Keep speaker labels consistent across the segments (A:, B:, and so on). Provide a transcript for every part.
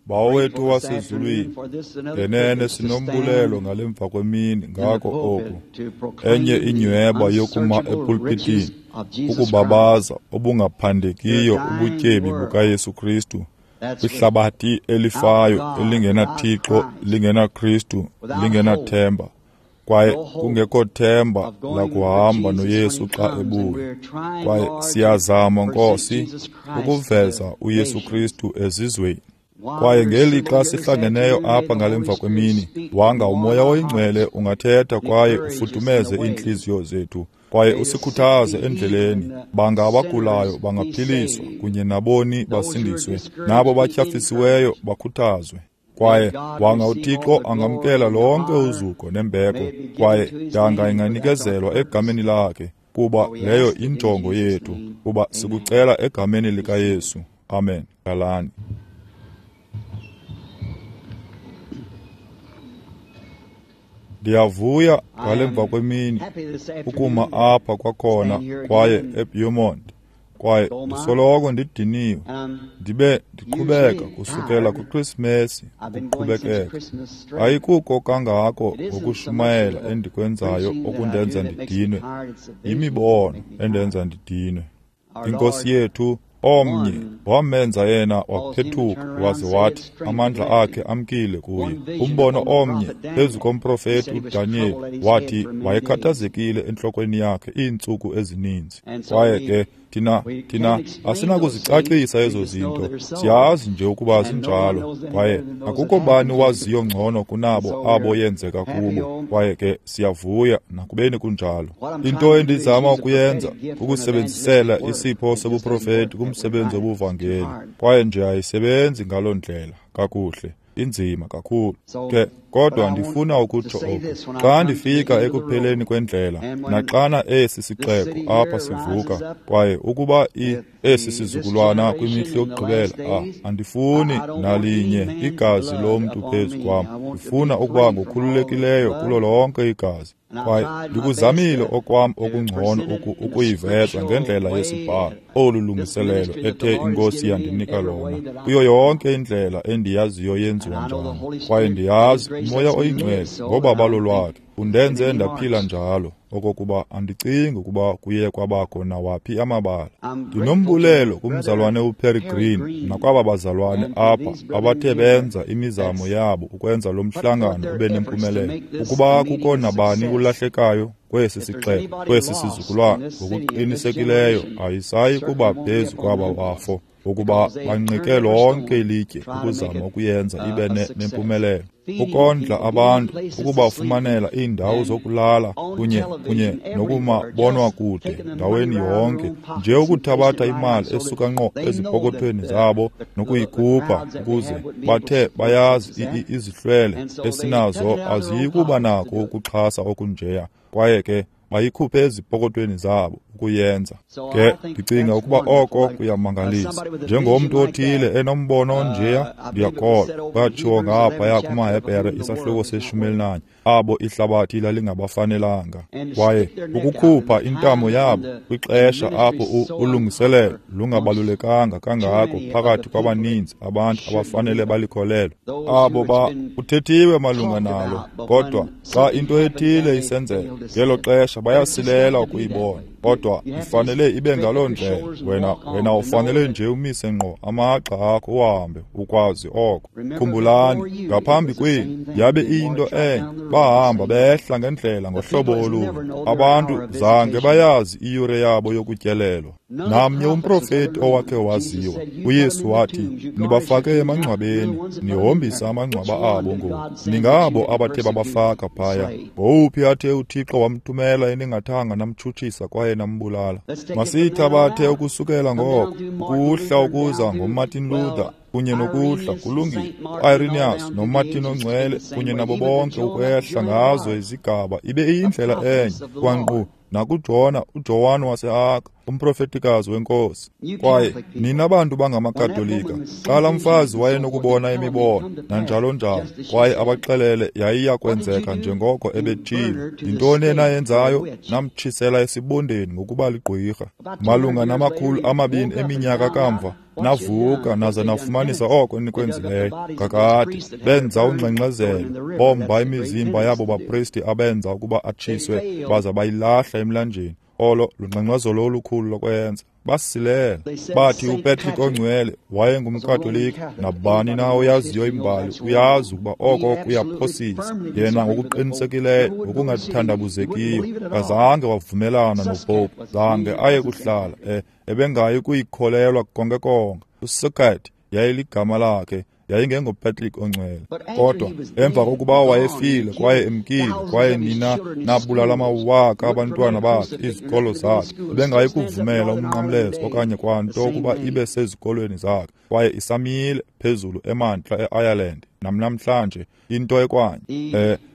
A: Bawo wethu wasezulwini, ngenene sinombulelo ngale mva kwemini ngako oku, enye inyweba yokuma epulpitini, ukubabaza obungaphandekiyo ubutyebi bukaYesu Kristu kwihlabathi elifayo elingenaThixo, lingenaKristu, lingenathemba, kwaye kungekho themba lakuhamba noYesu xa ebuya. Kwaye siyazama, Nkosi, ukuveza uYesu Kristu ezizweni. Kwaye ngelixa sihlangeneyo apha ngale mva kwemini, wanga uMoya oyiNgcwele ungathetha kwaye ufudumeze iintliziyo zethu, kwaye usikhuthaze endleleni. Banga abagulayo bangaphiliswa, kunye naboni basindiswe, nabo batyhafisiweyo bakhuthazwe. Kwaye wanga uThixo angamkela lonke uzuko nembeko, kwaye yanga inganikezelwa egameni lakhe, kuba leyo injongo yethu, kuba sikucela egameni likaYesu. Amen. Galani. Ndiyavuya ngale mva kwemini ukuma apha kwakhona kwaye eBeaumont, kwaye ndisoloko ndidiniwe, ndibe ndiqhubeka kusukela kuKrisimesi ukuqhubekeka. Ayikuko kangako ngokushumayela endikwenzayo okundenza ndidinwe, yimibono endenza ndidinwe. Inkosi yethu omnye wamenza yena waphethuka waze wathi amandla akhe amkile kuye. Umbono omnye phezu komprofeti uDaniyeli wathi wayekhathazekile entlokweni yakhe iintsuku ezininzi. Kwaye ke thina asinakuzicacisa ezo zinto, siyazi nje ukuba zinjalo, kwaye akukho bani waziyo ngcono kunabo abo yenzeka kubo. Kwaye ke siyavuya nakubeni kunjalo. Into endizama ukuyenza ukusebenzisela isipho sobuprofeti kumsebenzi wobuvangeli, kwaye nje ayisebenzi ngaloo ndlela kakuhle, inzima kakhulu ke. Kodwa ndifuna ukutsho oku, xa ndifika ekupheleni kwendlela, naxana esi sixeko apha sivuka, kwaye ukuba esi sizukulwana kwimihla yokugqibela, andifuni nalinye igazi lomntu phezu kwam, ndifuna ukuba ngokhululekileyo kulo lonke igazi. Kwaye ndikuzamile okwam okungcono ukuyiveza ngendlela yesibhalo olu lungiselelo ethe iNkosi yandinika lona, kuyo yonke indlela endiyaziyo yenziwa njani. Kwaye ndiyazi uMoya oyiNgcwele ngobabalo lwakhe undenze ndaphila njalo, okokuba andicingi ukuba kuye kwabakho nawaphi amabala. Ndinombulelo kumzalwane uPerry Green nakwaba bazalwane apha abathe benza imizamo yabo ukwenza lo mhlangano ube nempumelelo. Ukuba kukho nabani ulahlekayo kwesi sixeko, kwesi sizukulwana, ngokuqinisekileyo ayisayi kuba phezu kwaba bafo, ukuba banqike lonke ilitye ukuzama ukuyenza ibe nempumelelo. Ukondla abantu, ukubafumanela iindawo zokulala kunye nokumabonwa kude ndaweni yonke, nje ukuthabatha imali esuka ngqo ezipokothweni zabo nokuyikhupha ukuze bathe bayazi izihlwele esinazo aziyi kuba nako ukuxhasa okunjeya, kwaye ke bayikhuphe ezipokothweni zabo ukuyenza. Ke ndicinga ukuba oko kuyamangalisa. Njengomntu othile enombono onjeya, ndiyakholwa kwatshiwo ngaphaya kumaHebhere isahluko se-14, abo ihlabathi lalingabafanelanga. Kwaye ukukhupha intamo yabo kwixesha apho ulungiselelo lungabalulekanga kangako phakathi kwabaninzi abantu abafanele balikholelwe, abo kuthethiwe malunga nalo, kodwa xa into ethile isenzeka ngelo xesha bayasilela ukuyibona. Kodwa ifanele ibe ngaloo ndlela. Wena ufanele nje umise ngqo amagxa akho uhambe ukwazi oko. Khumbulani, ngaphambi kwenu yabe iyinto enye, bahamba behla ngendlela ngohlobo olubi. Abantu zange bayazi iyure yabo yokutyelelwa. Namnye umprofeti owakhe waziwa, uYesu wathi, nibafake emangcwabeni, nihombisa amangcwaba abo ngoku. Ningabo abathe babafaka phaya. Ngowuphi athe uThixo wamthumela eningathanga namtshutshisa kwaye nambulala? Masiyithabathe ukusukela ngoko, ukuhla ukuza ngoMartin Luther, kunye nokuhla kulungile, uIrenaeus noMartin oNgcwele kunye nabo bonke ukwehla ngazo izigaba ibe iyindlela enye kwanqu. nakuJona, uJohane waseArk, umprofetikazi wenkosi. Kwaye nina bantu bangamaKatolika, xa laa mfazi wayenokubona imibono nanjalo njalo, kwaye abaxelele yayiya kwenzeka njengoko ebetshilo, yintoni enayenzayo? Namtshisela esibondeni ngokuba ligqwirha. Malunga na-200 eminyaka kamva, navuka naza nafumanisa oko nikwenzileyo. Kakade benza ungxengxezelo, bomba imizimba yabo bapristi abenza ukuba atshiswe, baza bayilahla emlanjeni. Olo lungxengxezelo olukhulu lokwenza. Basilela. Bathi uPatrick ongcwele wayengumKatolika. Nabani na oyaziyo imbali uyazi ukuba oko kuyaphosisa. Yena ngokuqinisekileyo, ngokungathandabuzekiyo, kazange wavumelana noPope, zange aye kuhlala ebengayi kuyikholelwa konke konke. USuccat yayiligama lakhe, yayingengoPatrick ongcwele. Kodwa emva kokuba wayefile kwaye emkile, kwaye nina nabulala amawaka abantwana bakhe, izikolo zakhe, ebengayi kuvumela umnqamlezo okanye kwanto ukuba ibe sezikolweni zakhe. Kwaye isamile phezulu emantla e-Ireland namnamhlanje into ekwanye.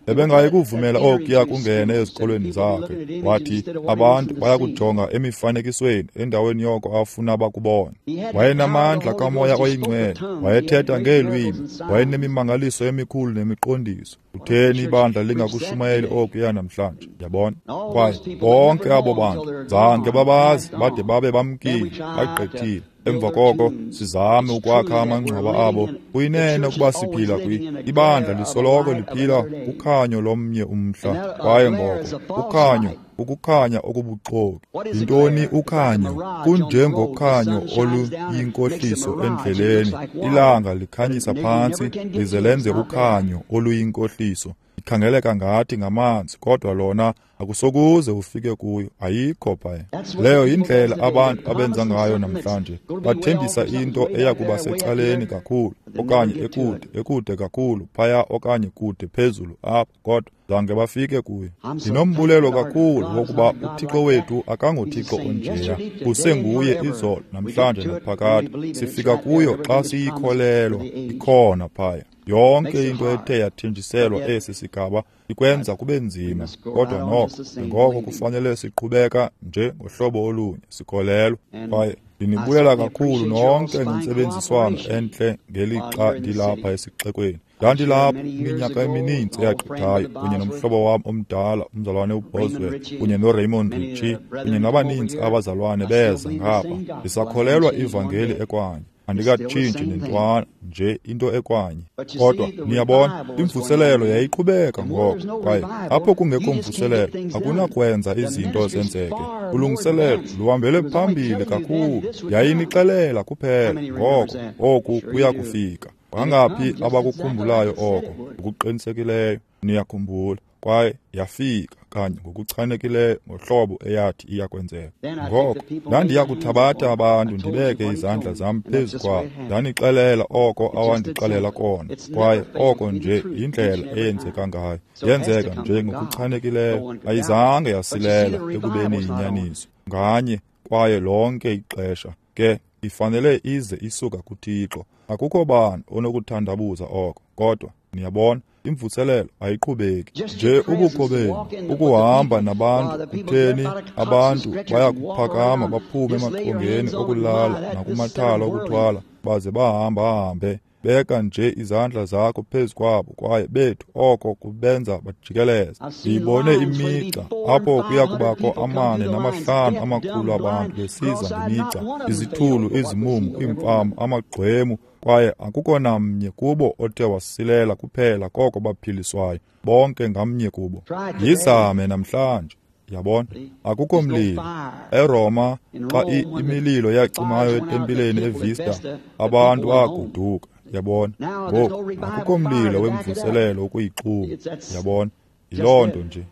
A: Ebengayi kuvumela okuya kungene ezikolweni zakhe. Wathi abantu bayakujonga emifanekisweni endaweni yoko afuna bakubona. Wayenamandla kaMoya oyiNgcwele, wayethetha ngeelwimi, wayenemimangaliso emikhulu nemiqondiso. Utheni ibandla lingakushumayeli okuya namhlanje? Yabona? Kwaye bonke abo bantu zange babazi bade babe bamkile, bagqithile. Emva koko sizame ukwakha amangcwaba abo. Kuyinene ukuba siphila ibandla lisoloko liphila kukhanyo lomnye umhla. Kwaye ngoko ukhanyo, ukukhanya okubuxoki. Yintoni ukhanyo? Kunjengokhanyo oluyinkohliso endleleni. Ilanga likhanyisa phantsi lize lenze ukhanyo oluyinkohliso. Ikhangeleka ngathi ngamanzi, kodwa lona akusokuze ufike kuyo, ayikho phaya. Leyo yindlela abantu abenza ngayo namhlanje. Bathembisa into eya kuba secaleni kakhulu okanye ekude, ekude kakhulu phaya okanye kude phezulu apha, kodwa zange bafike kuyo. Ndinombulelo kakhulu wokuba uThixo wethu akangoThixo onjeya, usenguye izolo, namhlanje naphakade. Sifika kuyo xa siyikholelwa, ikhona phaya. Yonke into ethe yathenjiselwa esi sigaba ikwenza kube nzima, kodwa noko ngoko kufanele siqhubeka nje ngohlobo olunye sikholelwa. Kwaye ndinibulela kakhulu nonke ngentsebenziswano entle ngelixa ndilapha esixekweni. Ndandilapha iminyaka emininzi eyagqithayo kunye nomhlobo wam omdala umzalwane uBoswell kunye noRaymond Ritchie kunye nabaninzi abazalwane beza ngapha. Ndisakholelwa ivangeli ekwanye, andikatshintshi nentwana nje, into ekwanye. Kodwa niyabona, imvuselelo yayiqhubeka ngoko, kwaye apho kungekho mvuselelo akunakwenza izinto zenzeke. Ulungiselelo luhambele phambili kakhulu, yayinixelela kuphela ngoko oku kuya kufika. Bangaphi abakukhumbulayo oko? Ngokuqinisekileyo niyakhumbula. Kwaye yafika kanye ngokuchanekileyo ngohlobo eyathi iyakwenzeka. Ngoko ndandiya kuthabatha abantu ndibeke izandla zam phezu kwabo, ndanixelela oko awandixelela kona. Kwaye oko nje yindlela eyenzeka ngayo. Yenzeka nje ngokuchanekileyo, ayizange yasilela ekubeni yinyaniso nganye kwaye lonke ixesha. Ke ifanele ize isuka kuThixo, akukho bani onokuthandabuza oko. Kodwa niyabona, imvuselelo ayiqhubeki nje. Ubukho benu, ukuhamba nabantu, kutheni abantu bayakuphakama baphume emaqongeni okulala nakumathala okuthwala baze bahambahambe. Beka nje izandla zakho phezu kwabo, kwaye bethu oko kubenza bajikeleze. Ndiyibone imigca apho kuya kubakho 4 nama-5 amakhulu abantu besiza ngemigca, izithulu, izimumu, iimfama, amagqwemu, kwaye akukho namnye kubo othe wasilela kuphela koko baphiliswayo, bonke ngamnye kubo. Yizame namhlanje. Yabona, akukho mlilo. ERoma, xa imililo yacimayo etempileni eVista, abantu baguduka. Yabona, ngoku akukho mlilo wemvuselelo ukuyixhuma. Yabona, yiloo nto nje.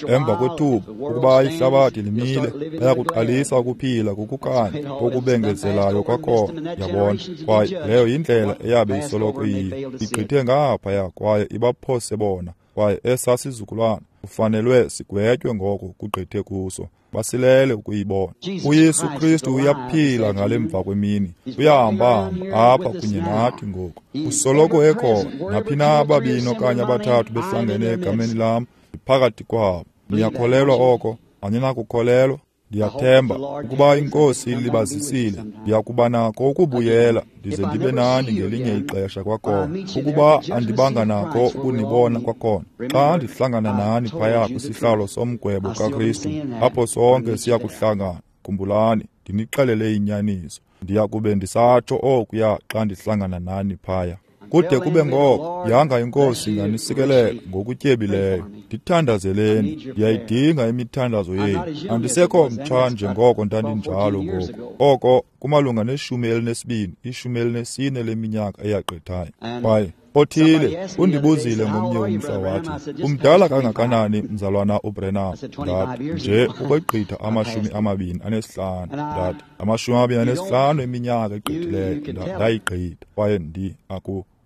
A: Emva kwethuba, ukuba ihlabathi limile, bayakuqalisa ukuphila kukukhanya okubengezelayo kwakhona. Yabona, kwaye leyo yindlela eyabe isoloko iyiyo. Igqithe ngaphaya kwaye ibaphose bona. Kwaye esaa sizukulwana kufanelwe sigwetywe ngoko kugqithe kuso, basilele ukuyibona. UYesu Kristu uyaphila ngale mva kwemini, uyahamba-hamba apha kunye nathi ngoku. Usoloko ekhona, naphi na ababini okanye abathathu behlangene egameni lam, ndiphakathi kwabo. Niyakholelwa oko? Aninakukholelwa? Ndiyathemba ukuba iNkosi ilibazisile, ndiyakuba nako ukubuyela ndize ndibe nani ngelinye ixesha kwakhona. Ukuba andibanga nako ukunibona kwakhona, xa ndihlangana nani phaya kwisihlalo somgwebo kaKristu, apho sonke siyakuhlangana. Khumbulani, ndinixelele inyaniso. Ndiyakube ndisatsho okuya xa ndihlangana nani phaya. Kude kube ngoko, yanga iNkosi inganisikelela ngokutyebileyo. Ndithandazeleni, ndiyayidinga imithandazo yenu. Andisekho mtsha njengoko ndandinjalo ngoku. Oko kumalunga ne-12, 14 leminyaka eyagqithayo. Kwaye othile undibuzile ngomnye umhla wathi, umdala kangakanani mzalwana uBrenham? Ndathi, nje ukwegqitha 25. Ndathi, 25 eminyaka egqithileyo. Ndayigqitha. Kwaye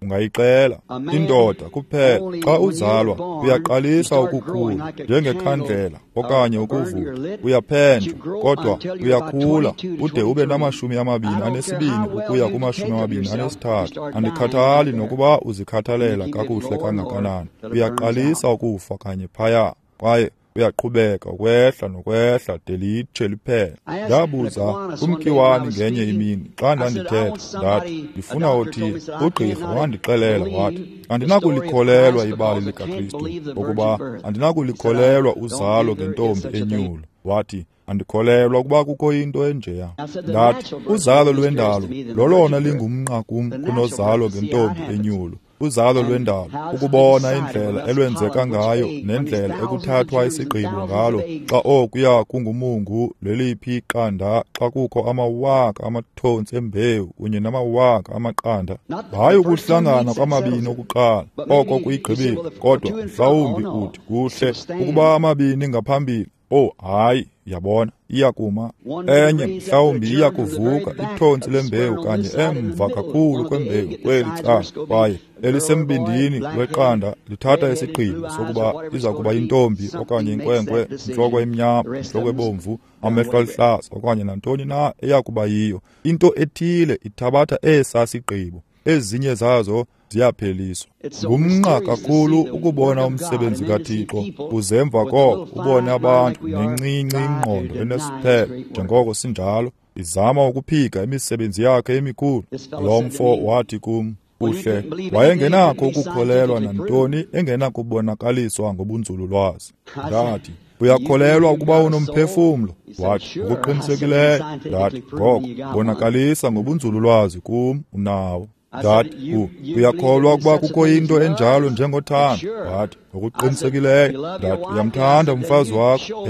A: ungayixela indoda kuphela xa uzalwa uyaqalisa ukukhula njengekhandlela okanye ukuvutha, uyaphenjwa, kodwa uyakhula ude ube nama-22 ukuya kuma-23. Andikhathali nokuba uzikhathalela kakuhle kangakanani, uyaqalisa ukufa kanye phaya, kwaye uyaqhubeka ukwehla nokwehla de litshe liphele. Ndabuza kumkiwani ngenye imini xa ndandithetha, ndathi, ndifuna othile. Ugqirha wandixelela wathi, andinakulikholelwa ibali likaKristu, ngokuba andinakulikholelwa uzalo ngentombi enyulu. Wathi, andikholelwa ukuba kukho into enjeya. Ndathi, uzalo lwendalo lolona lingumnqa kum kunozalo ngentombi enyulu. Uzalo lwendalo, ukubona indlela elwenzeka ngayo nendlela ekuthathwa isigqibo ngalo xa okuya kungumungu leliphi iqanda, xa kukho amawaka amathontsi embewu kunye namawaka amaqanda. Hayi ukuhlangana kwamabini okuqala, oko kuyigqibile, kodwa mhlawumbi uthi kuhle ukuba amabini ngaphambili. Oh, hayi, yabona, iyakuma. Enye mhlawumbi iyakuvuka ithontsi lembewu kanye emva kakhulu kwembewu kweli cala, kwaye elisembindini weqanda lithatha isigqibo sokuba iza kuba yintombi okanye inkwenkwe, intloko emnyama, intloko ebomvu, amehlo aluhlaza okanye nantoni na eyakuba yiyo. Into ethile ithabatha esa sigqibo, ezinye zazo ziyapheliswa. Ngumnqa kakhulu ukubona umsebenzi kaThixo, uze emva koko ubone abantu nencinci ingqondo enesiphelo njengoko sinjalo, izama ukuphika imisebenzi yakhe emikhulu. Lo mfo wathi kum, kuhle, wayengenakho ukukholelwa nantoni engenakubonakaliswa ngobunzululwazi. Ndathi, uyakholelwa ukuba unomphefumlo? Wathi, ngokuqinisekileyo. Ndathi, ngoko bonakalisa ngobunzululwazi kum unawo. Ndathi, uyakholwa ukuba kukho into enjalo njengothando? Wathi, ngokuqinisekileyo. Ndathi, uyamthanda umfazi wakho?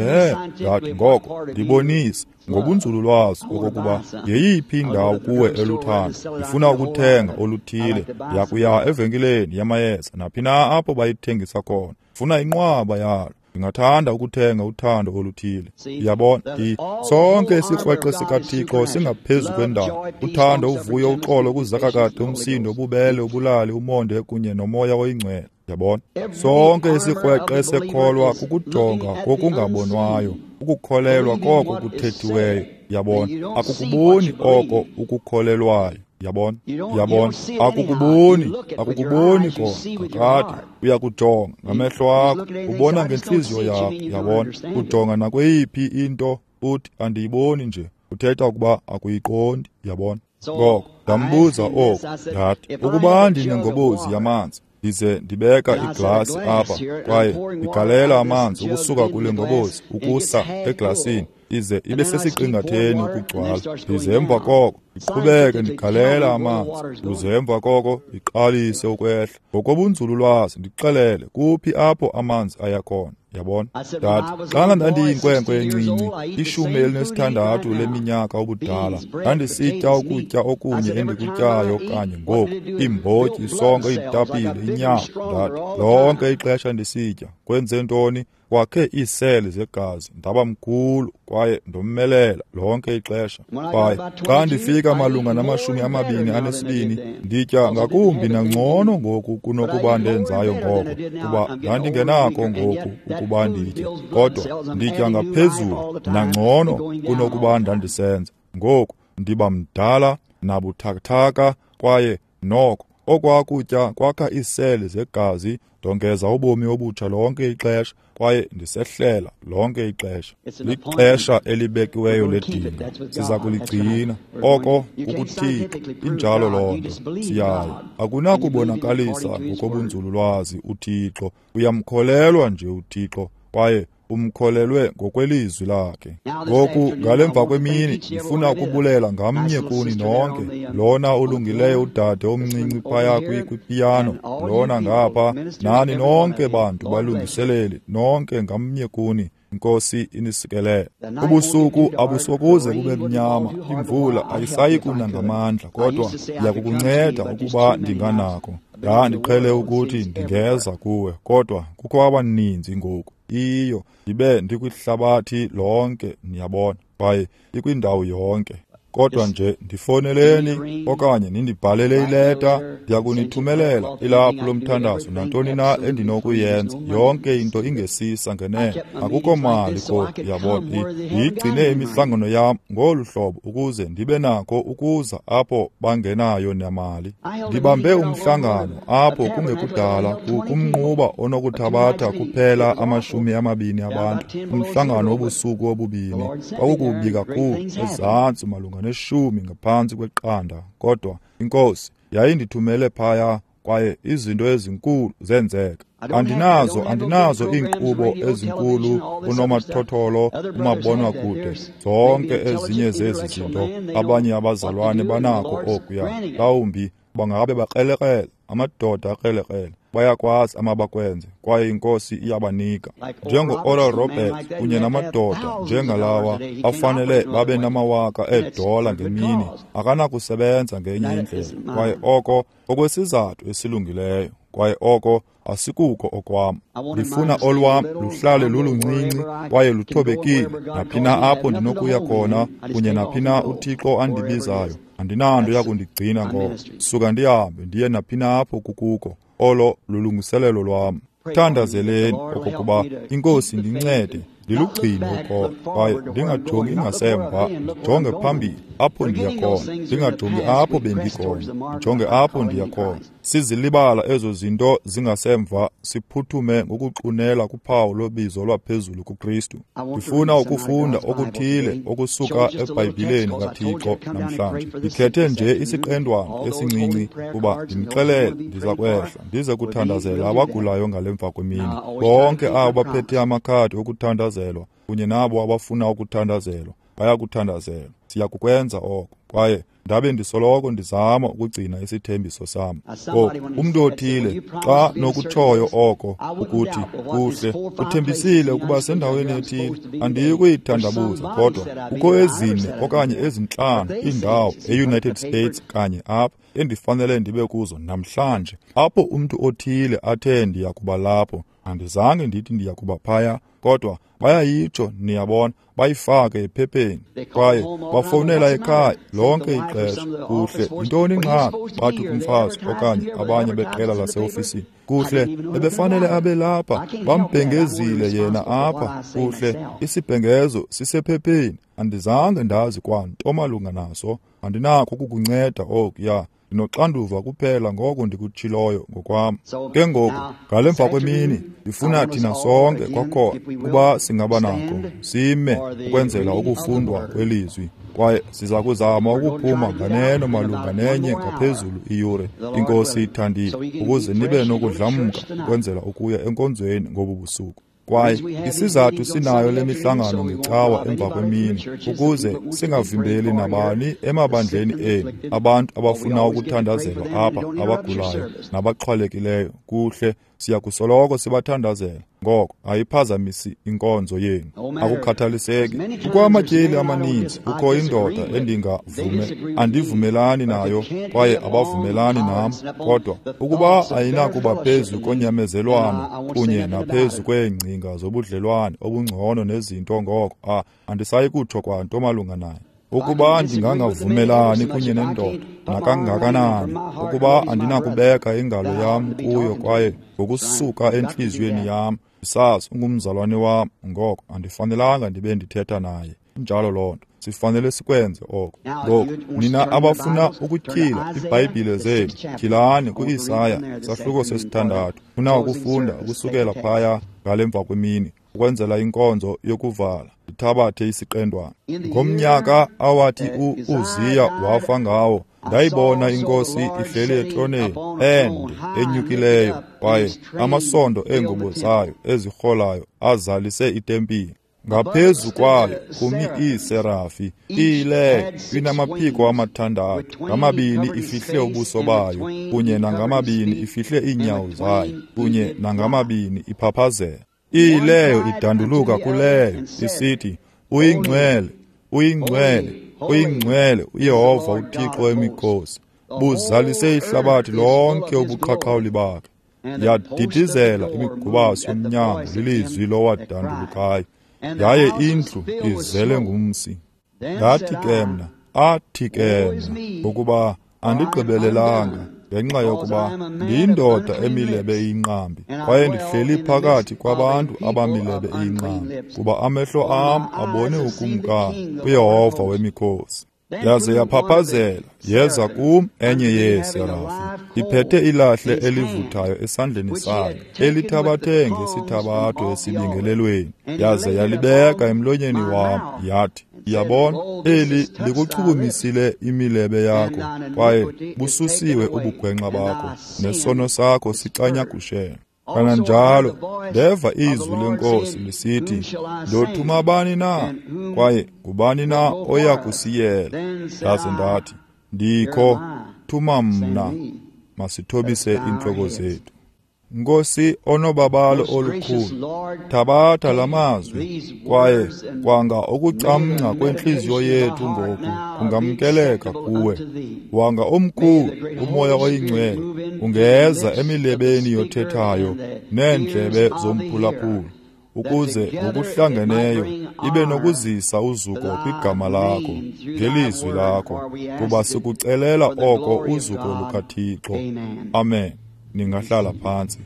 A: Ndathi, ngoko ndibonise ngobunzululwazi okokuba yeyiphi indawo kuwe eluthando. Ndifuna ukuthenga oluthile. Ndiyakuya evenkileni yamayeza naphi na apho bayithengisa khona. Funa inqwaba yalo. Ndingathanda ukuthenga uthando oluthile. Uyabona, sonke isikrweqe sikaThixo singaphezu kwendalo. Uthando, uvuyo, uxolo, ukuzakakade, umsindo, ububele, ubulali, umonde kunye nomoya oyingcwele. Yabona, sonke isikrweqe sekholwa kukujonga kokungabonwayo, ukukholelwa koko kuthethiweyo. Yabona, akukuboni oko ukukholelwayo. Yabona, yabona, akukuboni, akukuboni kona kakade. Uyakujonga ngamehlo akho, ubona ngentliziyo yakho. Yabona, ujonga nakweyiphi into uthi andiyiboni nje, uthetha ukuba akuyiqondi. Yabona. Ngoko ndambuza oku, ndathi, ukuba ndinengobozi yamanzi ndize ndibeka iglasi apha kwaye ndigalela amanzi ukusuka kule ngobozi ukusa eglasini, ize ibe sesiqingatheni ukugcwala, ndize emva koko ndiqhubeke ndigalela amanzi, uze emva koko iqalise ukwehla. Ngokobunzululwazi ndixelele kuphi apho amanzi aya khona. Yabona, ndathi, xana ndandiyinkwenkwe encinci, 16 leminyaka ubudala, ndandisitya ukutya okunye endikutyayo kanye ngoku, iimbotyi, isonka, iitapile, inyama. Ndathi, lonke ixesha ndisitya, kwenze ntoni? Kwakhe iiseli zegazi, ndaba mkhulu kwaye ndomelela lonke ixesha. Kwaye xa ndifika malunga nama-22, nditya ngakumbi nangcono ngoku kunokuba ndenzayo ngoko, kuba ndandingenako ngoku ukuba nditye, kodwa nditya ngaphezulu nangcono kunokuba ndandisenza. Ngoku ndiba mdala nabuthathaka kwaye noko Okwaa kutya kwakha iiseli zegazi. Ndongeza ubomi obutsha lonke ixesha, kwaye ndisehlela lonke ixesha. Lixesha elibekiweyo ledinga, siza kuligcina. Oko kukuThixo, injalo loo nto. Siyayo. Akunakubonakalisa ngokobunzululwazi uThixo. Uyamkholelwa nje uThixo, kwaye umkholelwe ngokwelizwi lakhe. Ngoku ngalemva kwemini ndifuna ukubulela ngamnye kuni nonke, lona ulungileyo udade omncinci phaya kwipiyano, lona ngapha, nani nonke bantu balungiseleli, nonke ngamnye kuni. Inkosi inisikelele. Ubusuku abusokuze bube mnyama, imvula ayisayi kuna ngamandla, kodwa ndiyakukunceda ukuba ndinganako. Ndandiqhele ukuthi ndingeza kuwe, kodwa kukho abaninzi ngoku. Iyo, ndibe ndikwihlabathi lonke, niyabona, kwaye ikwindawo yonke. Kodwa nje ndifoneleni okanye nindibhalele ileta, ndiyakunithumelela ilaphu lomthandazo nantoni na endinokuyenza. Yonke into ingesisa ngenene, akukho mali kodwa, uyabona. Ndiyigcine imihlangano yam ngolu hlobo ukuze ndibe nako ukuza apho bangenayo nemali. Ndibambe umhlangano apho kungekudala kumnquba onokuthabatha kuphela 20 abantu, umhlangano wobusuku obubini. Kwakukubi kakhulu, ezantsi malunga 0.10, kodwa iNkosi yayindithumele phaya, kwaye izinto ezinkulu zenzeka. Andinazo iinkqubo ezinkulu, unomathotholo, umabonwakude, zonke ezinye zezi zinto. Abanye abazalwane banako okuya, mhlawumbi bangabe bakrelekrele, amadoda akrelekrele, bayakwazi amabakwenze, kwaye iNkosi iyabanika. Njengo-Oral Roberts kunye namadoda njengalawa afanele babe namawaka eedola ngemini, akanakusebenza ngenye indlela, kwaye oko okwesizathu esilungileyo, kwaye oko asikuko okwam. Ndifuna olwam luhlale luluncinci kwaye luthobekile, naphina apho ndinokuya khona kunye naphina uThixo andibizayo. Andinanto yakundigcina ngoko, suka ndihambe ndiye naphina apho kukuko. Olo lulungiselelo lwam. Thandazeleni okokuba iNkosi ndincede ndilugcine ukholo, kwaye ndingajongi ngasemva, ndijonge phambili apho ndiya khona, ndingajongi apho bendikhona, ndijonge apho ndiya khona. Sizilibala ezo zinto zingasemva, siphuthume ngokuxunela kuphawu lobizo lwaphezulu kuKristu. Ndifuna ukufunda okuthile okusuka eBhayibhileni kaThixo namhlanje. Ndikhethe nje isiqendwana esincinci kuba ndimxelele ndiza kwehla ndize kuthandazela abagulayo ngalemva kwemini. Bonke abo baphethe amakhadi okuthandazelwa kunye nabo abafuna ukuthandazelwa bayakuthandazelwa. Siyakukwenza oko, kwaye ndabe ndisoloko ndizama ukugcina isithembiso sam. Ngoku umntu othile xa nokutshoyo oko ukuthi kuhle, uthembisile ukuba sendaweni ethile, andiyi kuyithandabuza, kodwa kukho 4 okanye 5 iindawo e-United States kanye apha endifanele ndibe kuzo namhlanje, apho umntu othile athe ndiyakuba lapho. Andizange ndithi ndiyakuba phaya, kodwa bayayitsho, niyabona, bayifake ephepheni, kwaye bafowunela ekhaya lonke ixesha. Kuhle, yintoni ingxaki? Bathi kumfazi okanye abanye beqela laseofisini, kuhle, ebefanele abe lapha, bambhengezile yena apha. Kuhle, isibhengezo sisephepheni, andizange ndazi kwanto malunga naso, andinakho ukukunceda okuya. Ndinoxanduva kuphela ngoko ndikutshiloyo ngokwam. Ke ngoku ngalemva kwemini ndifuna thina sonke kwakhona ukuba singaba nako sime ukwenzela ukufundwa kwelizwi, kwaye siza kuzama ukuphuma nganeno malunga 1 iyure, iNkosi ithandile, ukuze nibe nokudlamka ukwenzela ukuya enkonzweni ngobu busuku. Kwaye isizathu sinayo le mihlangano ngecawa emva kwemini, ukuze singavimbeli nabani emabandleni enu, abantu abafuna ukuthandazelwa apha, abagulayo nabaxhwalekileyo. Kuhle, siyakusoloko sibathandazela. Ngoko ayiphazamisi inkonzo yenu, akukhathaliseki. Kukho amatyeli amaninzi, kukho indoda andivumelani nayo, kwaye abavumelani nam, kodwa ukuba ayinakuba phezu konyamezelwano kunye naphezu kweengcinga zobudlelwane obungcono nezinto, ngoko andisayi kutsho kwanto malunga naye. Ukuba ndingangavumelani kunye nendoda nakangakanani, ukuba andinakubeka ingalo yam kuyo kwaye ngokusuka entliziyweni yam ndisazi ungumzalwane wam, ngoko andifanelanga ndibe ndithetha naye. Injalo loo nto. Sifanele sikwenze oko. Ngoku, nina abafuna ukutyhila iBhayibhile zenu, tyhilani ku-Isaya, sahluko 6. Funa ukufunda ukusukela phaya ngale mva kwemini, ukwenzela inkonzo yokuvala. Ndithabathe isiqendwana. Ngomnyaka awathi u-Uziya wafa ngawo, ndayibona iNkosi ihleli etroneni ende enyukileyo, kwaye amasondo eengubo zayo ezirholayo azalise itempile. Ngaphezu kwayo kumi iiserafi, iyileyo inamaphiko 6, ngamabini ifihle ubuso bayo, kunye nangamabini ifihle iinyawo zayo, kunye nangamabini iphaphazela. Iyileyo idanduluka kuleyo isithi, uyingcwele, uyingcwele, uyingcwele uYehova uThixo wemikhosi, buzalise ihlabathi lonke ubuqhaqhawuli bakhe. Yadidizela imigubasi yomnyango lilizwi lowadandulukayo, yaye indlu izele ngumsi. Ndathi ke mna, athi ke mna, ngokuba andigqibelelanga, ngenxa yokuba ndiyindoda emilebe iyinqambi, kwaye ndihleli phakathi kwabantu abamilebe iyinqambi, kuba amehlo am abone ukumkani, uYehova wemikhosi. Yaze yaphaphazela, yeza kum enye yeeserafi, iphethe ilahle elivuthayo esandleni sayo, elithabathe ngesithabatho esibingelelweni, yaze yalibeka emlonyeni wam, yathi, yabona, eli likuchukumisile imilebe yakho, kwaye bususiwe ubugwenxa bakho, nesono sakho sicanyagushela. Kananjalo ndeva izwi leNkosi lisithi, ndothuma bani na, kwaye ngubani na oya kusiyela? Ndaze ndathi, ndikho, thuma mna. Masithobise iintloko zethu. Nkosi onobabalo olukhulu, thabatha la mazwi, kwaye kwanga ukucamngca kwentliziyo yethu ngoku kungamkeleka kuwe. Wanga omkhulu uMoya oyiNgcwele ungeza emilebeni yothethayo neendlebe zomphulaphuli, ukuze ngokuhlangeneyo ibe nokuzisa uzuko kwigama lakho ngelizwi lakho, kuba sikucelela oko uzuko lukaThixo. Amen. Ningahlala phantsi.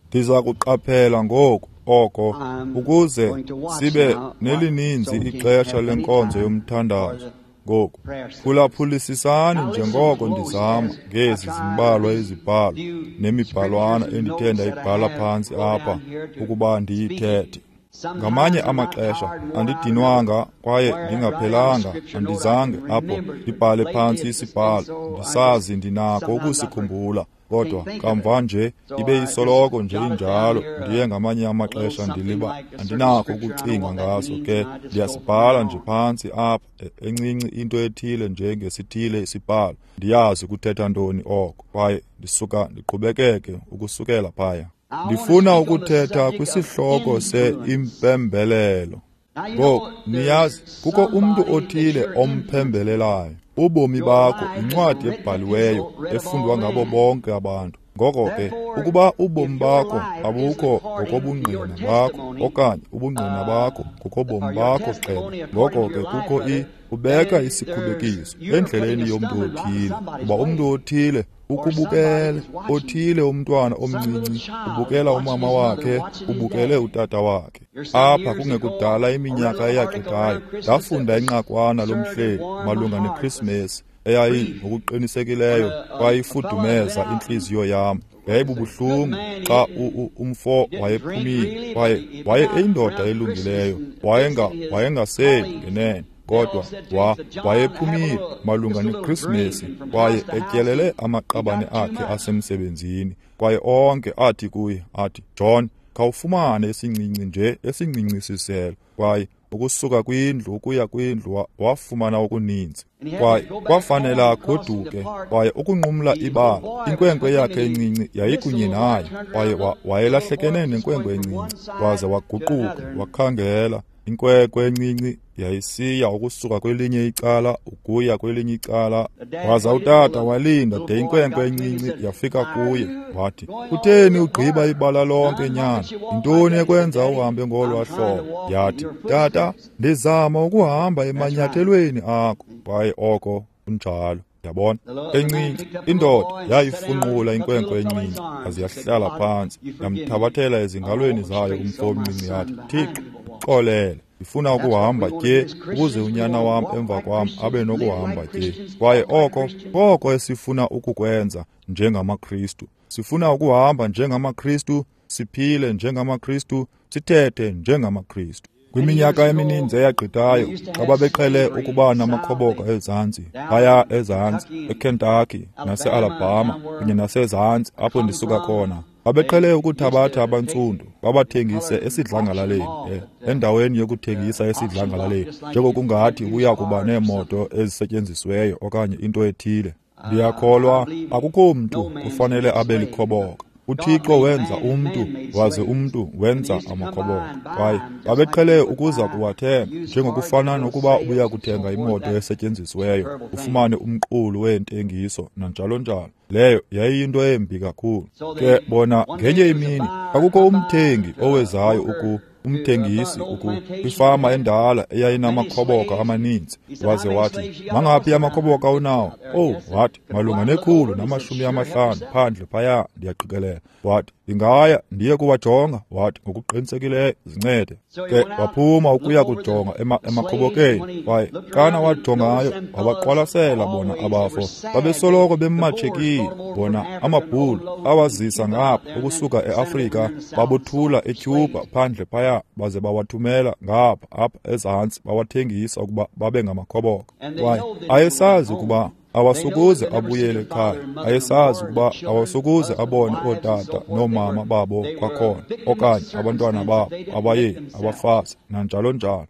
A: Ndiza kuqaphela ngoku oko ukuze sibe nelininzi ixesha lenkonzo yomthandazo. Ngoku phulaphulisisani njengoko ndizama ngezi zimbalwa izibhalo nemibhalwana endithe ndayibhala phantsi apha ukuba ndiyithethe. Ngamanye amaxesha andidinwanga kwaye ndingaphelanga, andizange apho ndibhale phantsi isibhalo, ndisazi ndinako ukusikhumbula, kodwa kamva nje ibe isoloko nje injalo. Ndiye ngamanye amaxesha ndiliba andinako ukucinga ngaso, ke ndiyasibhala nje phantsi apha encinci into ethile njengesithile isibhalo, ndiyazi kuthetha ntoni oko, kwaye ndisuka ndiqhubekeke ukusukela phaya. Ndifuna ukuthetha kwisihloko se-impembelelo. Ngoku, niyazi, kukho umntu othile omphembelelayo. Ubomi bakho yincwadi ebhaliweyo efundwa ngabo bonke abantu. Ngoko ke, ukuba ubomi bakho abukho ngokobungqina bakho okanye ubungqina bakho ngokobomi bakho qele, ngoko ke kukho ubeka isikhubekiso endleleni yomntu othile, kuba umntu othile ukubukele, othile umntwana omncinci ubukela umama wakhe, ubukele utata wakhe. Apha kungekudala iminyaka eyagqithayo, ndafunda inqakwana lomhleli malunga neKrismesi eyayi ngokuqinisekileyo kwayifudumeza intliziyo yam. Yayibubuhlungu xa umfo wayephumile, kwaye waye eyindoda elungileyo, wayengaseli ngenene, kodwa wayephumile malunga neKrismesi kwaye etyelele amaqabane akhe asemsebenzini, kwaye onke athi kuye, athi, John, khawufumane esincinci nje, esincinci isiselo. Kwaye ukusuka kwindlu ukuya kwindlu wafumana okuninzi, kwaye kwafanela agoduke. Kwaye ukunqumla ibala, inkwenkwe yakhe encinci yayikunye naye, kwaye wayelahlekene nenkwenkwe encinci, waze waguquka wakhangela. Inkwenkwe encinci yayisiya ukusuka kwelinye icala ukuya kwelinye icala, waza utata walinda de inkwenkwe encinci yafika kuye. Wathi, kutheni ugqiba ibala lonke nyana? Yintoni ekwenza uhambe ngolwa hlobo? Yathi, tata, ndizama ukuhamba emanyathelweni akho. Kwaye oko kunjalo. Yabona, encinci indoda yayifunqula inkwenkwe encinci, yaze yahlala phantsi, yamthabathela ezingalweni zayo umfo omncinci, yathi, Thixo, Ndixolele, ndifuna ukuhamba tye ukuze unyana wam emva kwam abe nokuhamba tye. Kwaye oko koko esifuna ukukwenza njengamaKristu. Sifuna ukuhamba njengamaKristu, siphile njengamaKristu, sithethe njengamaKristu. Kwiminyaka emininzi eyagqithayo, xa babeqhele ukuba namakhoboka ezantsi, phaya ezantsi eKentucky naseAlabama kunye nasezantsi apho ndisuka khona, babeqhele ukuthabatha abantsundu babathengise esidlangalaleni, endaweni yokuthengisa esidlangalaleni, njengokungathi uya kuba neemoto ezisetyenzisiweyo okanye into ethile. Ndiyakholwa akukho mntu kufanele abe likhoboka. UThixo wenza umntu, waze umntu wenza amakhoboka. Kwaye babeqhele ukuza kuwathenga, njengokufana nokuba ubuya kuthenga imoto esetyenzisiweyo, ufumane umqulu weentengiso nanjalo njalo. Leyo yayiyinto embi kakhulu. Ke bona ngenye imini kwakukho umthengi owezayo umthengisi kwifama endala eyayinamakhoboka amaninzi, waze wathi, mangaphi amakhoboka unawo? Oh, wathi, malunga 150 phandle phaya, ndiyaqikelela. Wathi, ndingaya ndiye kuwajonga. Wathi, ngokuqinisekileyo zincede. Ke waphuma ukuya kujonga emakhobokeni, kwaye xana wajongayo wabaqwalasela bona abafo. Babesoloko bematshekile bona amabhulu awazisa ngapha ukusuka eAfrika, babothula eCuba phandle phaya, baze bawathumela ngapha apha ezantsi, bawathengisa ukuba babe ngamakhoboka. Kwaye ayesazi ukuba awasokuze abuyele ekhaya, ayesazi ukuba awasokuze abone ootata noomama babo kwakhona, okanye abantwana babo, abayeni, abafazi, nanjalo njalo.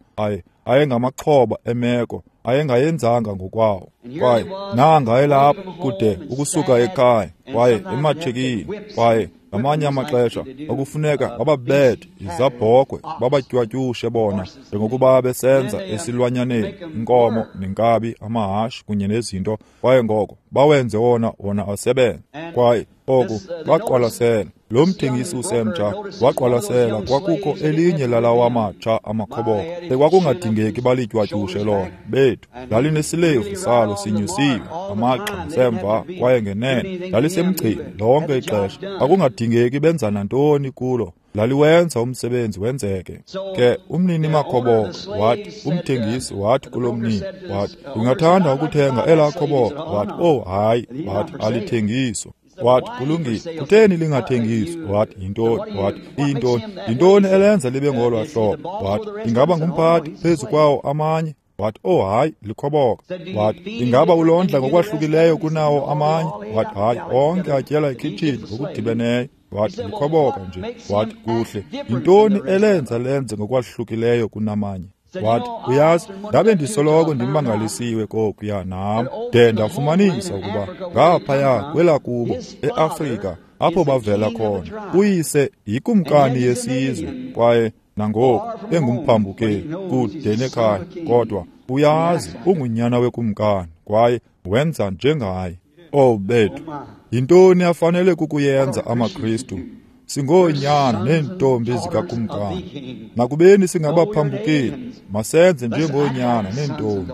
A: Ayengamaxhoba emeko ayengayenzanga ngokwawo. Kwaye nanga elapha kude ukusuka ekhaya, kwaye ematshekile, kwaye ngamanye amaxesha okufuneka bababethe izabhokhwe, babatywatyushe bona njengokuba besenza esilwanyaneni, inkomo nenkabi, amahashe kunye nezinto. Kwaye ngoko bawenze wona asebenze. Kwaye oku baqwalasela lo mthengisi usemtsha waqwalasela kwakukho elinye lalawa matsha amakhoboka ekwakungadingeki balitywatyushe lona. Bethu lalinesilevu salo sinyusiwe, amagxa ngasemva, kwaye ngenene lalisemgcini lonke ixesha. Kwakungadingeki benza nantoni kulo, laliwenza umsebenzi wenzeke. Ke umnini makhoboka wathi, umthengisi wathi kulo mnini, wathi, ndingathanda ukuthenga elaa khoboka. Wathi, oh hayi, wathi, alithengiswa. Wathi, kulungile, kutheni lingathengiswa? Wathi, yintoni? Wathi, iyintoni? Yintoni elenza libe ngolwa hlobo? Wathi, ingaba ngumphathi phezu kwawo amanye? Wathi, oh hayi, likhoboka. Wathi, ingaba ulondla ngokwahlukileyo kunawo amanye? Wathi, hayi, onke atyela ekhitshini ngokudibeneyo. Wathi, likhoboka nje. Wathi, kuhle, yintoni elenza lenze ngokwahlukileyo kunamanye? Wathi, uyazi, ndabe ndisoloko ndimangalisiwe kokuya nam, de ndafumanisa ukuba ngaphaya kwelakubo eAfrika apho bavela khona, uyise yikumkani yesizwe, kwaye nangoku engumphambukeli kude nekhaya, kodwa uyazi ungunyana wekumkani, kwaye wenza njengaye. Oh bethu, yintoni afanele kukuyenza amaKristu? Singoonyana neentombi zikakumkani. Nakubeni singabaphambukeli, masenze njengoonyana neentombi.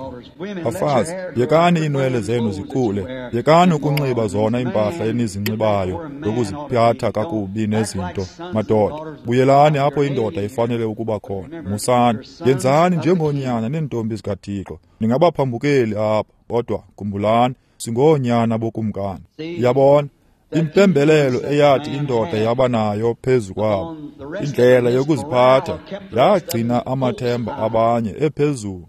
A: Bafazi, yekani iinwele zenu zikhule, yekani ukunxiba zona iimpahla enizinxibayo yokuziphatha kakubi nezinto. Madoda, buyelani apho indoda ifanele ukuba khona. Musani, yenzani njengoonyana neentombi zikaThixo. Ningabaphambukeli apha, kodwa khumbulani, singoonyana bokumkani. Yabona impembelelo eyathi indoda yaba nayo phezu kwabo, indlela yokuziphatha yagcina amathemba abanye ephezulu.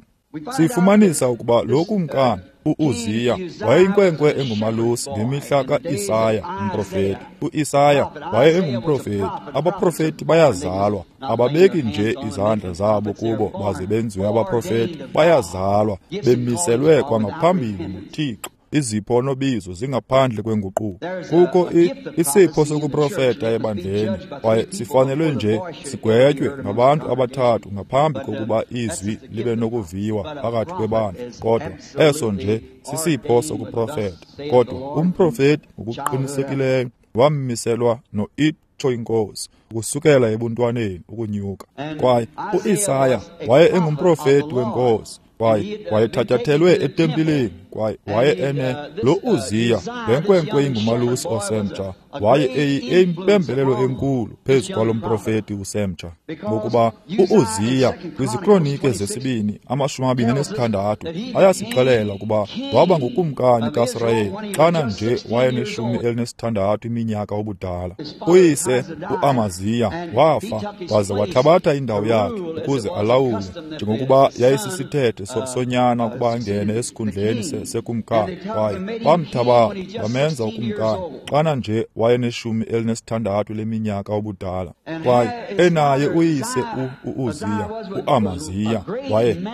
A: Sifumanisa ukuba lo kumkani uUziya wayeyinkwenkwe engumalusi ngemihla kaIsaya umprofeti. UIsaya waye engumprofeti. Abaprofeti bayazalwa, ababeki nje izandla zabo kubo baze benziwe abaprofeti. Bayazalwa bemiselwe kwangaphambili nguThixo. Izipho nobizo zingaphandle kwenguquko. Kukho isipho sokuprofeta ebandleni, kwaye sifanelwe nje sigwetywe ngabantu abathathu ngaphambi kokuba izwi libe nokuviwa phakathi kwebandla. Kodwa eso nje sisipho sokuprofeta. Kodwa umprofeti ngokuqinisekileyo wammiselwa noitsho inkosi ukusukela ebuntwaneni ukunyuka. Kwaye uIsaya waye engumprofeti wenkosi, kwaye wayethatyathelwe etempileni, Kwaye waye ene lo Uziya, le nkwenkwe ingumalusi osemtsha, waye eyimpembelelo enkulu phezu kwalo mprofeti usemtsha. Ngokuba u-Uziya kwiziKronike zesibini 26 ayasixelela ukuba waba ngukumkani kaSirayeli xana nje wayeneshumi elinesithandathu iminyaka ubudala. Uyise uAmaziya wafa, waze wathabatha indawo yakhe ukuze alawule, njengokuba yayisisithethe sonyana ukuba angene esikhundleni sekumkani. Kwaye bamthabatha bamenza ukumkani xana nje wayeneshumi elinesithandathu leminyaka ubudala. Kwaye enaye uyise u-Uziya, uAmaziya,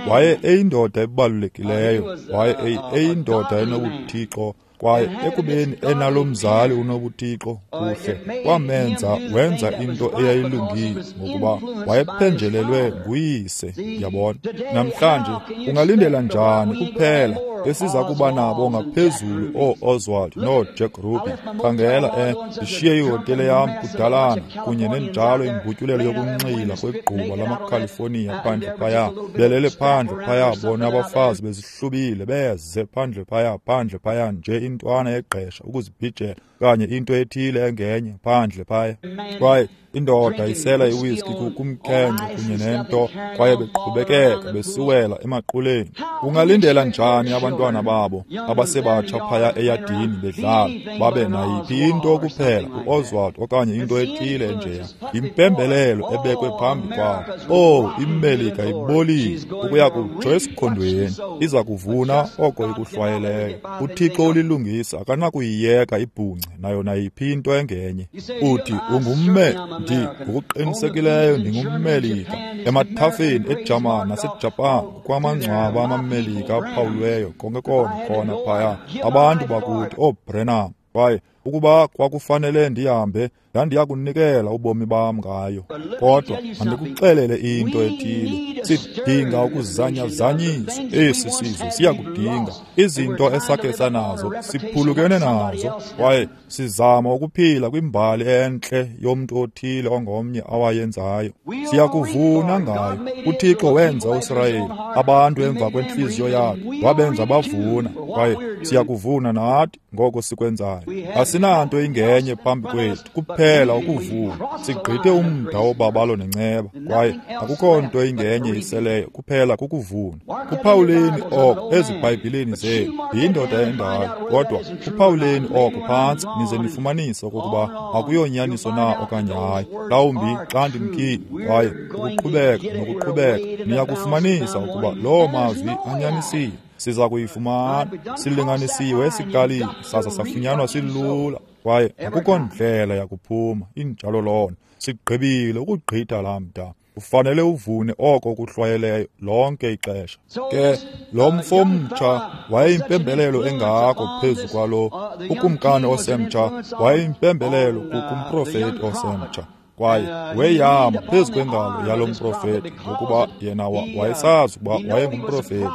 A: waye eyindoda ebalulekileyo, waye eyindoda enobuthixo. Kwaye ekubeni enalo mzali unobuthixo kuhle, kwamenza wenza into eyayilungile, ngokuba wayephenjelelwe nguyise. Yabona, namhlanje ungalindela njani kuphela esiza kuba nabo ngaphezulu oo-Oswald nooJack Ruby? Khangela, ndishiye ihotele yam kudalana kunye nenjalo imbutyulelo yokunxila kwegquba lamaKhalifoniya phandle phaya, belele phandle phaya, bona abafazi bezihlubile beze phandle phaya, phandle phaya nje intwana yegqesha ukuzibhijela okanye into ethile engenye phandle phaya. Kwaye indoda isela iwiski kumkhenkce kunye nento, kwaye beqhubekeka besiwela emaquleni. Ungalindela njani abantwana babo abasebatsha phaya eyadini bedlala babe nayiphi into kuphela uOswald okanye into ethile enjeya? Yimpembelelo ebekwe phambi kwabo. Oh, iMelika ibolile ukuya kutsho esikhondweni, iza kuvuna oko ikuhlwayeleyo. UThixo ulilungisa, akanakuyiyeka ibhungce nayo nayiphi into engenye. Uthi ungumme ndi ngokuqinisekileyo ndingumMelika. Emathafeni eJamani naseJapan kukwamangcwaba amaMelika aphawulweyo konke konke khona phaya, abantu bakuthi ooBrenham. Kwaye ukuba kwakufanele ndihambe, ndandiya kunikela ubomi bam ngayo. Kodwa mandikuxelele into ethile, sidinga ukuzanyazanyiswa. Esi sizwe siyakudinga. Izinto esakhe sanazo siphulukene nazo, kwaye sizama ukuphila kwimbali entle yomntu othile ongomnye awayenzayo. Siyakuvuna ngayo. UThixo wenza uSirayeli abantu emva kwentliziyo yakhe, wabenza bavuna, kwaye siyakuvuna nathi ngoko sikwenzayo. Asinanto ingenye phambi kwethu kuphela ukuvuna. Sigqithe umda wobabalo nenceba, kwaye akukho nto ingenye iseleyo kuphela kukuvuna. Kuphawuleni oko eziBhayibhileni zenu. Yindoda endala, kodwa kuphawuleni oko phantsi nize nifumanise okokuba akuyonyaniso na okanye hayi. Mhlawumbi xa ndimkile kwaye ukuqhubeka nokuqhubeka, niya kufumanisa ukuba loo mazwi anyanisile. Siza kuyifumana. Silinganisiwe esikalini saza safunyanwa silula, kwaye akukho ndlela yakuphuma. Injalo loo nto. Sigqibile ukugqitha laa mda. Ufanele uvune oko kuhlwayeleyo lonke ixesha. Ke lo mfo mtsha wayeyimpembelelo engako phezu kwalo ukumkani osemtsha, wayeyimpembelelo kumprofeti osemtsha, kwaye weyama phezu kwengalo yalo mprofeti, ngokuba yena wayesazi ukuba wayengumprofeti,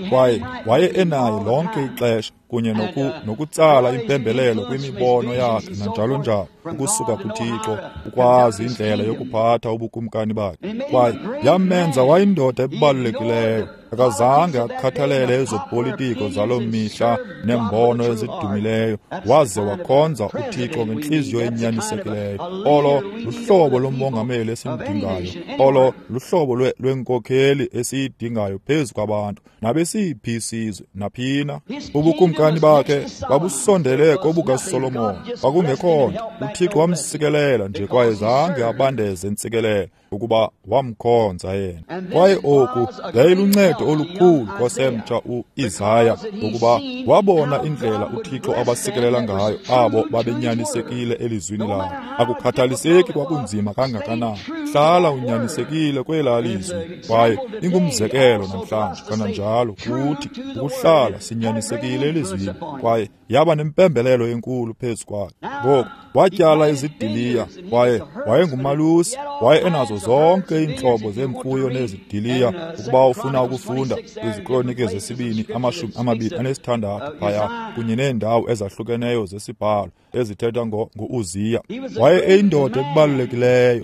A: kwaye waye enaye lonke ixesha kunye nokutsala impembelelo kwimibono yakhe nanjalo njalo ukusuka kuThixo, ukwazi indlela yokuphatha ubukumkani bakhe. Kwaye yamenza wayindoda ebalulekileyo. Akazange akhathalele ezopolitiko zaloo mihla neembono ezidumileyo, waze wakhonza uThixo ngentliziyo enyanisekileyo. Olo luhlobo lomongameli esimdingayo, olo luhlobo lwenkokheli esiyidingayo phezu kwabantu nabesiphi isizwe naphina. Ubukumkani bakhe babusondele kobukaSolomon, kwakungekho nto. UThixo wamsikelela nje, kwaye zange abandeze ntsikelelo ukuba wamkhonza yena. Kwaye oku yayiluncedo olukhulu kosemtsha uIsaya, ngokuba wabona indlela uThixo abasikelela ngayo abo babenyanisekile elizwini lakhe. Akukhathaliseki kwakunzima kangakanani, hlala unyanisekile kwelaa lizwi. Kwaye ingumzekelo namhlanje kananjalo kuthi ukuhlala sinyanisekile elizwini, kwaye yaba nempembelelo enkulu phezu kwakhe. Ngoku watyala izidiliya, kwaye wayengumalusi, waye enazo zonke iintlobo zemfuyo nezidiliya. Ukuba ufuna ukufunda kwiziKronike zesibini 26 phaya kunye neendawo ezahlukeneyo zesibhalo ezithetha ngo-Uziya, waye eyindoda ebalulekileyo.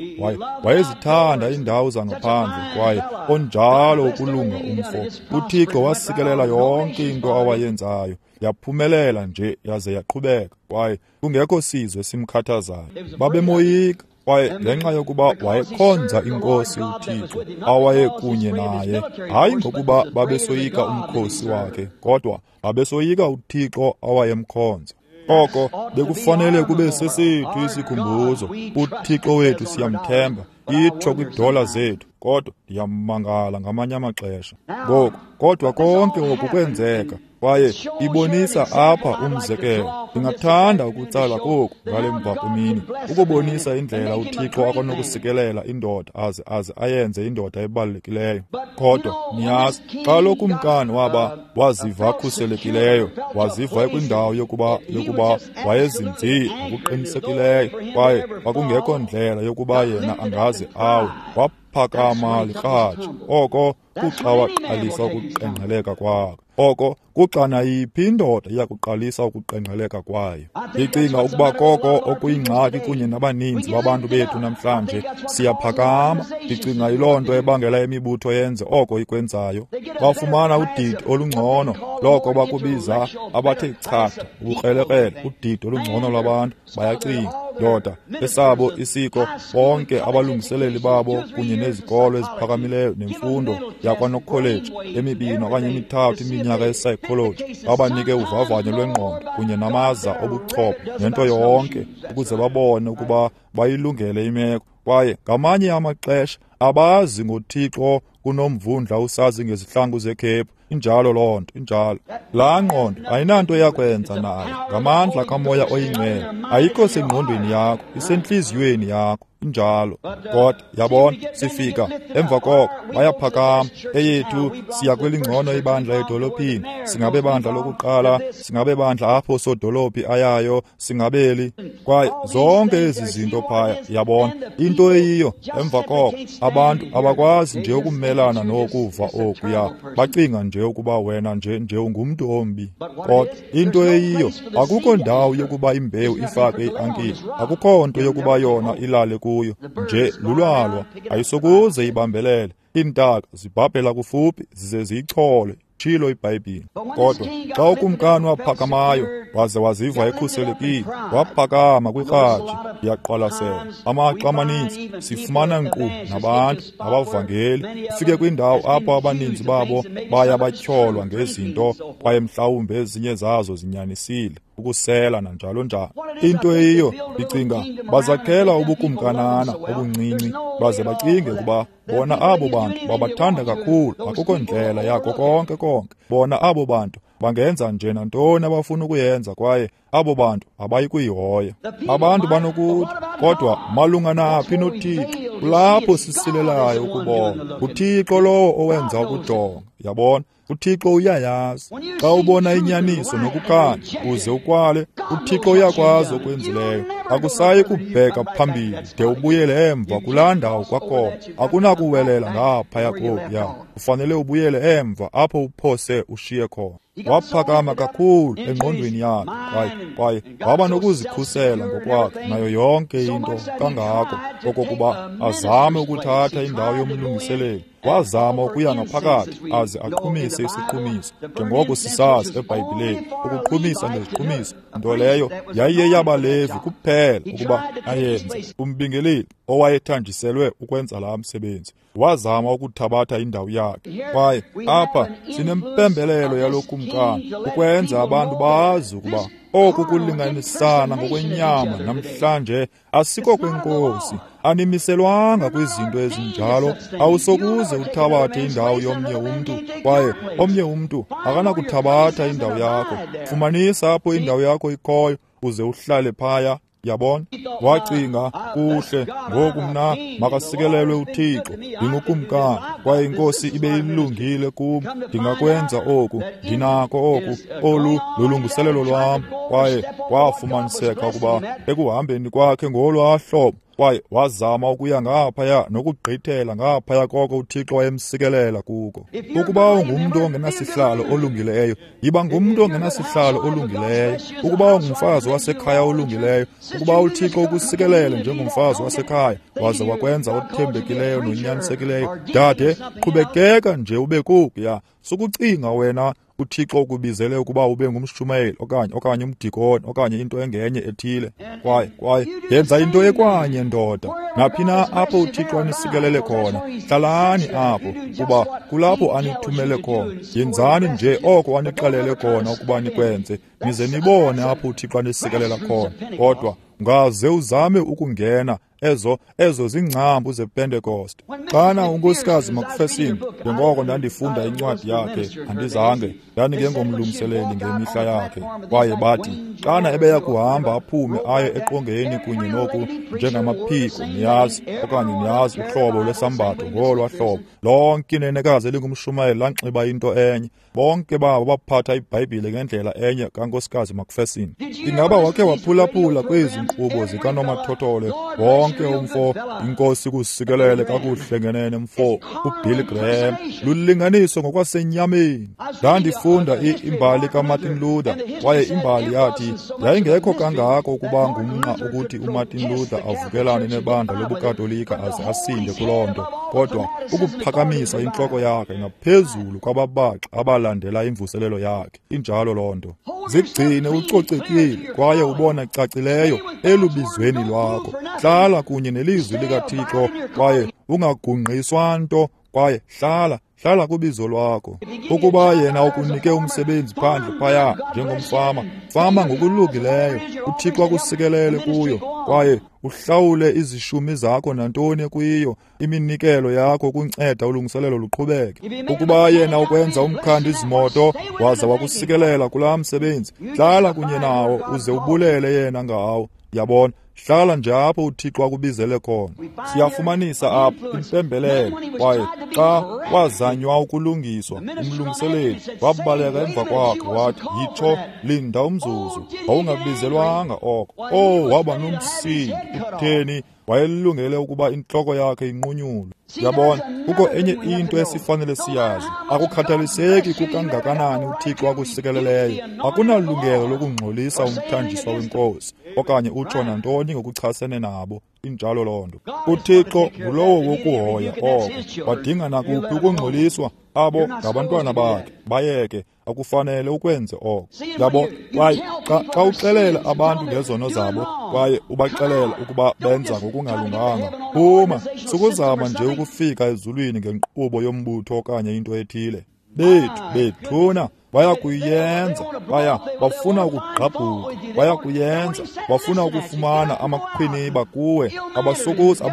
A: Waye Wayezithanda iindawo zangaphandle kwaye onjalo ukulunga umfo. UThixo wasikelela yonke into awayenzayo, yaphumelela nje yaze yaqhubeka, kwaye kungekho sizwe simkhathazayo. Babemoyika, kwaye ngenxa yokuba wayekhonza iNkosi uThixo awayekunye naye, hayi ngokuba babesoyika umkhosi wakhe, kodwa babesoyika uThixo awayemkhonza. Oko bekufanele kube sesethu isikhumbuzo. UThixo wethu siyamthemba, itsho kwiidola zethu, kodwa ndiyamangala ngamanye amaxesha. Ngoku, kodwa konke oku kwenzeka, kwaye ibonisa apha umzekelo. Ndingathanda ukutsala koku ngale mvakwemini, ukubonisa indlela uThixo akanokusikelela indoda aze ayenze indoda ebalulekileyo. Kodwa niyazi, xa lo kumkani waziva khuselekileyo, waziva ekwindawo yokuba wayezinzile ngokuqinisekileyo, kwaye kwakungekho ndlela yokuba yena angaze awe, waphakama likratshi. Oko kuxa waqalisa ukuqengqeleka kwakhe. Oko kuxa nayiphi indoda iyakuqalisa ukuqengqeleka kwayo. Ndicinga ukuba koko okuyingxaki kunye nabaninzi babantu bethu namhlanje. Siyaphakama. Ndicinga yiloo nto ebangela imibutho yenze oko ikwenzayo. Bafumana udidi olungcono loko bakubiza abathe chatha, ubukrelekrele, udidi olungcono lwabantu. Bayacinga, ndoda, esabo isiko, bonke abalungiseleli babo kunye nezikolo eziphakamileyo nemfundo yakwanokholeji emibini okanye emithathu iminyaka yepsychology, babanike uvavanyo lwengqondo kunye namaza obuchopho nento yonke ukuze babone ukuba bayilungele imeko. Kwaye ngamanye amaxesha abazi ngoThixo kunomvundla usazi ngezihlangu zekhephu. Injalo loo nto, injalo. Laa ngqondo ayinanto yakwenza nayo, ngamandla kaMoya oyiNgcwele. Ayikho sengqondweni yakho, isentliziyweni yakho. Injalo. Kodwa yabona, sifika emva koko bayaphakama. Eyethu siya kwelingcono ibandla edolophini, singabe bandla lokuqala, singabe bandla apho sodolophi ayayo, singabeli. Kwaye zonke ezi zinto phaya, yabona, into eyiyo emva koko abantu abakwazi nje ukumelana nokuva okuya, bacinga nje ukuba wena nje ungumntu ombi. Kodwa into eyiyo, akukho ndawo yokuba imbewu ifake iankile, akukho nto yokuba yona ilale kuyo, nje lulwalwa, ayisokuze ibambelele. Iintaka zibhabhela kufuphi zize ziyichole, tshilo iBhayibhile. Kodwa xa ukumkani waphakamayo waze waziva ekhuselekile, waphakama kwikratshi. Ndiyaqwalasela amaxa amaninzi sifumana nkqu nabantu abavangeli, ufike kwindawo apho abaninzi babo baya batyholwa ngezinto, kwaye mhlawumbi ezinye zazo zinyanisile, ukusela nanjalo njalo. Into eyiyo, ndicinga bazakhela ubukumkanana obuncinci, baze bacinge ukuba bona abo bantu babathanda kakhulu, akukho ndlela yako konke konke. Bona abo bantu bangenza nje nantoni abafuna ukuyenza, kwaye abo bantu abayi kuyihoya. Abantu banokuthi, kodwa malunga naphi noThixo? Kulapho sisilelayo ukubona. UThixo lowo owenza ukujonga, yabona. UThixo uyayazi. Xa ubona inyaniso nokukhanya uze ukwale, uThixo uyakwazi okwenzileyo. Akusayi kubheka phambili de ubuyele emva kulaa ndawo kwakhona. Akunakuwelela ngaphaya kokuya, ufanele ubuyele emva apho uphose ushiye khona. Waphakama kakhulu engqondweni yakhe, kwaye waba nokuzikhusela ngokwakhe nayo yonke into kangako okokuba azame ukuthatha indawo yomlungiseleli. Wazama ukuya ngaphakathi aze aqhumise isiqhumiso, njengoko sisazi eBhayibhileni, ukuqhumisa ngeziqhumiso, nto leyo yayiyeyabaLevi kuphela ukuba ayenze. Umbingeleli owayethanjiselwe ukwenza laa msebenzi wazama ukuthabatha indawo yakhe. Kwaye apha sinempembelelo yalo kumkani ukwenza abantu bazi ukuba oku kulinganisana ngokwenyama namhlanje asiko kwenkosi. Animiselwanga kwizinto ezinjalo. Awusokuze uthabathe indawo yomnye umntu, kwaye omnye umntu akanakuthabatha indawo yakho. Fumanisa apho indawo yakho ikhoyo uze uhlale phaya. Yabona, wacinga, kuhle ngoku mna makasikelelwe uThixo, ndingukumkani, kwaye inkosi ibe ilungile kum, ndingakwenza oku, ndinako oku, olu lulungiselelo lwam. Kwaye kwafumaniseka ukuba ekuhambeni kwakhe ngolwaa hlobo, Kwaye wazama ukuya ngaphaya nokugqithela ngaphaya koko uThixo wayemsikelela kuko. Ukuba ungumntu ongenasihlalo olungileyo, yiba ngumntu ongenasihlalo olungileyo. Ukuba ungumfazi wasekhaya olungileyo, ukuba uThixo ukusikelele njengomfazi wasekhaya waze wakwenza othembekileyo nonyanisekileyo, dade, qhubekeka nje ube kokuya. Sukucinga wena uThixo ukubizele ukuba ube ngumshumayeli okanye umdikoni okanye into engenye ethile. Kwaye yenza into ekwanye, ndoda. Naphi na apho uThixo anisikelele khona, hlalani apho, kuba kulapho anithumele khona. Yenzani nje oko anixelele khona ukuba nikwenze, nize nibone apho uThixo anisikelela khona. Kodwa ungaze uzame ukungena ezo zingcambu zePentecost. Xana uNkosikazi McPherson, njengoko ndandifunda incwadi yakhe, andizange ndandingengomlungiseleli ngemihla yakhe, kwaye bathi xana ebeya kuhamba aphume aye eqongeni kunye noku njengamaphiko, niyazi, okanye niyazi uhlobo lwesambatho ngolwa hlobo, lonke inenekazi elingumshumayeli lanxiba into enye. Bonke babo baphatha iBhayibhile ngendlela enye kaNkosikazi McPherson. Ingaba wakhe waphulaphula kwezi nkqubo zikanomathotholo? Wonke umfo, inkosi kusikelele kakuhle ngenene mfo, uBilly Graham, lulinganiso ngokwasenyameni. Ndandifunda imbali kaMartin Luther, kwaye imbali yathi yayingekho kangako ukuba ngumnqa ukuthi uMartin Luther avukelane nebandla lobuKatolika aze asinde kuloo nto, kodwa ukuphakamisa intloko yakhe ngaphezulu kwababaxa abalandela imvuselelo yakhe. Injalo loo nto. Zigcine ucocekile kwaye ubona cacileyo elubizweni lwakho. Hlala kunye nelizwi likaThixo kwaye ungagungqiswa nto, kwaye hlala kubizo lwakho. Ukuba yena ukunike umsebenzi phandle phaya njengomfama, fama ngokulungileyo, uThixo akusikelele kuyo, kwaye uhlawule izishumi zakho nantoni kuyo, iminikelo yakho ukunceda ulungiselelo luqhubeke. Ukuba yena ukwenza umkhandi izimoto waza wakusikelela kulaa msebenzi, hlala kunye nawo uze ubulele yena ngawo. Yabona, hlala nje apho uThixo akubizele khona. Siyafumanisa apho impembelelo, kwaye xa wazanywa ukulungiswa, umlungiseleli wabaleka emva kwakhe wathi, yitsho, linda umzuzu, wawungabizelwanga oko. Oh, waba nomsindo. Utheni? Wayelungele ukuba intloko yakhe inqunyulwe. Yabona, kukho enye into esifanele siyazi. Akukhathaliseki kukangakanani uThixo akusikeleleyo, akunalungelo lokungxolisa umthanjiswa wenkosi okanye utsho nantoni ngokuchasene nabo. Injalo loo nto. uThixo ngulowo wokuhoya oko. Badinga nakuphi ukungxoliswa? Abo ngabantwana bakhe, bayeke, akufanele ukwenze oko. Yabo, kwaye xa uxelela abantu ngezono zabo kwaye ubaxelela ukuba benza ngokungalunganga, phuma, sukuzama nje ukufika ezulwini ngenkqubo yombutho okanye into ethile. Bethuna, bayakuyenza, bafuna ukugqabhuka, bayakuyenza, bafuna ukufumana amakhwiniba kuwe. Abasokuze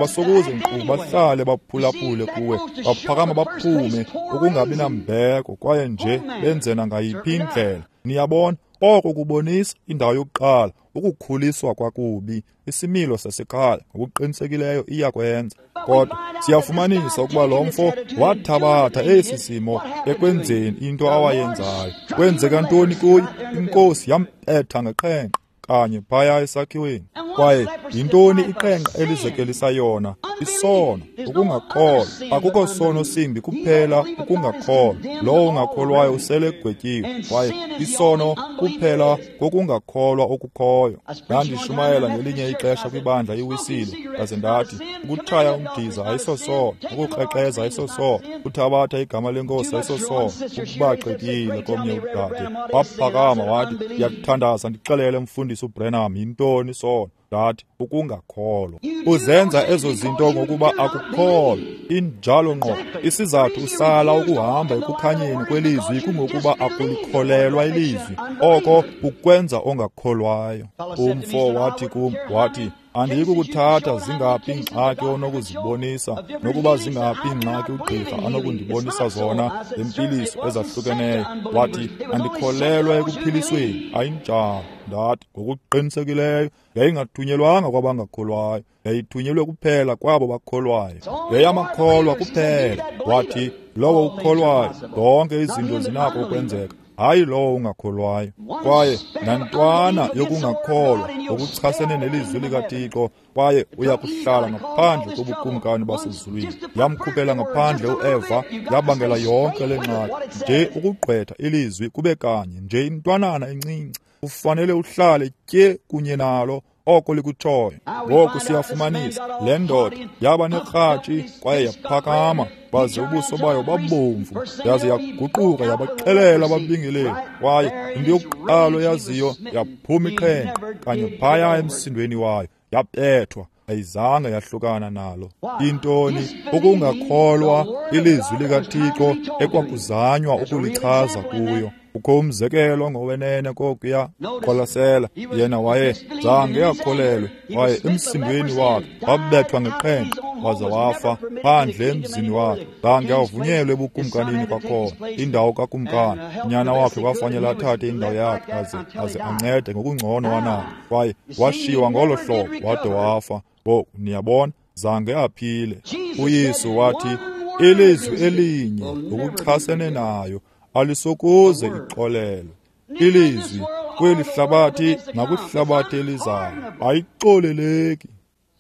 A: nkqu bahlale baphulaphule kuwe, baphakama baphume ukungabi nambeko kwaye nje benze nangayiphi indlela. Niyabona, oko kubonisa indawo yokuqala, ukukhuliswa kwakubi, isimilo sasekhaya ngokuqinisekileyo iyakwenza. Kodwa siyafumanisa ukuba lo mfo wathabatha esi simo ekwenzeni into awayenzayo. Kwenzeka ntoni kuye? Inkosi yampetha ngeqhenqa kanye phaya esakhiweni. Kwaye yintoni iqhenqa elizekelisa yona? Isono, ukungakholwa. Akukho sono simbi kuphela ukungakholwa. Lowo ungakholwayo usele egwetyiwe. Kwaye isono kuphela kokungakholwa okukhoyo. Ndandishumayela ngelinye ixesha kwibandla iWisile, ndaze ndathi ukutshaya umdiza ayisosono, ukukrexeza ayisosono, uthabatha igama lenkosi ayisosono. Ukubaxekile komnye udade waphakama wathi, ndiyakuthandaza ndixelele mfundisi uBrenham yintoni isono. Ndathi ukungakholwa. Uzenza ezo zinto ngokuba akukholwa. Injalo ngqo. Isizathu usala ukuhamba ekukhanyeni kwelizwi kungokuba akulikholelwa ilizwi. Oko kukwenza ongakholwayo. Umfo wathi kum, wathi, andiyikukuthatha zingaphi iingxaki onokuzibonisa, nokuba zingaphi iingxaki ugqirha anokundibonisa zona zempiliso ezahlukeneyo. Wathi, andikholelwa ekuphilisweni. Ayinjalo. Ndathi, ngokuqinisekileyo yayingathunyelwanga kwabangakholwayo, yayithunyelwe kuphela kwabo bakholwayo. Yayamakholwa kuphela. Wathi, lowo ukholwayo, zonke izinto zinako ukwenzeka. hayi lowo ungakholwayo. Kwaye nantwana yokungakholwa ngokuchasene nelizwi likaThixo, kwaye uya kuhlala ngaphandle kobukumkani basezulwini. Yamkhuphela ngaphandle uEva, yabangela yonke le ngxaki. Nje ukugqwetha ilizwi kube kanye, nje intwanana encinci, ufanele uhlale tye kunye nalo oko likutshoyo. Ngoku siyafumanisa le ndoda yaba nekratshi kwaye yaphakama, baze ubuso bayo babomvu, yaze yaguquka yabaxelela ababingeleli. Kwaye into yokuqala oyaziyo, yaphuma iqhenqa kanye phaya emsindweni wayo, yabethwa, ayizange yahlukana nalo. Intoni? Ukungakholwa ilizwi likaThixo ekwakuzanywa ukulichaza kuyo. Kukho umzekelo ngowenene kokuya. Qwalasela, yena waye zange akholelwe, kwaye emsindweni wakhe wabethwa ngeqhenqa waze wafa phandle emzini wakhe. Zange avunyelwe ebukumkanini kwakhona, indawo kakumkani. Unyana wakhe kwafanele athathe indawo yakhe aze ancede ngokungcono wanalo, kwaye washiywa ngolo hlobo wade wafa. Ngoku niyabona, zange aphile. UYesu wathi ilizwi elinye ngokuchasene nayo alisokuze ixolelwe. Ilizwi kweli hlabathi nakwihlabathi elizayo ayixoleleki.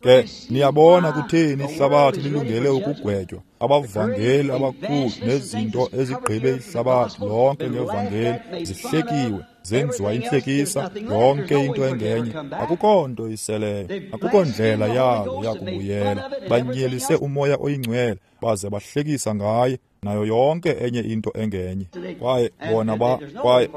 A: Ke niyabona kutheni ihlabathi lilungele ukugwetywa. Abavangeli abakhulu nezinto ezigqibe ihlabathi lonke ngevangeli zihlekiwe, zenziwa intlekisa, yonke into engenye. Akukho nto iseleyo, akukho ndlela yalo yakubuyela. Banyelise uMoya oyiNgcwele baze bahlekisa ngaye nayo yonke enye into engenye. Kwaye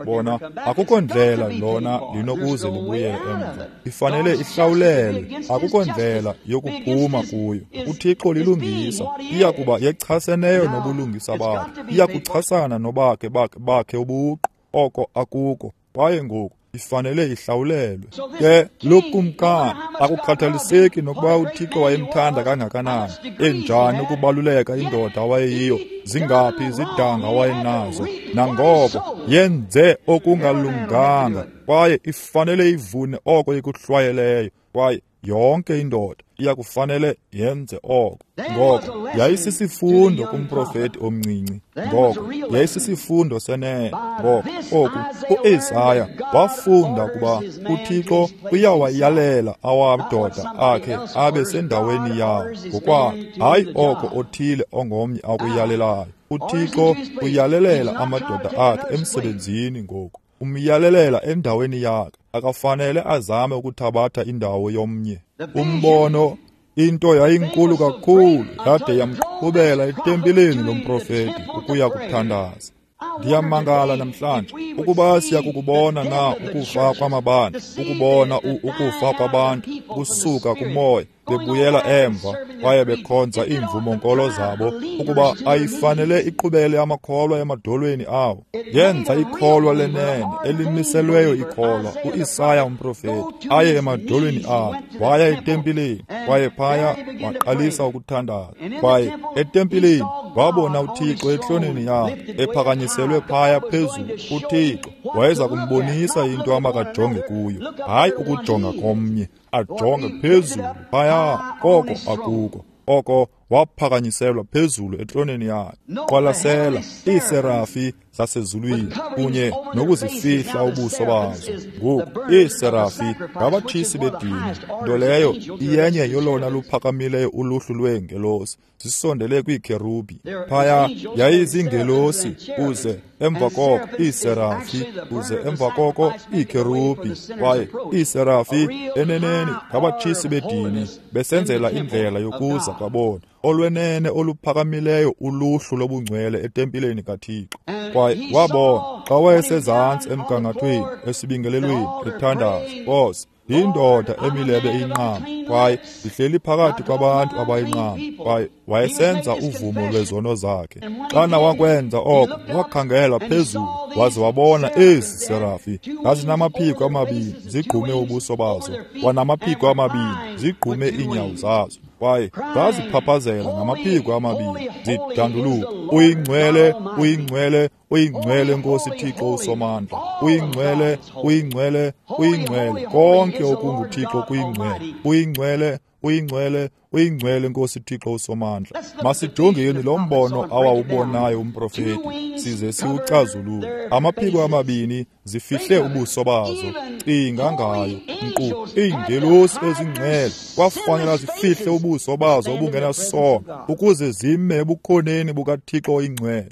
A: bona akukho ndlela lona linokuze libuyele emva. Ifanele ihlawulelwe, akukho ndlela yokuphuma kuyo. UThixo lilungisa, iya kuba yechaseneyo nobulungisa bakhe, iya kuchasana nobakhe bakhe ubuqu, oko akuko. Kwaye ngoku ifanele ihlawulelwe. Ke lo kumkani, akukhathaliseki nokuba uThixo wayemthanda kangakanani, enjani ukubaluleka indoda awayeyiyo, zingaphi izidanga awayenazo, nangoko yenze okungalunganga, kwaye ifanele ivune oko ikuhlwayeleyo. Kwaye yonke indoda iya kufanele yenze oko. Ngoko yayisisifundo kumprofeti omncinci. Ngoko yayisisifundo senene. Ngoko oku uIsaya wafunda ukuba uThixo uyawayalela amadoda akhe abe sendaweni yawo ngokwakhe, hayi oko othile ongomnye akuyalelayo. uThixo uyalelela amadoda akhe emsebenzini ngoku, umyalelela endaweni yakhe. Akafanele azame ukuthabatha indawo yomnye. Umbono, into yayinkulu kakhulu, yade yamqhubela etempileni lomprofeti ukuya kuthandaza. Ndiyamangala namhlanje ukuba siyakukubona na ukufa kwamabandla, ukubona ukufa kwabantu kusuka kumoya bebuyela emva kwaye bekhonza iimvumo-nkolo zabo, ukuba ayifanele iqhubele amakholwa emadolweni awo. Yenza ikholwa lenene elimiselweyo ikholwa, uIsaya umprofeti, aye emadolweni awo. Waya etempileni, kwaye phaya waqalisa ukuthandaza. Kwaye etempileni wabona uThixo etroneni yakhe ephakanyiselwe phaya phezulu. uThixo wayeza kumbonisa into amakajonge kuyo, hayi ukujonga komnye, ajonge phezulu phaya koko akuko. Oko waphakanyiselwa phezulu etroneni yakhe. Qwalasela iiserafi zasezulwini kunye nokuzifihla ubuso bazo. Ngoku iiserafi ngabatshisi bedini, nto leyo iyenye yolona luphakamileyo uluhlu lweengelosi, zisondele kwiikherubi. Phaya yayiziingelosi, uze emva koko iiserafi, uze emva koko iikherubi. Kwaye iiserafi eneneni ngabatshisi bedini, besenzela indlela yokuza kwabona olwenene oluphakamileyo uluhlu lobungcwele etempileni kaThixo. Kwaye wabona xa wayesezantsi emgangathweni esibingelelweni ethandaza, Nkosi, ndiyindoda emilebe iyinqama, kwaye ndihleli phakathi kwabantu abayinqama. Kwaye wayesenza uvumo lwezono zakhe. Xana wakwenza oko, wakhangela phezulu waze wabona ezi serafi zazinamaphiko amabini zigqume ubuso bazo, wanamaphiko amabini zigqume iinyawo zazo. Kwaye zaziphaphazela ngamaphiko amabini zidanduluka, uyingcwele, uyingcwele, uyingcwele Nkosi Thixo uSomandla, uyingcwele, uyingcwele, uyingcwele, konke okunguThixo kuyingcwele, uyingcwele, uyingcwele, uyingcwele Nkosi Thixo uSomandla. Masijongeni lo mbono awawubonayo umprofeti size siwucazulule. Amaphiko amabini zifihle ubuso bazo. Cinga ngayo, nkqu iingelosi ezingcwele kwafanela zifihle ubuso bazo obungenasono ukuze zime ebukhoneni bukaThixo oyingcwele.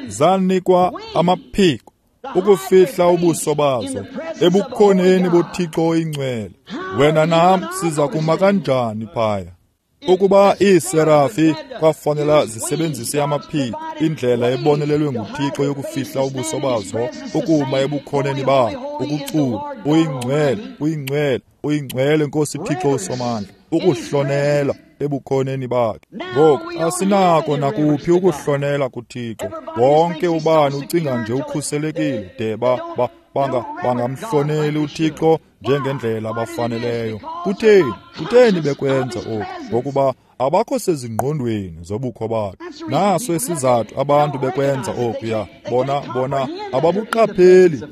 A: Zanikwa amaphiko ukufihla ubuso bazo ebukhoneni boThixo oyingcwele. Wena nam siza kuma kanjani phaya? Ukuba iiserafi kwafanela zisebenzise amaphiko, indlela ebonelelwe nguThixo yokufihla ubuso bazo, ukuma ebukhoneni bakhe, ukucula uyingcwele, uyingcwele, uyingcwele Nkosi Thixo uSomandla, ukuhlonela ebukhoneni bakhe. Ngoku asinako nakuphi ukuhlonela kuThixo. Wonke ubani ucinga nje ukhuselekile de bangamhloneli uThixo njengendlela abafaneleyo. Kutheni? Kutheni bekwenza oku? Ngokuba abakho sezingqondweni zobukho bakhe. Naso isizathu abantu bekwenza okuya. Bona ababuqapheli,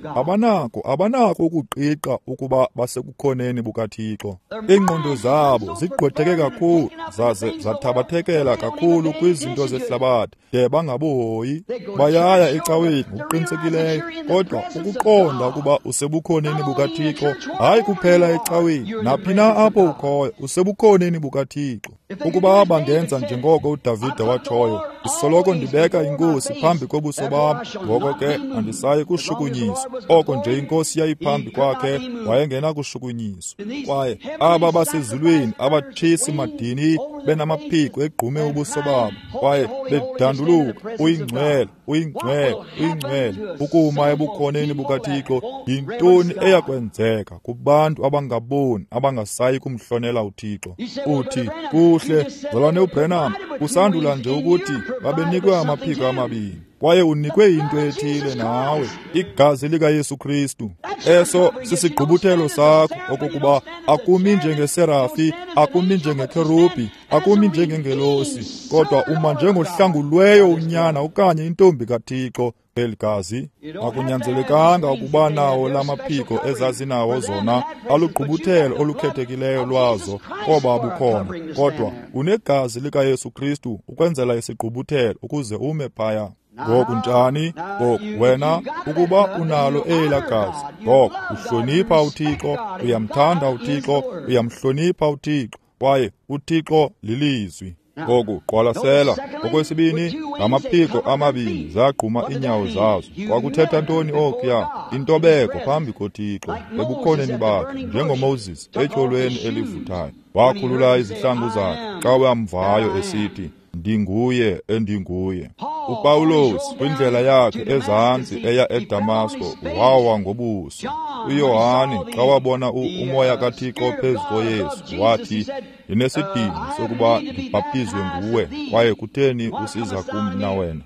A: abanako ukuqiqa ukuba basekukhoneni bukaThixo. Iingqondo zabo zigqwetheke kakhulu, zaze zathabathekela kakhulu kwizinto zehlabathi de bangabuhoyi. Bayaya ecaweni ngokuqinisekileyo, kodwa ukuqonda ukuba usebukhoneni bukaThixo, hayi kuphela ecaweni, naphi na apho ukhoyo, usebukhoneni bukaThixo. Ukuba bangenza njengoko uDavide watshoyo, ndisoloko ndibeka iNkosi phambi kobuso bam, ngoko ke andisayi kushukunyiswa. Oko nje iNkosi yayiphambi kwakhe, wayengenakushukunyiswa. Kwaye aba basezulwini abatshisi madini benamaphiko egqume ubuso babo, kwaye bedanduluka, uyingcwele, uyingcwele, uyingcwele, ukuma ebukhoneni bukaThixo. Yintoni eyakwenzeka kubantu abangaboni abangasayi kumhlonela uThixo? Uthi, kuhle, mzalwane uBrenham, usandula nje ukuthi babenikwe amaphiko amabini, kwaye unikwe into ethile nawe, igazi likaYesu Kristu. Eso sisigqubuthelo sakho, okokuba akumi njengeserafi, akumi njengekherubhi, akumi njengengelosi, kodwa uma njengohlangulweyo unyana okanye intombi kaThixo. Eli gazi akunyanzelekanga ukuba nawo lamaphiko ezazinawo zona, alugqubuthelo olukhethekileyo lwazo koba bukhona, kodwa unegazi likaYesu Kristu ukwenzela isigqubuthelo ukuze ume phaya. Ngoku njani? Ngoku wena ukuba unalo elaa gazi, ngoko uhlonipha uThixo, uyamthanda uThixo, uyamhlonipha uThixo, kwaye uThixo lilizwi. Ngoku qwalasela, okwesibini, ngamaphiko amabini zagquma iinyawo zazo. Kwakuthetha ntoni okuya? Intobeko phambi koThixo ebukhoneni bakhe, njengoMoses etyholweni elivuthayo. Wakhulula izihlangu zakhe xa wamvayo esithi, ndinguye endinguye. uPawulos kwindlela yakhe ezantsi eya eDamasko wawa ngobuso. uYohane xa wabona umoya kaThixo phezu koYesu wathi, ndinesidingo sokuba ndibhaptizwe nguwe, kwaye kutheni usiza kum na wena?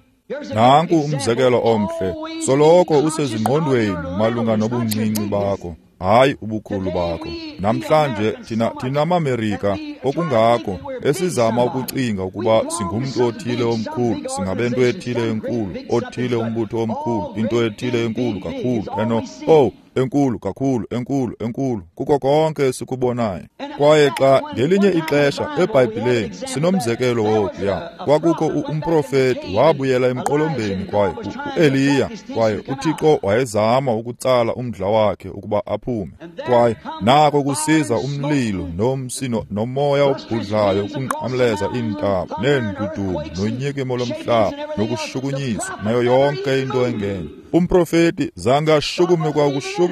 A: Nanku umzekelo omhle, soloko usezingqondweni malunga nobuncinci bakho, hayi ubukhulu bakho. Namhlanje thina amaMerika okungako esizama ukucinga ukuba singumntu othile omkhulu, singabento ethile enkulu, othile umbutho omkhulu, into ethile enkulu kakhulu, enkulu kakhulu, enkulu, enkulu, kuko konke esikubonayo. Kwaye xa ngelinye ixesha eBhayibhileni sinomzekelo wokuya, kwakukho umprofeti wabuyela emqolombeni, kwaye uEliya, kwaye uThixo wayezama ukutsala umdla wakhe ukuba aphume. Kwaye nako kusiza umlilo nomsi nomoya obhudlayo ukunqamleza iintaba neendudumo nonyikimo lomhlaba nokushukunyiswa nayo yonke into engenye. Umprofeti zange ashukume kwa ukushukuma.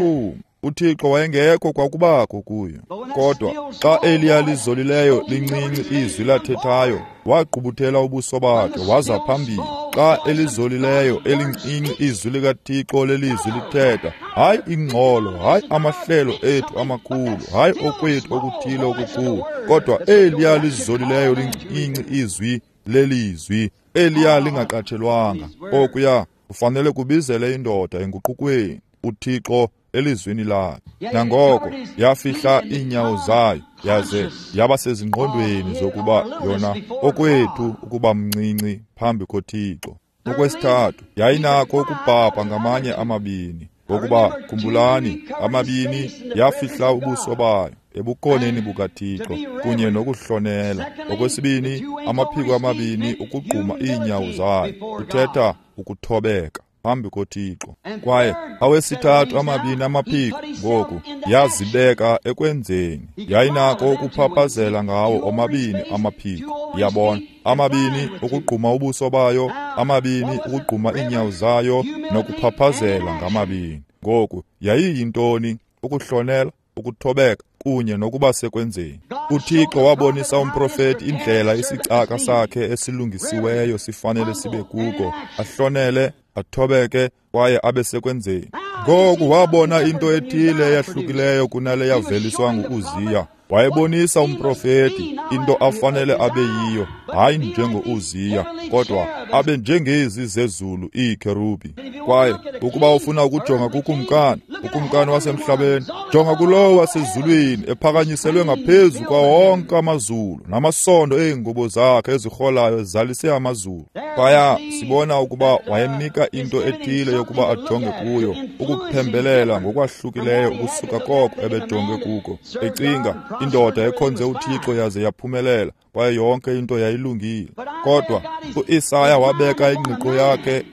A: uThixo wayengekho kwakubakho kuyo. Kodwa xa eliya lizolileyo lincinci izwi lathethayo, wagqubuthela ubuso bakhe waza phambili. Xa elizolileyo elincinci izwi likaThixo lelizwi lithetha, hayi ingxolo, hayi amahlelo ethu amakhulu, hayi okwethu okuthile okukhulu, kodwa eliya lizolileyo lincinci izwi lelizwi, eliya lingaqatshelwanga. Okuya kufanele kubizele indoda enguqukweni uThixo elizwini lakhe. Nangoko yafihla iinyawo zayo, yaze yaba sezingqondweni zokuba yona okwethu ukuba mncinci phambi koThixo. Okwesithathu, yayinakho ukubhabha ngamanye amabini, ngokuba khumbulani, amabini yafihla ubuso bayo. ebukhoneni bukaThixo kunye nokuhlonela. Okwesibini, amaphiko amabini ukugquma iinyawo zayo, kuthetha ukuthobeka phambi koThixo. Kwaye awesithathu amabini amaphiko ngoku yazibeka ekwenzeni, yayinako ukuphaphazela ngawo omabini amaphiko. Yabona, amabini ukugquma ubuso bayo, amabini ukugquma iinyawo zayo, nokuphaphazela ngamabini. Ngoku yayiyintoni? Ukuhlonela, ukuthobeka kunye nokuba sekwenzeni. UThixo wabonisa umprofeti indlela isicaka sakhe esilungisiweyo sifanele sibe kuko, ahlonele, athobeke kwaye abe sekwenzeni. Ngoku wabona into ethile eyahlukileyo kunale yaveliswa ngu-Uziya. Wayebonisa umprofeti into afanele abe yiyo, hayi njengo-Uziya, kodwa abe njengezi zezulu iikherubi. Kwaye ukuba ufuna ukujonga kukumkani, ukumkani wasemhlabeni, jonga kulowo wasezulwini ephakanyiselwe ngaphezu kwa wonke amazulu, namasondo eengubo zakhe ezirholayo zalise amazulu. Phaya sibona ukuba wayemnika into ethile yokuba ajonge kuyo, ukuphembelela ngokwahlukileyo ukusuka koko ebejonge kuko, ecinga indoda ekhonze uThixo yaze yaphumelela, kwaye yonke into yayilungile. Kodwa uIsaya wabeka ingqiqo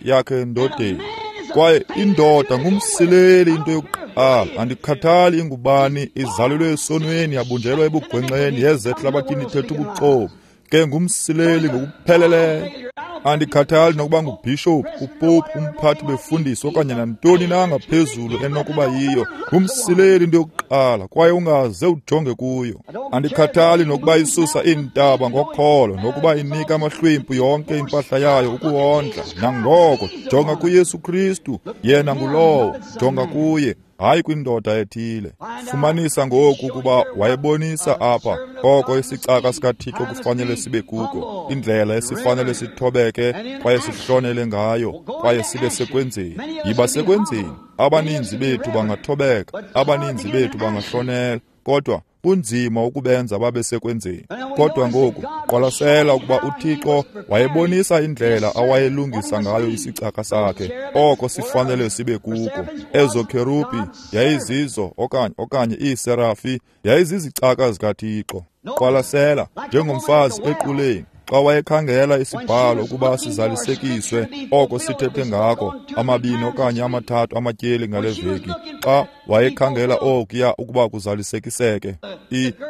A: yakhe endodeni, kwaye indoda ngumsileli. Into yokuqala, andikhathali ingubani, izalelwe esonweni, yabunjelwa ebugwenxeni, yeze ehlabathini ithetha ubuxoki, ke ngumsileli ngokupheleleyo. Andikhathali nokuba ngubhishophu, upopu, umphathi befundisi okanye nantoni na ngaphezulu enokuba yiyo, ngumsileli into yokuqala, kwaye ungaze ujonge kuyo. Andikhathali nokuba isusa iintaba ngokholo, nokuba inika amahlwempu yonke impahla yayo ukuwondla, nangoko jonga kuYesu Kristu, yena ngulowo, jonga kuye, hayi kwindoda ethile. Fumanisa ngoku ukuba wayebonisa apha oko isicaka sikaThixo kufanele sibe kuko, indlela esifanele sithobeke kwaye sihlonele ngayo, kwaye sibe sekwenzeni. Yiba sekwenzeni. Abaninzi bethu bangathobeka, abaninzi bethu bangahlonela, kodwa kunzima ukubenza babe sekwenzeni. Kodwa ngoku qwalasela ukuba uThixo wayebonisa indlela awayelungisa ngayo isicaka sakhe, oko sifanele sibe kuko. Ezo kherubi yayizizo okanye iiserafi yayizizicaka zikaThixo. Qwalasela, njengomfazi equleni, xa wayekhangela isibhalo ukuba sizalisekiswe oko sithethe ngako amabini okanye amathathu amatyeli ngale veki, xa wayekhangela okuya ukuba kuzalisekiseke,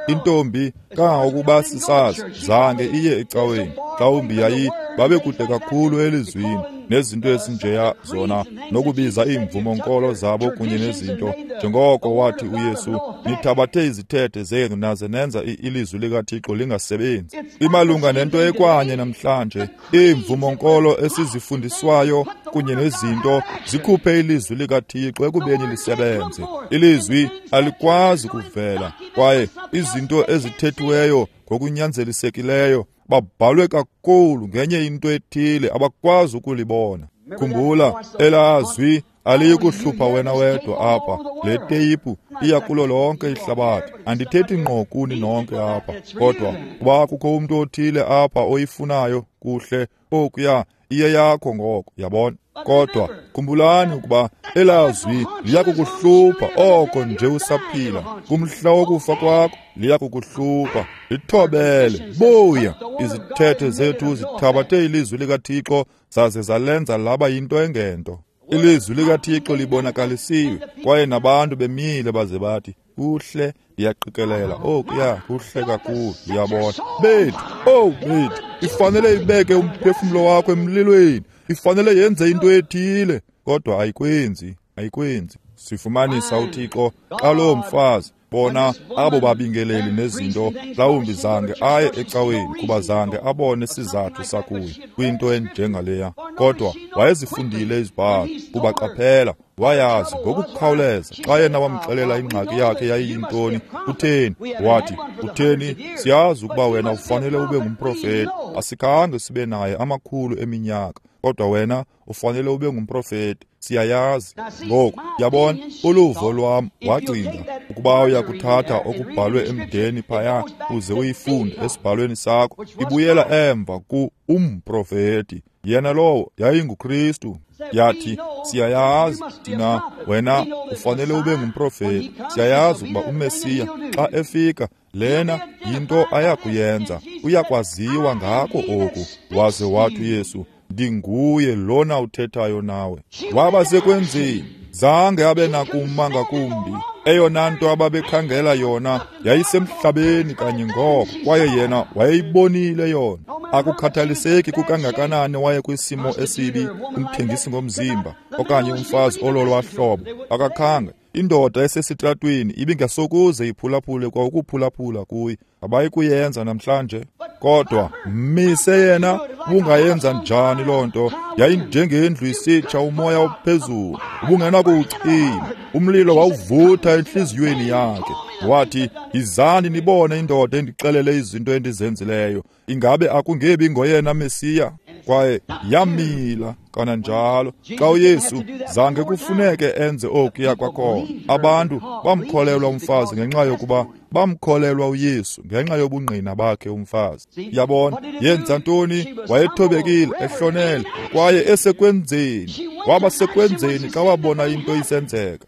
A: intombi kangangokuba sisazi zange iye ecaweni, mhlawumbi babekude kakhulu elizwini nezinto ezinjeya zona, nokubiza iimvumo-nkolo zabo kunye nezinto, njengoko wathi uYesu, nithabathe izithethe zenu naze nenza ilizwi likaThixo lingasebenzi. Imalunga nento ekwanye namhlanje, iimvumo-nkolo esizifundiswayo kunye nezinto zikhuphe ilizwi likaThixo ekubeni lisebenze. Ilizwi alikwazi kuvela, kwaye izinto ezithethiweyo ngokunyanzelisekileyo babhalwe kakhulu ngenye into ethile abakwazi ukulibona. Khumbula, elazwi aliyikuhlupha wena wedwa apha. Le teyipu iya kulo lonke ihlabathi. Andithethi ngqo kuni nonke apha, kodwa kuba kukho umntu othile apha oyifunayo kuhle okuya iye yakho ngoko, yabona. Kodwa khumbulani ukuba elazwi liyakukuhlupha oko nje usaphila. Kumhla wokufa kwakho liyakukuhlupha. Lithobele, buya. Izithethe zethu zithabathe ilizwi likaThixo zaze zalenza laba yinto engento. Ilizwi likaThixo libonakalisiwe, kwaye nabantu bemile baze bathi, kuhle, ndiyaqikelela okuya kuhle kakhulu, ndiyabona. Bethu, oh bethu, ifanele ibeke umphefumlo wakho emlilweni, ifanele yenze into ethile, kodwa ayikwenzi, ayikwenzi. Sifumanisa uThixo xa loo mfazi, bona abo babingeleli nezinto, mhlawumbi zange aye ecaweni kuba zange abone sizathu sakuyo kwinto enjengaleya, kodwa wayezifundile izibhalo, kuba qaphela, wayazi ngokukhawuleza xa yena wamxelela ingxaki yakhe yayiyintoni. Utheni? Wathi, utheni, siyazi ukuba wena ufanele ube ngumprofeti, asikhange sibe naye amakhulu eminyaka, kodwa wena ufanele ube ngumprofeti, siyayazi. Ngoku yabona, uluvo lwam wacinga ukuba uyakuthatha okubhalwe emdeni phaya uze uyifunde esibhalweni sakho, ibuyela emva ku umprofeti, yena lowo yayinguKristu. Yathi, siyayazi thina, wena ufanele ube ngumprofeti. Siyayazi ukuba uMesiya xa efika, lena yinto ayakuyenza, uyakwaziwa ngako oku. Waze wathi uYesu, ndinguye lona uthethayo nawe. Waba sekwenzeni, zange abe nakuma ngakumbi. Eyona nto ababekhangela yona yayisemhlabeni kanye ngoko, kwaye yena wayeyibonile yona. Akukhathaliseki kukangakanani waye kwisimo esibi, umthengisi ngomzimba okanye umfazi ololwa hlobo, akakhange. Indoda esesitratweni ibingasokuze iphulaphule kwa ukuphulaphula kuye. Abayikuyenza namhlanje. Kodwa mise yena, ubungayenza njani loo nto? Yayinjengendlu isitsha, umoya ophezulu ubungenakuwucima. Umlilo wawuvutha entliziyweni yakhe. Wathi, yizani nibone indoda endixelele izinto endizenzileyo. Ingabe akungebi ngoyena Mesiya? Kwaye yamila kananjalo. Xa uYesu zange kufuneke enze okuya kwakhona, abantu bamkholelwa umfazi ngenxa yokuba bamkholelwa uYesu ngenxa yobungqina bakhe umfazi. Yabona, yenza ntoni? Wayethobekile, ehlonele, kwaye esekwenzeni. Waba sekwenzeni xa wabona into isenzeka.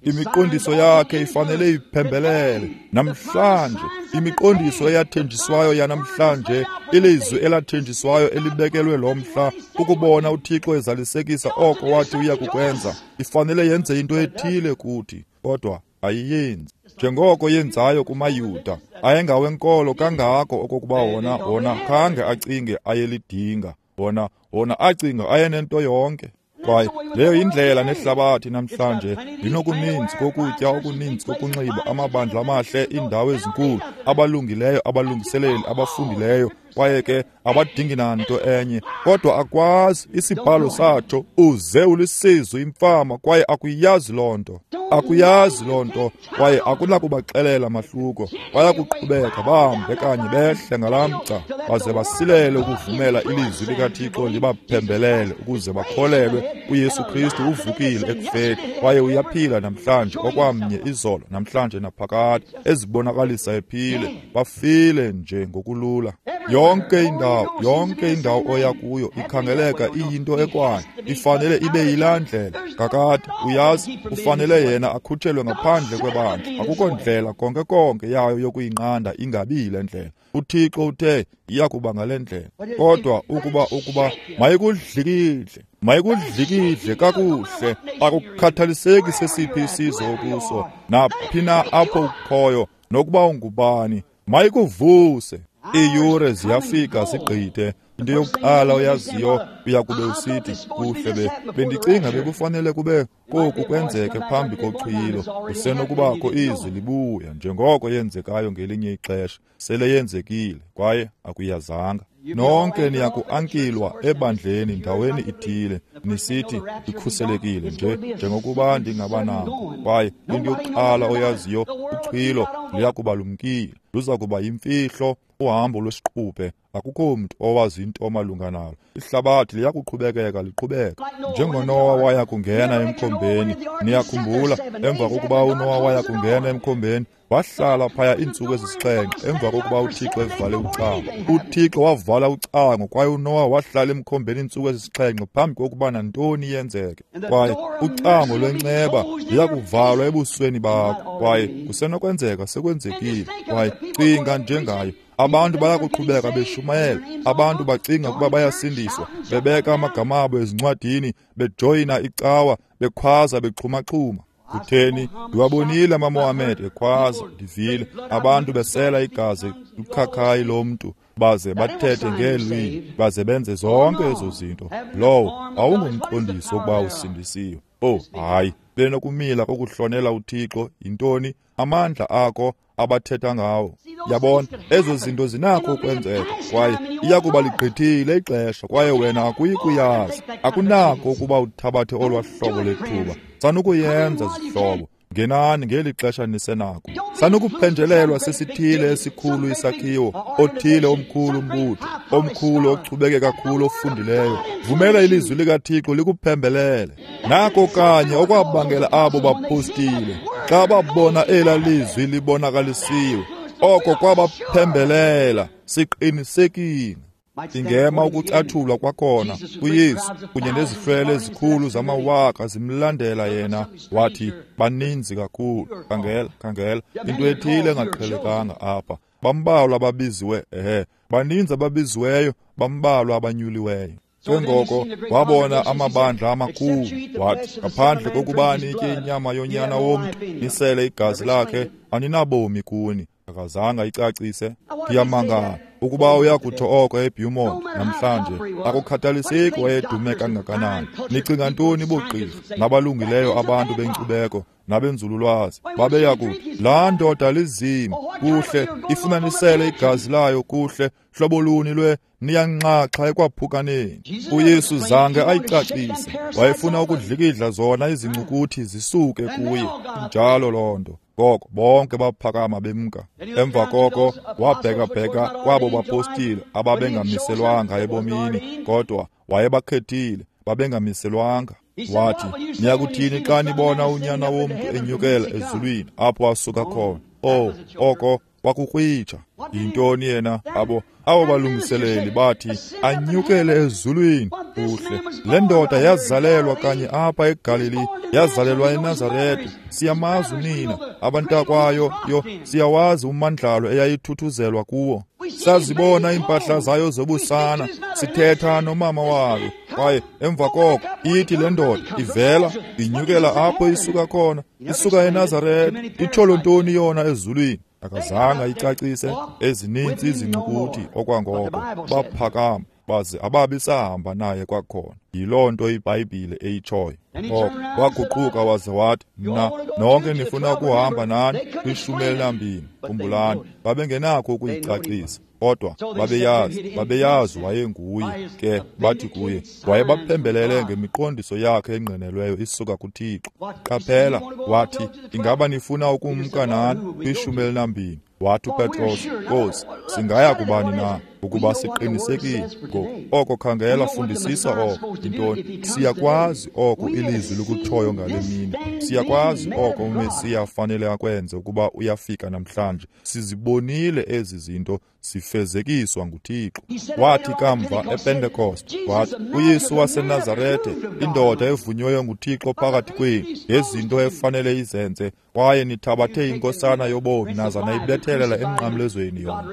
A: Imiqondiso yakhe ifanele iphembelele namhlanje. Imiqondiso eyathenjiswayo yanamhlanje, ilizwi elathenjiswayo elibekelwe lo mhla, ukubona uThixo ezalisekisa oko wathi uya kukwenza, ifanele yenze into ethile kuthi, kodwa ayiyenzi. Njengoko yenzayo kumaYuda, ayengawenkolo kangako okokuba wona khange acinge ayelidinga, wona acinga ayenento yonke. Kwaye leyo indlela nehlabathi namhlanje, linokuninzi kokutya, okuninzi kokunxiba, amabandla amahle, iindawo ezinkulu, abalungileyo, abalungiseleli, abafundileyo, kwaye ke abadingi nanto enye. Kodwa akwazi, isibhalo satsho, uze ulisizwe imfama, kwaye akuyazi loo nto. Akuyazi loo nto, kwaye akunakubaxelela mahluko. Bayakuqhubeka bahambe kanye behle ngalaa mgca, baze basilele ukuvumela ilizwi likaThixo libaphembelele ukuze bakholelwe uYesu Kristu uvukile ekufeni, kwaye uyaphila namhlanje okwamnye izolo, namhlanje naphakade, ezibonakalisa ephile. Bafile nje ngokulula. Yonke indawo oya kuyo ikhangeleka iyinto ekwayo, ifanele ibe yilaa ndlela. Kakade, uyazi, ufanele yena akhutshelwe ngaphandle kwebandla. Akukho ndlela konke konke yayo yokuyinqanda ingabi yile ndlela. uThixo uthe iyakuba ngale ndlela. Kodwa ukuba mayikudlikidle kakuhle, akukhathaliseki sesiphi isizwe okuso, naphi na apho ukhoyo, nokuba ungubani, mayikuvuse. Iiyure ziyafika zigqithe. Into yokuqala oyaziyo, uyakube usithi, kuhle, bendicinga bekufanele kube koku kwenzeke phambi kochilo. Kusenokubakho izwi libuya njengoko yenzekayo ngelinye ixesha, sele yenzekile kwaye akuyazanga. Nonke niyakuankilwa ebandleni ndaweni ithile, nisithi ikhuselekile nje njengokuba ndingabanako. Kwaye into yokuqala oyaziyo, uchilo luyakuba lumkile, luza kuba yimfihlo, uhambo lwesiquphe. Akukho mntu owazi into malunga nalo. Ihlabathi liyakuqhubekeka liqhubeka njengoNowa waya kungena emkhombeni. Niyakhumbula, emva kokuba uNowa waya kungena emkhombeni, wahlala phaya iintsuku ezisixhenxe emva kokuba uThixo evale ucango. UThixo wavala ucango kwaye uNowa wahlala emkhombeni iintsuku ezisixhenxe phambi kokuba nantoni yenzeke. Kwaye ucango lwenceba luyakuvalwa ebusweni bakho, kwaye kusenokwenzeka sekwenzekile. Kwaye cinga njengayo, abantu bayakuqhubeka beshumayela, abantu bacinga ukuba bayasindiswa, bebeka amagama abo ezincwadini, bejoyina icawa, bekhwaza, bexhumaxhuma. Kutheni? Ndiwabonile amaMohammed ekhwaza, ndivile abantu besela igazi lukhakhayi lomntu, baze bathethe ngeelwimi, baze benze zonke ezo zinto. Lowo awungumqondiso wokuba usindisiwe. Oh, hayi, benokumila kokuhlonela uThixo. Yintoni amandla akho abathetha ngawo? Yabona, ezo zinto zinakho ukwenzeka, kwaye iyakuba ligqithile ixesha, kwaye wena akuyi kuyazi. Akunakho ukuba uthabathe olwa hlobo lethuba. Sanukuyenza, zihlobo. Ngenani ngeli xesha nisenako. Sanukuphenjelelwa sesithile esikhulu isakhiwo, othile omkhulu umbutho, omkhulu ochubeke kakhulu ofundileyo. Vumela ilizwi likaThixo likuphembelele. Nako kanye okwabangela abo bapostile, xa babona ela lizwi libonakalisiwe, oko kwabaphembelela. Siqinisekile. Ingema ukucathulwa kwakhona kuYesu kunye nezihlwele ezikhulu zamawaka zimlandela yena. Wathi, baninzi kakhulu. Khangela, khangela, into ethile engaqhelekanga apha. Bambalwa ababiziwe, baninzi ababiziweyo, bambalwa abanyuliweyo. Ke ngoko wabona amabandla amakhulu, wathi, ngaphandle kokuba nitye inyama yonyana womntu, nisele igazi lakhe, aninabomi kuni. Akazange ayicacise. Ndiyamangala ukuba uyakutsho oko eBeaumont namhlanje. Akukhathaliseki wayedume kangakanani. Nicinga ntoni bogqirha nabalungileyo abantu benkcubeko nabenzululwazi? Babeyakuthi, laa ndoda lizima, kuhle, ifumanisele igazi layo, kuhle, hlobo luni lwe niyanxaxha ekwaphukaneni. uYesu zange ayicacise. Wayefuna ukudlikidla zona izincukuthi zisuke kuye. Njalo loo nto. Ngoko bonke baphakama bemka. Emva koko wabhekabheka kwabo bapostile ababengamiselwanga ebomini, kodwa wayebakhethile, babengamiselwanga. Wathi, niyakuthini xa nibona unyana womntu enyukela ezulwini apho asuka khona? Oh, oko kwakukrwitsha. Yintoni yena? Abo balungiseleli bathi anyukele ezulwini. Kuhle, le ndoda yazalelwa kanye apha eGalili, yazalelwa eNazarete. Siyamazi unina, abantakwayo yo siyawazi umandlalo eyayithuthuzelwa kuwo. Sazibona iimpahla zayo zobusana, sithetha nomama wayo. Kwaye emva koko ithi le ndoda ivela inyukela apho isuka khona, isuka eNazarete. Itholo ntoni yona ezulwini? Akazange ayicacise. Ezininzi izincukuthi okwangoko baphakama baze ababi sahamba naye kwakhona. Yiloo nto iBhayibhile eyitshoyo. Ngoko waguquka waze wathi, mna nonke nifuna ukuhamba nani kwi-12. Khumbulani, babengenakho ukuyicacisa, kodwa babeyazi wayenguye. Ke bathi kuye, wayebaphembelele ngemiqondiso yakhe engqinelweyo isuka kuThixo. Qaphela, wathi, ingaba nifuna ukumka nani kwi-12? Wathi uPetros, Nkosi, singaya kubani na? Ukuba siqinisekile ngoku oko. Khangela, fundisisa oko. Yintoni? Siyakwazi oko ilizwi likutshoyo ngale mini. Siyakwazi oko uMesiya afanele akwenze ukuba uyafika namhlanje. Sizibonile ezi zinto sifezekiswa nguThixo. Wathi kamva ePentecost, wathi, uYesu waseNazarete, indoda evunyweyo nguThixo phakathi kwenu, ngezinto efanele izenze, kwaye nithabathe inkosana yobomi naza nayibethelela emnqamlezweni yona.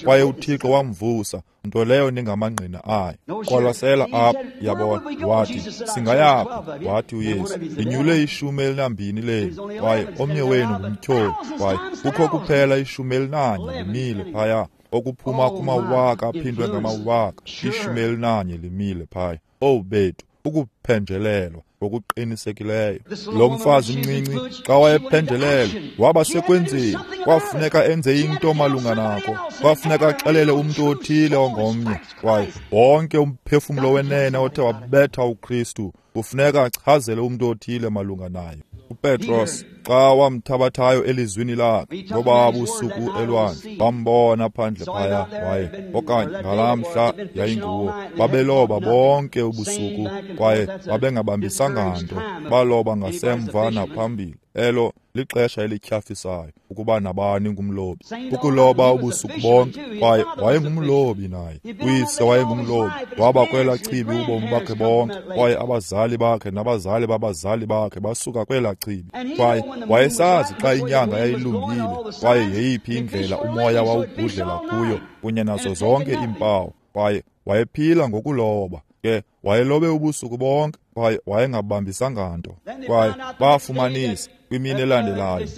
A: Kwaye uThixo wamvusa, nto leyo ningamangqina ayo. Qwalasela apha, yabona. Wathi, singayaphi? Wathi uYesu, ndinyule 12 lenu, kwaye omnye wenu ngumtyholi. Kwaye kukho kuphela 11 limile phaya, okuphuma kumawaka aphindwe ngamawaka. 11 limile phaya. Owu bethu, ukuphenjelelwa ngokuqinisekileyo. Lo mfazi mncinci xa wayephenjelelwa waba sekwenzeni, kwafuneka enze into malunga nako, kwafuneka axelele umntu othile ongomnye. Kwaye wonke umphefumlo wenene othe wabetha uKristu kufuneka achazele umntu othile malunga naye. uPetros xa wamthabathayo elizwini lakhe ngoba busuku elwandle, bambona phandle phaya, waye okanye ngalaa mhla yayinguwo. Babeloba bonke ubusuku kwaye babengabambisanga nto, baloba ngasemva naphambili. Elo lixesha elityhafisayo ukuba nabani ngumlobi, ukuloba ubusuku bonke. Kwaye wayengumlobi naye, uyise wayengumlobi, waba kwelaa chibi ubomi bakhe bonke, kwaye abazali bakhe nabazali babazali bakhe basuka kwelaa chibi. Kwaye wayesazi xa inyanga yayilungile kwaye yeyiphi indlela umoya wawubhudlela kuyo kunye nazo zonke iimpawu. Kwaye wayephila ngokuloba. Ke wayelobe ubusuku bonke kwaye wayengabambisanga nto. Kwaye bafumanisa kwimini elandelayo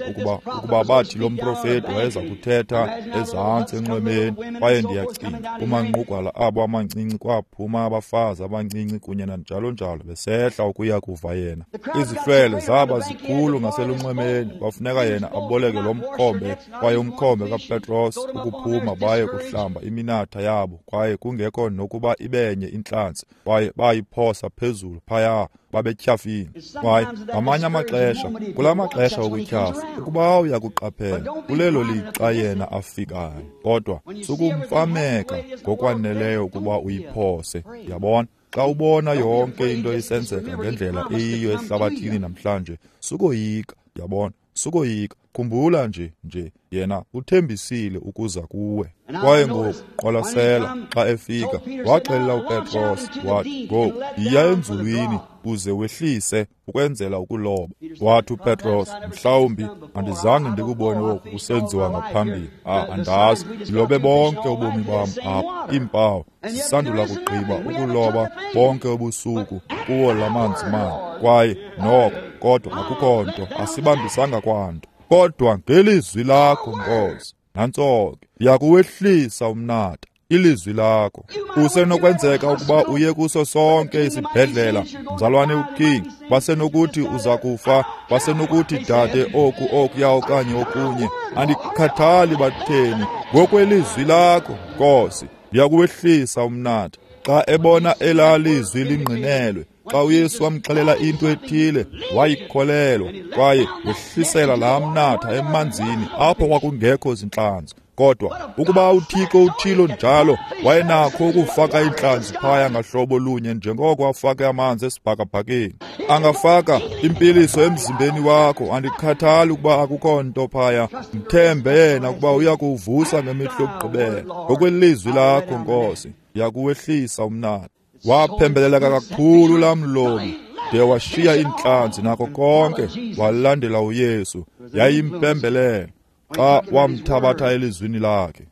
A: ukuba bathi lo mprofeti wayeza kuthetha ezantsi enxwemeni. Kwaye ndiyacinga kumanqugwala abo amancinci kwaphuma abafazi abancinci kunye nanjalo njalo besehla ukuya kuva yena. Izihlwele zaba zikhulu ngaselunxwemeni, kwafuneka yena aboleke lo mkhombe, kwaye umkhombe kaPetros ukuphuma baye kuhlamba iminatha yabo, kwaye kungekho nokuba ibenye intlantsi, kwaye bayiphosa phezulu phaya, babetyhafile. Kwaye ngamanye amaxesha, kula maxesha okutyhafa, ukuba uyakuqaphela, kulelo lixa yena afikayo. Kodwa sukumfameka ngokwaneleyo ukuba uyiphose. Yabona? Xa ubona yonke into isenzeka ngendlela eyiyo ehlabathini namhlanje, sukoyika. Yabona? Sukoyika, khumbula nje yena uthembisile ukuza kuwe. Kwaye ngoku qwalasela, xa efika waxelela uPetros wathi, ngoku yiya enzulwini uze wehlise ukwenzela ukuloba. Wathi uPetros, mhlawumbi andizange ndikubone oku kusenziwa ngaphambili. Andazi, ndilobe bonke ubomi bam apha, iimpawu zisandula kugqiba ukuloba bonke ubusuku kuwo la manzi mane, kwaye noko kodwa akukho nto, asibambisanga kwanto. Kodwa ngelizwi lakho, Nkosi, nantso ke, ndiyakuwehlisa umnatha, ilizwi lakho. Kusenokwenzeka ukuba uye kuso sonke isibhedlela, mzalwane uKing, basenokuthi uza kufa, basenokuthi dade oku okuya okanye okunye. Andikhathali batheni, ngokwelizwi lakho, Nkosi, ndiyakuwehlisa umnatha. Xa ebona elaa lizwi lingqinelwe, xa uYesu wamxelela into ethile, wayikholelwa, kwaye wehlisela laa mnatha emanzini apho kwakungekho zintlanzi. Kodwa ukuba uThixo uthilo njalo, wayenakho ukufaka iintlanzi phaya ngahlobo lunye njengoko afake amanzi esibhakabhakeni. Angafaka impiliso emzimbeni wakho, andikhathali ukuba akukho nto phaya. Mthembe yena ukuba uya kuwuvusa ngemihla yokugqibela. Ngokwelizwi lakho, Nkosi, ndiyakuwehlisa umnatha. Waphembeleleka kakhulu laa mlobi de washiya iintlanzi nako konke, walandela uYesu. Yayimpembelelo xa wamthabatha elizwini lakhe.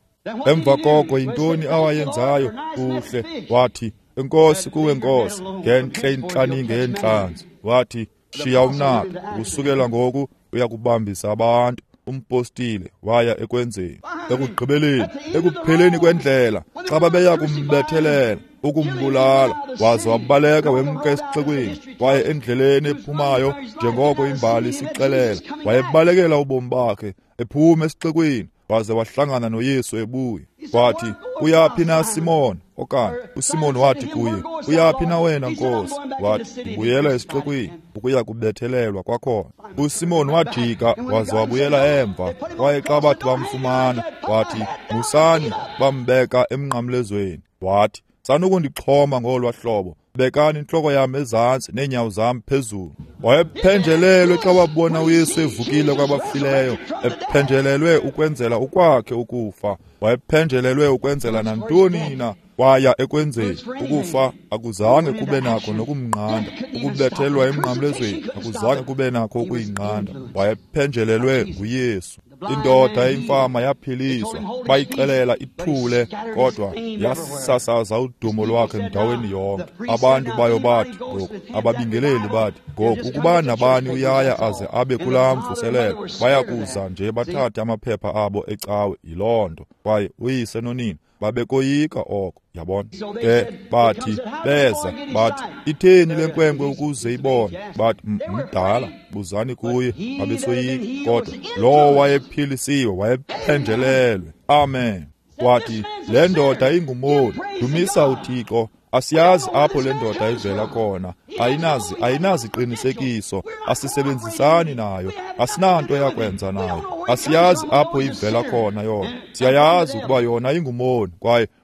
A: Emva koko yintoni awayenzayo? Kuhle, wathi, enkosi kuwe Nkosi, ngentle intlaninge yeentlanzi. Wathi, shiya umnatha, ukusukela ngoku uyakubambisa abantu. Umpostile waya ekwenzeni. Ekugqibeleni, ekupheleni kwendlela, xa babeya kumbethelela, ukumbulala, waze wabaleka wemka esixekweni. Kwaye endleleni ephumayo, njengoko imbali isixelela, wayebalekela ubomi bakhe, ephuma esixekweni, waze wahlangana noYesu ebuya. Wathi, uyaphi na Simon? Okanye uSimon wathi kuye, uyaphi na wena Nkosi? Wathi, ndibuyela esixekweni ukuya kubethelelwa kwakhona. uSimon wajika waze wabuyela emva, kwaye xa bathi bamfumana, wathi, musani, bambeka emnqamlezweni. Wathi, sanukundixhoma ngolwa hlobo, bekani intloko yam ezantsi neenyawo zam phezulu. Wayephenjelelwe xa wabona uYesu evukile kwabafileyo, ephenjelelwe ukwenzela ukwakhe ukufa. Wayephenjelelwe ukwenzela nantoni na, waya ekwenzeni. Ukufa akuzange kube nakho nokumnqanda, ukubethelwa emnqamlezweni akuzange kube nakho ukuyinqanda. Wayephenjelelwe nguYesu. Indoda eyimfama yaphiliswa, bayixelela ithule, kodwa yasasaza udumo lwakhe ndaweni yonke. Abantu bayo bathi ngoku, ababingeleli bathi ngoku, ukuba nabani uyaya aze abe kulaa mvuselelo, bayakuza nje bathathe amaphepha abo ecawe. Yiloo nto. Kwaye uyise nonina babekoyika oko, yabona. Ke bathi beza bathi, itheni le nkwenkwe ukuze ibone? Bathi, mdala, buzani kuye. Babesoyika, kodwa lowo wayephilisiwe wayephenjelelwe. Amen. Wathi, le ndoda ingumoni, dumisa uThixo. Asiyazi apho le ndoda ivela khona, ayinaziqinisekiso, asisebenzisani nayo, asinanto yakwenza nayo, asiyazi apho ivela khona yona. Siyayazi ukuba yona ingumoni,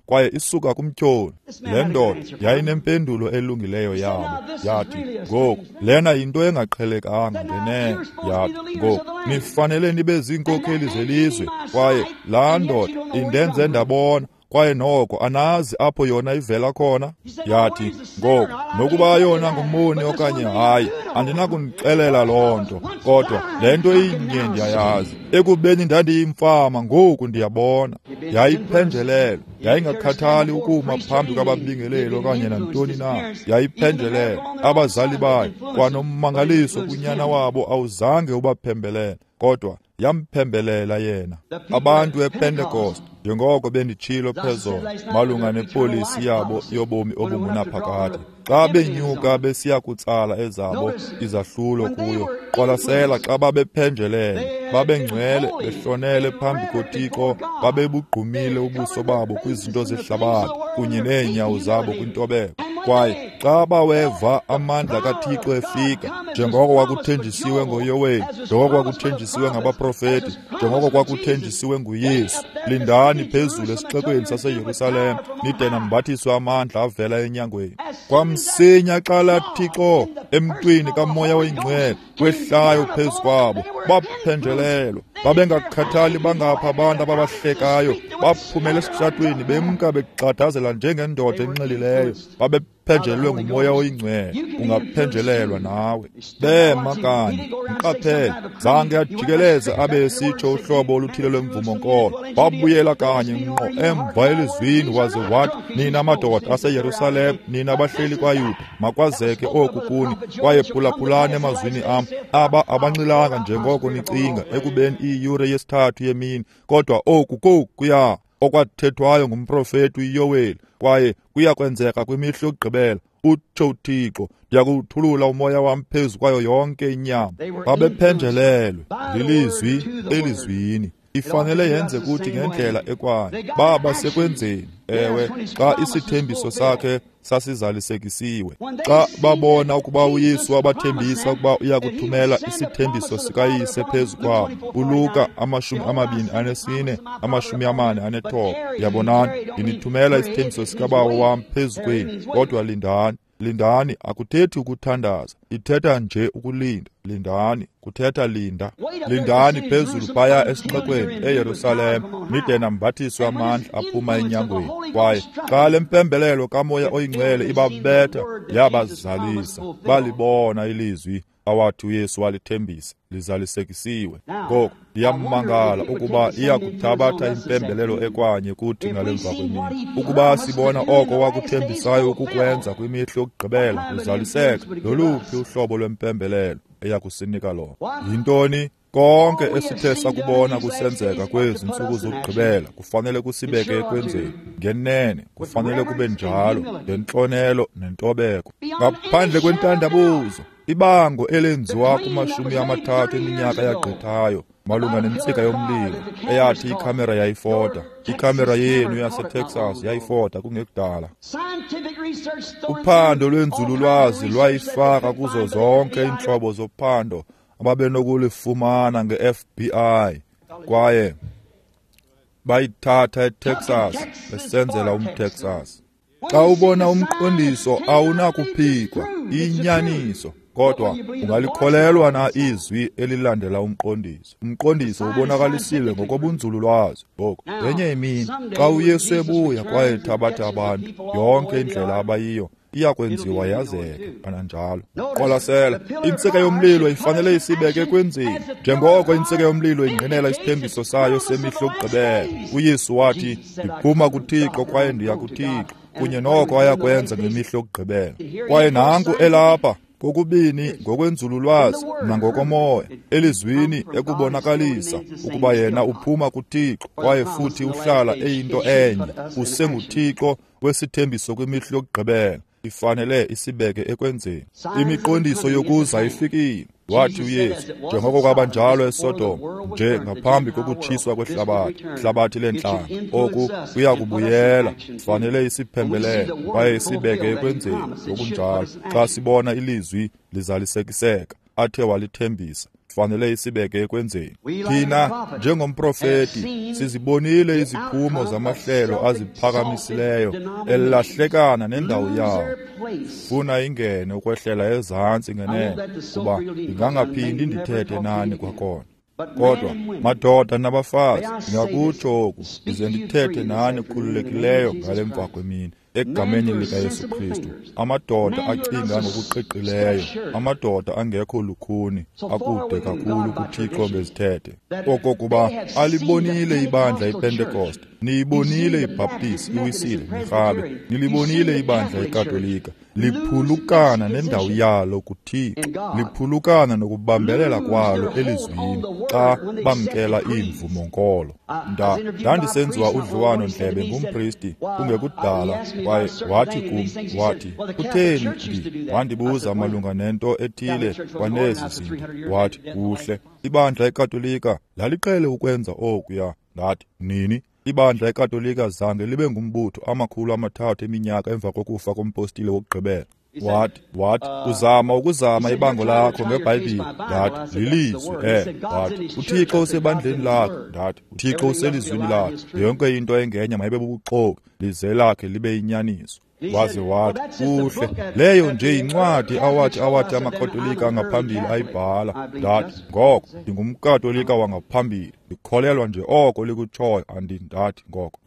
A: kwaye isuka kumtyholi. Le ndoda yayinempendulo elungileyo yabo. Yathi, ngoku lena yinto engaqhelekanga ngenene. Yathi, ngoku nifanele nibe ziinkokheli zelizwe, kwaye laa ndoda indenze ndabona, kwaye noko anazi apho yona ivela khona. Yathi, ngoku nokuba yona ngumoni okanye hayi, andinakunixelela loo nto, kodwa le nto inye ndiyayazi, ekubeni ndandiyimfama, ngoku ndiyabona. Yayiphenjelelwe, yayingakhathali ukuma phambi kwababingeleli okanye nantoni na. Yayiphenjelelwe. Abazali bayo kwanommangaliso kunyana wabo awuzange ubaphembelele, kodwa yamphembelela yena. Abantu ePentecost, njengoko benditshilo phezolo malunga nepolisi yabo yobomi obungunaphakade, xa benyuka besiya kutsala ezabo izahlulo kuyo, qwalasela xa babephenjelele, babengcwele, behlonele phambi koThixo, babebugqumile ubuso babo kwizinto zehlabathi kunye neenyawo zabo kwintobeko. Kwaye xa baweva amandla kaThixo efika, Njengoko kwakuthenjisiwe ngoYoweli, njengoko kwakuthenjisiwe ngabaprofeti, njengoko kwakuthenjisiwe nguYesu, lindani phezulu esixekweni saseYerusalem nide nambathiswe amandla avela enyangweni. Kwamsinya xa laa Thixo emntwini kaMoya oyiNgcwele wehlayo phezu kwabo, baphenjelelwa. Babengakhathali bangapha abantu ababahlekayo, baphumela esitratweni bemka begxadazela njengendoda enxilileyo. Babephenjelelwe nguMoya oyiNgcwele. Ungaphenjelelwa nawe. Bema kanye, mqaphele, zange ajikeleze abe esitsho uhlobo oluthile lwemvumo-nkolo. Wabuyela kanye ngqo emva elizwini waze wathi, nina madoda aseYerusalem, nina bahleli kwaYuda, makwazeke oku kuni, kwaye phulaphulani emazwini am. Aba abanxilanga njengoko nicinga, ekubeni iyure yesithathu yemini, kodwa oku kokuya okwathethwayo ngumprofeti uYoweli, kwaye kuyakwenzeka kwimihla yokugqibela, utsho uThixo, ndiyakuwuthulula umoya wam phezu kwayo yonke inyama. Babephenjelelwe lilizwi elizwini. Ifanele yenze kuthi ngendlela ekwayo. Baba sekwenzeni, ewe, xa isithembiso sakhe sasizalisekisiwe. Xa babona ukuba uYesu wabathembisa ukuba uyakuthumela isithembiso sikaYise phezu kwabo, uLuka 24:49, yabonani, ndinithumela isithembiso sikaBawo wam phezu kwenu, kodwa lindani. Lindani akuthethi ukuthandaza, ithetha nje ukulinda. Lindani kuthetha linda. Lindani phezulu phaya esixekweni eYerusalem nide nambathiswe amandla aphuma enyangweni. Kwaye xa le mpembelelo kaMoya oyiNgcwele ibabetha, yabazalisa, balibona ilizwi awathi uYesu walithembisa lizalisekisiwe. Ngoku ndiyamangala ukuba iyakuthabatha impembelelo ekwanye kuthi ngale mva kwemini. Ukuba sibona oko wakuthembisayo ukukwenza kwimihla yokugqibela kuzaliseka, loluphi uhlobo lwempembelelo eyakusinika lona? Yintoni? Konke esithe sakubona kusenzeka kwezi ntsuku zokugqibela kufanele kusibeke ekwenzeni. Ngenene kufanele kube njalo, ngentlonelo nentobeko, ngaphandle kwentandabuzo. Ibango elenziwa kuma-30 eminyaka yagqithayo malunga nentsika yomlilo eyathi ikhamera yayifota. Ikhamera yenu yaseTexas yayifota kungekudala. Uphando lwenzululwazi lwayifaka kuzo zonke iintlobo zophando ababenokulifumana nge-FBI, kwaye bayithatha eTexas besenzela umTexas. Xa ubona umqondiso awunakuphikwa, inyaniso, kodwa ungalikholelwa na izwi elilandela umqondiso? Umqondiso ubonakalisiwe ngokobunzululwazi. Ngoku ngenye imini xa uYesu ebuya kwaye ethabatha abantu, yonke indlela abayiyo iyakwenziwa yazeke kananjalo. Qwalasela, intsika yomlilo ifanele isibeke ekwenzeni. Njengoko intsika yomlilo ingqinela isithembiso sayo semihla yokugqibela, uYesu wathi, ndiphuma kuThixo kwaye ndiya kuThixo, kunye noko ayakwenza ngemihla yokugqibela. Kwaye nanku elapha kokubini ngokwenzululwazi nangokomoya, elizwini ekubonakalisa ukuba yena uphuma kuThixo kwaye futhi uhlala eyinto enye, usenguThixo wesithembiso kwimihla yokugqibela. Ifanele isibeke ekwenzeni. Imiqondiso yokuza ifikile. Wathi uYesu, njengoko kwabanjalo eSodom, nje ngaphambi kokutshiswa kwehlabathi, hlabathi lentlanga, oku kuyakubuyela. Fanele isiphembelele kwaye isibeke ekwenzeni ngokunjalo. Xa sibona ilizwi lizalisekiseka athe walithembisa, fanele isibeke ekwenzeni. Thina njengomprofeti sizibonile iziphumo zamahlelo aziphakamisileyo elahlekana nendawo yawo. Funa ingene ukwehlela ezantsi ngenene, kuba ndingangaphindi ndithethe nani kwakhona. Kodwa madoda nabafazi, ndingakutsho oku ndize ndithethe nani khululekileyo ngale mva kwemini egameni likaYesu Kristu. Amadoda acinga ngokuqiqileyo, amadoda angekho lukhuni, akude kakhulu kuThixo ngezithethe, okokuba alibonile ibandla iPentecost, niyibonile iBaptist, iWisile, nirhabe, nilibonile ibandla iKatolika liphulukana nendawo yalo kuThixo, liphulukana nokubambelela kwalo elizwini xa bamkela iimvumo-nkolo. Ndandisenziwa udliwano-ndlebe ngumpristi kungekudala, kwaye wathi kum, wathi, kutheni wandibuza malunga nento ethile kwanezi zinto. Wathi, kuhle, ibandla eKatolika laliqhele ukwenza okuya. Ndathi, nini? Ibandla eKatolika zange libe ngumbutho 300 eminyaka emva kokufa kompostile wokugqibela. Wathi, uzama ukuzama ibango lakho ngeBhayibhile. Ndathi, lilizwi. Wathi, uThixo usebandleni lakhe. Ndathi, uThixo uselizwini lakhe. Yonke into engenye mayibe bubuxoki, lize lakhe libe yinyaniso. Waze wathi, kuhle, leyo nje yincwadi awathi amaKatolika angaphambili ayibhala. Ndathi, ngoko ndingumKatolika wangaphambili, ndikholelwa nje oko likutshoyo. Ndathi ngoko.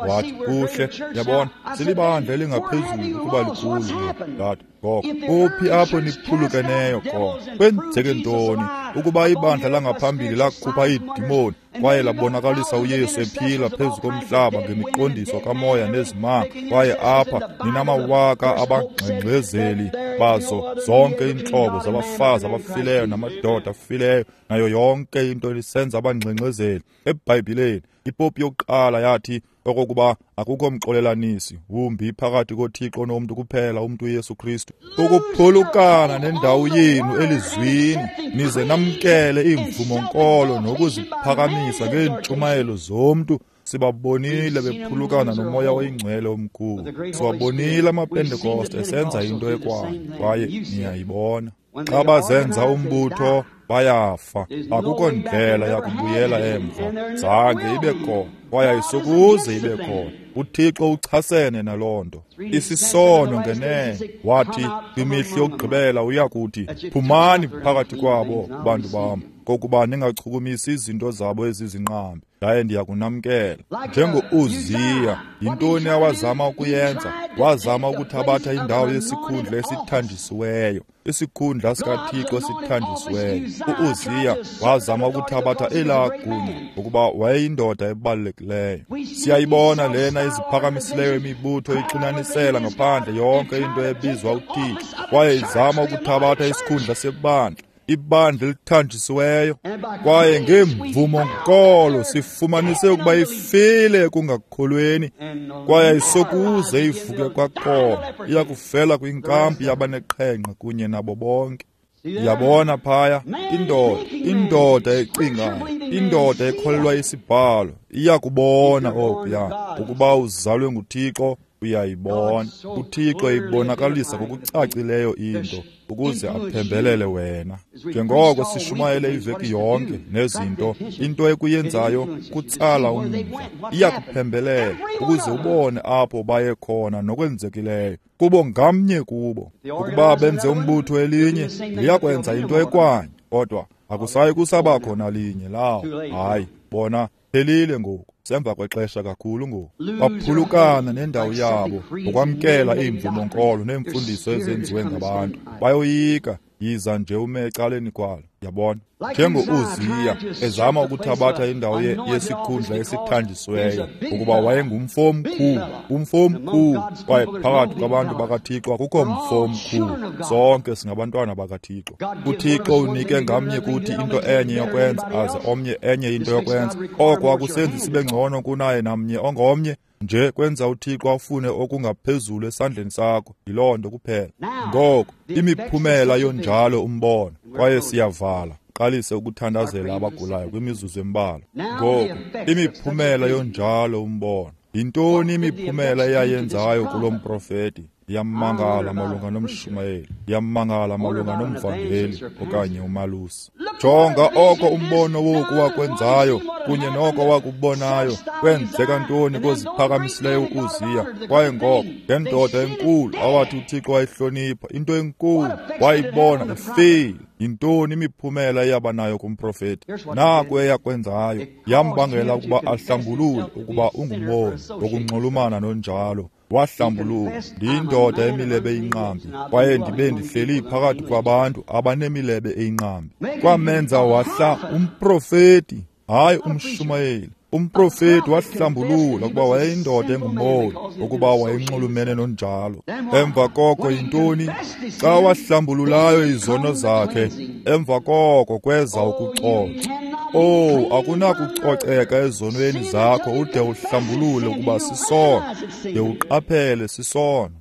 A: Wathi, kuhle, yabona, silibandla elingaphezulu ukuba likhulu. Ndathi, ngoko, kuphi apho niphulukeneyo khona? Kwenzeke ntoni ukuba ibandla langaphambili lakhupha iidimoni kwaye labonakalisa uYesu ephila phezu komhlaba ngemiqondiso kamoya nezimanga, kwaye apha ninamawaka abangxengxezeli bazo zonke iintlobo zabafazi abafileyo namadoda afileyo nayo yonke into lisenza abangxengxezeli? EBhayibhileni ipopi yokuqala yathi okokuba akukho mxolelanisi wumbi phakathi koThixo nomntu kuphela umntu uYesu Kristu. Ukuphulukana nendawo yenu elizwini, nize namkele iimvumo-nkolo nokuziphakamisa ngeentshumayelo zomntu. Sibabonile bephulukana nomoya oyingcwele omkhulu. Siwabonile amaPentekoste esenza into ekwayo, kwaye niyayibona. Xa bazenza umbutho bayafa, akukho ndlela yakubuyela emva. Zange ibe khona, kwaye ayisokuze ibe khona. uThixo uchasene naloo nto. Isisono ngenene. Wathi kwimihla yokugqibela uyakuthi, phumani phakathi kwabo bantu bam, kokuba ningachukumisi izinto zabo ezizinqambi, yaye ndiyakunamkela. Njengo-Uziya, yintoni awazama ukuyenza? Wazama ukuthabatha indawo yesikhundla esithanjisiweyo, isikhundla sikaThixo esithanjisiweyo. U-Uziya wazama ukuthabatha elaa gunya ngokuba wayeyindoda ebalulekileyo. Siyayibona lena iziphakamisileyo imibutho ixinanisela ngaphandle yonke into ebizwa uThixo, kwaye izama ukuthabatha isikhundla sebandla, ibandla elithanjisiweyo. Kwaye ngemvumo-nkolo sifumanise ukuba ifile ekungakholweni, kwaye ayisokuze ivuke kwakhona. Iyakufela kwinkampi yabaneqhenqe kunye nabo bonke. Yabona phaya, indoda ecingayo, indoda ekholelwa isibhalo, iyakubona okuya ukuba uzalwe nguThixo. Uyayibona uThixo ibonakalisa ngokucacileyo into ukuze aphembelele wena. Njengoko sishumayele iveki yonke nezinto, into ekuyenzayo kutsala umdla, iyakuphembelela ukuze ubone apho baye khona nokwenzekileyo kubo ngamnye kubo. Ukuba benze umbutho elinye, liyakwenza into ekwanye, kodwa akusayi kusabakho nalinye lawo. Hayi, bona phelile ngoku, semva kwexesha kakhulu ngoku. Baphulukana nendawo yabo ngokwamkela iimvumo-nkolo neemfundiso ezenziwe ngabantu. Bayoyika, yiza nje ume ecaleni kwalo, yabona. Njengo-Uziya ezama ukuthabatha indawo yesikhundla esithanjisiweyo, ukuba wayengumfo omkhulu, umfo omkhulu, kwaye phakathi kwabantu bakaThixo akukho mfo omkhulu. Sonke singabantwana bakaThixo. uThixo unike ngamnye kuthi into enye yokwenza, aze omnye enye into yokwenza. Oko akusenzi sibe ngcono kunaye namnye ongomnye, nje kwenza uThixo afune okungaphezulu esandleni sakho. Yiloo nto kuphela. Ngoko imiphumela yonjalo umbono, kwaye siyavala. Qalise ukuthandazela abagulayo kwimizuzu embalwa. Ngoko imiphumela yonjalo umbono. Yintoni imiphumela eyayenzayo kulo mprofeti? Iyamangala malunga nomshumayeli, iyamangala malunga nomvangeli okanye umalusi. Jonga oko umbono woku wakwenzayo kunye noko wakubonayo. Kwenzeka ntoni koziphakamisileyo uUziya? Kwaye ngoko ngendoda enkulu awathi uThixo wayihlonipha, into enkulu wayibona ifile. Yintoni imiphumela eyaba nayo kumprofeti? Naku eyakwenzayo, yambangela ukuba ahlambulule ukuba ungumboni wokunxulumana nonjalo. Wahlambuluka, ndiyindoda emilebe eyinqambi, kwaye ndibe ndihleli phakathi kwabantu abanemilebe eyinqambi. Kwamenza wahla umprofeti, hayi umshumayeli. Umprofeti wahlambulula ukuba wayeyindoda engumboni, ukuba wayenxulumene nonjalo. Emva koko yintoni? Xa wahlambululayo izono zakhe, emva koko kweza ukucoca. Oh, akunakucoceka ezonweni zakho ude uhlambulule ukuba sisono, de uqaphele sisono.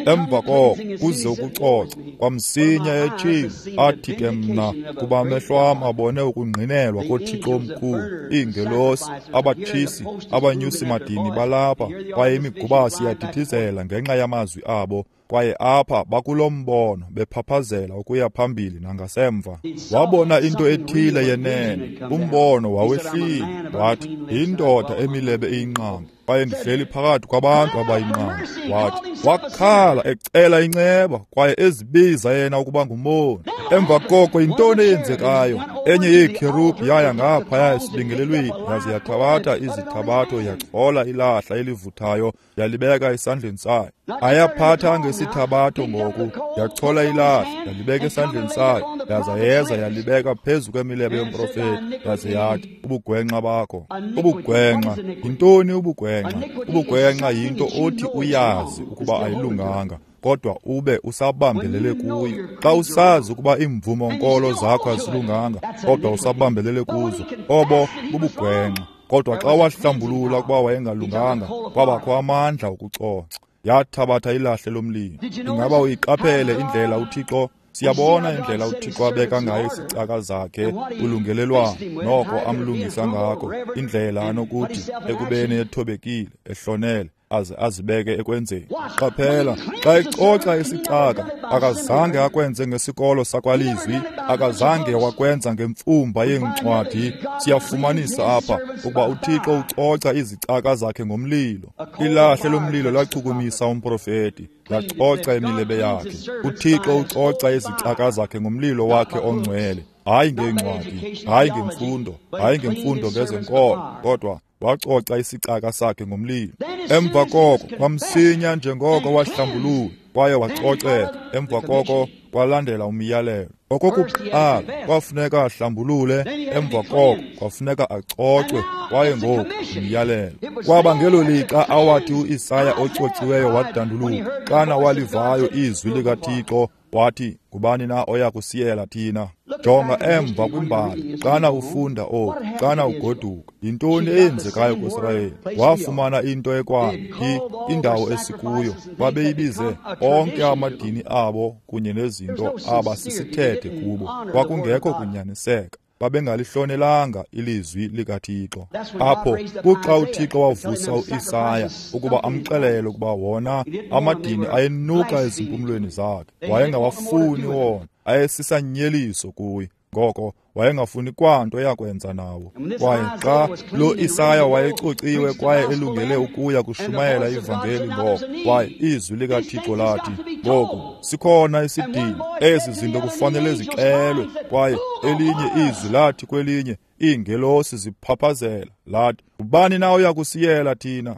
A: Emva koko kuze ukucoca. Kwamsinya etshilo, athi ke mna, kuba amehlo am abone ukungqinelwa koThixo omkhulu, iingelosi, abatshisi, abanyusi madini balapha, kwaye imigubasi iyadithizela ngenxa yamazwi abo. Kwaye apha bakulo mbono bephaphazela ukuya phambili nangasemva. Wabona into ethile yenene, umbono wawehlile. Wathi, "Yindoda emilebe iyinqambi, kwaye ndihleli phakathi kwabantu abayinqambi." Wathi, wakhala ecela inceba kwaye ezibiza yena ukuba ngumoni. Emva koko yintoni eyenzekayo? Enye yeekherubhi yaya ngaphaya esibingelelweni, yaze yathabatha izithabatho, yachola ilahla elivuthayo, yalibeka esandleni sayo. Ayaphatha ngesithabatho ngoku, yachola ilahla, yalibeka esandleni sayo, yaza yeza yalibeka phezu kwemilebe yomprofeti, yaze yathi, "Ubugwenxa bakho." Ubugwenxa yintoni? Ubugwenxa? Ubugwenxa yinto othi uyazi ukuba ayilunganga, kodwa ube usabambelele kuyo. Xa usazi ukuba iimvumo-nkolo zakho azilunganga, kodwa usabambelele kuzo, obo bubugwenxa. Kodwa xa wahlambulula ukuba wayengalunganga, kwabakho amandla okucoca. Yathabatha ilahle lomlilo. Ingaba uyiqaphele indlela uThixo? Siyabona indlela uThixo abeka ngayo isicaka zakhe ulungelelwano, noko amlungisa ngako, indlela anokuthi ekubeni ethobekile, ehlonele, aze azibeke ekwenzeni. Qaphela, xa ecoca isicaka, akazange akwenze ngesikolo sakwalizwi, akazange wakwenza ngemfumba yeencwadi. Siyafumanisa apha ukuba uThixo ucoca izicaka zakhe ngomlilo. Ilahle lomlilo lachukumisa umprofeti, lacoca imilebe yakhe. uThixo ucoca izicaka zakhe ngomlilo wakhe ongcwele, hayi ngeencwadi, hayi ngemfundo, hayi ngemfundo ngezenkolo, kodwa wacoca isicaka sakhe ngomlilo. Emva koko kwamsinya njengoko wahlambulula kwaye wacoceka. Emva koko kwalandela umyalelo. Okokuqala kwafuneka ahlambulule, emva koko kwafuneka acocwe, kwaye ngoku umyalelo. Kwaba ngelo lixa awathi uIsaya ocociweyo wadanduluka, xana walivayo izwi likaThixo, wathi, "Ngubani na oya kusiyela thina?" Jonga emva kwimbali xana ufunda oku, xana ugoduka, yintoni eyenzekayo kuSirayeli? Wafumana into ekwaphi indawo esikuyo. Babeyibize onke amadini abo kunye nezinto aba sisithethe kubo. Kwakungekho kunyaniseka. Babengalihlonelanga ilizwi likaThixo. Apho kuxa uThixo wavusa uIsaya ukuba amxelele ukuba wona amadini ayenuka ezimpumlweni zakhe, wayengawafuni wona, ayesisanyeliso kuye. Ngoko wayengafuni kwanto yakwenza nawo. Kwaye xa lo Isaya wayecociwe kwaye elungele ukuya kushumayela ivangeli ngoko, kwaye izwi likaThixo lathi, "Ngoku sikhona isidingo, ezi zinto kufanele zixelwe." Kwaye elinye izwi lathi kwelinye, iingelosi ziphaphazela, lathi, "Ubani na oya kusiyela thina?"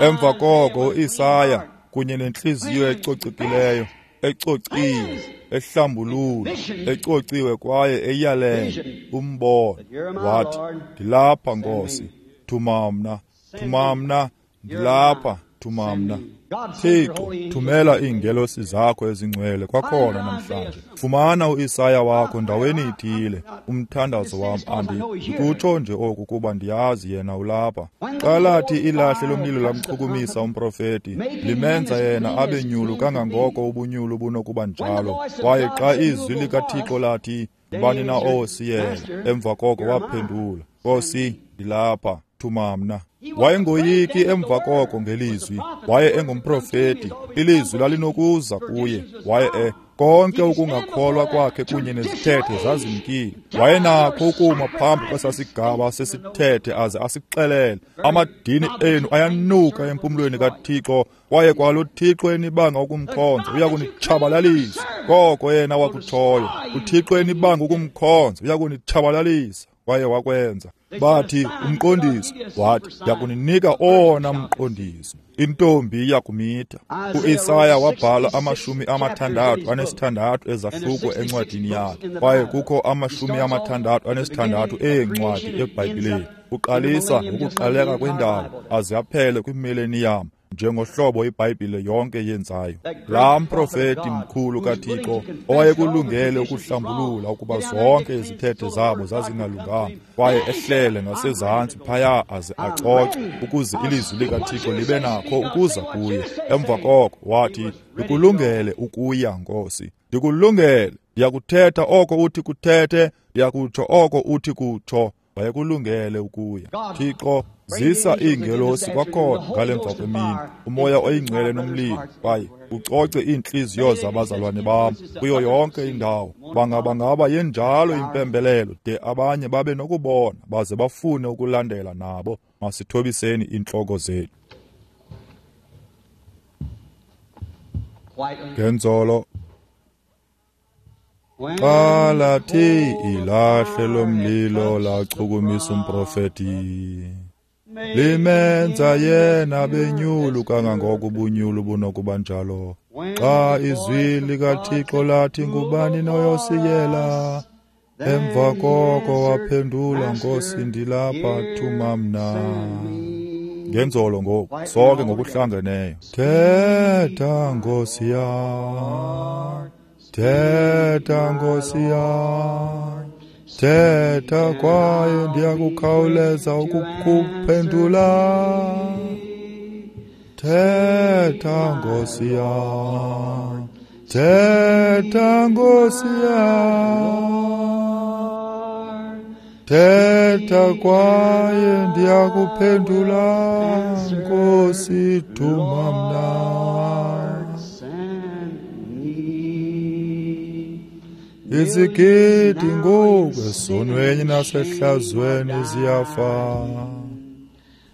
A: Emva koko uIsaya kunye nentliziyo ecocekileyo, ecociwe, ehlambulula, ecociwe kwaye eyalele umbono, wathi, "Ndilapha Nkosi, thuma mna, thuma mna, ndilapha, thuma mna." Thixo, thumela iingelosi zakho ezingcwele kwakhona namhlanje. Fumana uIsaya wakho ndaweni ithile. Umthandazo wam ndikutsho nje oku kuba ndiyazi yena ulapha. Xa lathi ilahle lomlilo lamchukumisa umprofeti, limenza yena abe nyulu kangangoko ubunyulu bunokuba njalo. Kwaye xa izwi likaThixo lathi, "Ngubani na owosiyela?" Emva koko waphendula, "Nkosi, ndilapha, thuma mna." Wayengoyiki emva koko ngelizwi. Waye engumprofeti, ilizwi lalinokuza kuye. Waye konke ukungakholwa kwakhe kunye nezithethe zazimkile. Wayenakho ukuma phambi kwesasigaba sesithethe aze asixelele, "Amadini enu ayanuka empumlweni kaThixo, kwaye kwalo Thixo enibanga ukumkhonza uyakunitshabalalisa." Koko yena wakutshoyo, uThixo enibanga ukumkhonza uyakunitshabalalisa. Kwaye wakwenza. Bathi umqondiso, wathi, "Ndiyakuninika owona mqondiso, intombi iyakumitha." UIsaya wabhala 66 ezahluko encwadini yakhe, kwaye kukho 66 eencwadi eBhayibhileni. Uqalisa ngokuqaleka kwendalo aze aphele kwimileniyam, njengohlobo iBhayibhile yonke yenzayo. Laa mprofeti mkhulu kaThixo owayekulungele ukuhlambulula ukuba zonke izithethe zabo zazingalunganga, kwaye ehlele ngasezantsi phaya aze acoce ukuze ilizwi likaThixo libe nakho ukuza kuye. Emva koko wathi, "Ndikulungele ukuya, Nkosi, ndikulungele. Ndiyakuthetha oko uthi kuthethe, ndiyakutsho oko uthi kutsho." Wayekulungele ukuya. Thixo, Zisa iingelosi kwakhona ngale mva kwemini, umoya oyingcwele nomlilo, kwaye ucoce iintliziyo zabazalwane bam kuyo yonke indawo. Bangaba yenjalo impembelelo de abanye babe nokubona baze bafune ukulandela nabo. Masithobiseni iintloko zethu. Ngenzolo xa lathi ilahle lomlilo lachukumisa umprofeti, limenza yena benyulu kangangoko ubunyulu bunokuba njalo. Xa izwi likaThixo lathi ngubani noyosiyela, emva koko waphendula, Nkosi, ndilapha, thuma mna. Ngenzolo ngoku sonke ngokuhlangeneyo. Thetha Nkosi yam, thetha Nkosi yam, thetha kwaye ndiyakukhawuleza ukukuphendula. Thetha Nkosi yam, thetha Nkosi yam, thetha kwaye ndiyakuphendula. Nkosi, thuma mna. Izigidi ngoku esonweni nasehlazweni ziyafa.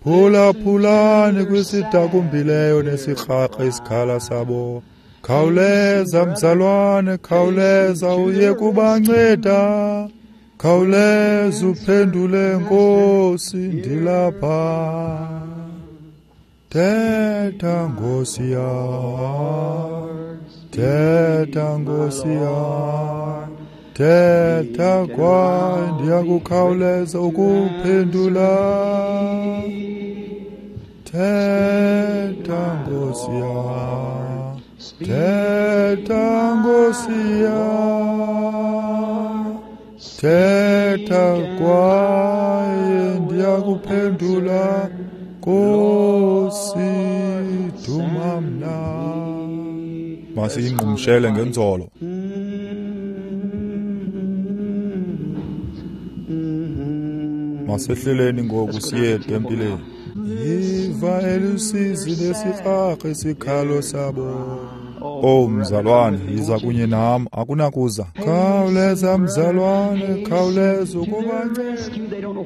A: Phulaphulani kwisidakumbileyo nesirhaqa isikhala sabo. Khawuleza mzalwane, khawuleza uye kubanceda. Khawuleza uphendule, Nkosi, ndilapha. Thetha Nkosi yam, thetha Nkosi yam, thetha kwaye ndiyakukhawuleza ukuphendula. Thetha Nkosi yam, thetha Nkosi yam, thetha kwaye ndiyakuphendula. Nkosi, thuma mna. Masiyingqumshele ngenzolo. Masehleleni ngoku siye etempileni. Yiva elusizi lesikrarha isikhalo sabo. Oh mzalwane, yiza kunye nam, akunakuza. Khawuleza mzalwane, khawuleza ukubanceda.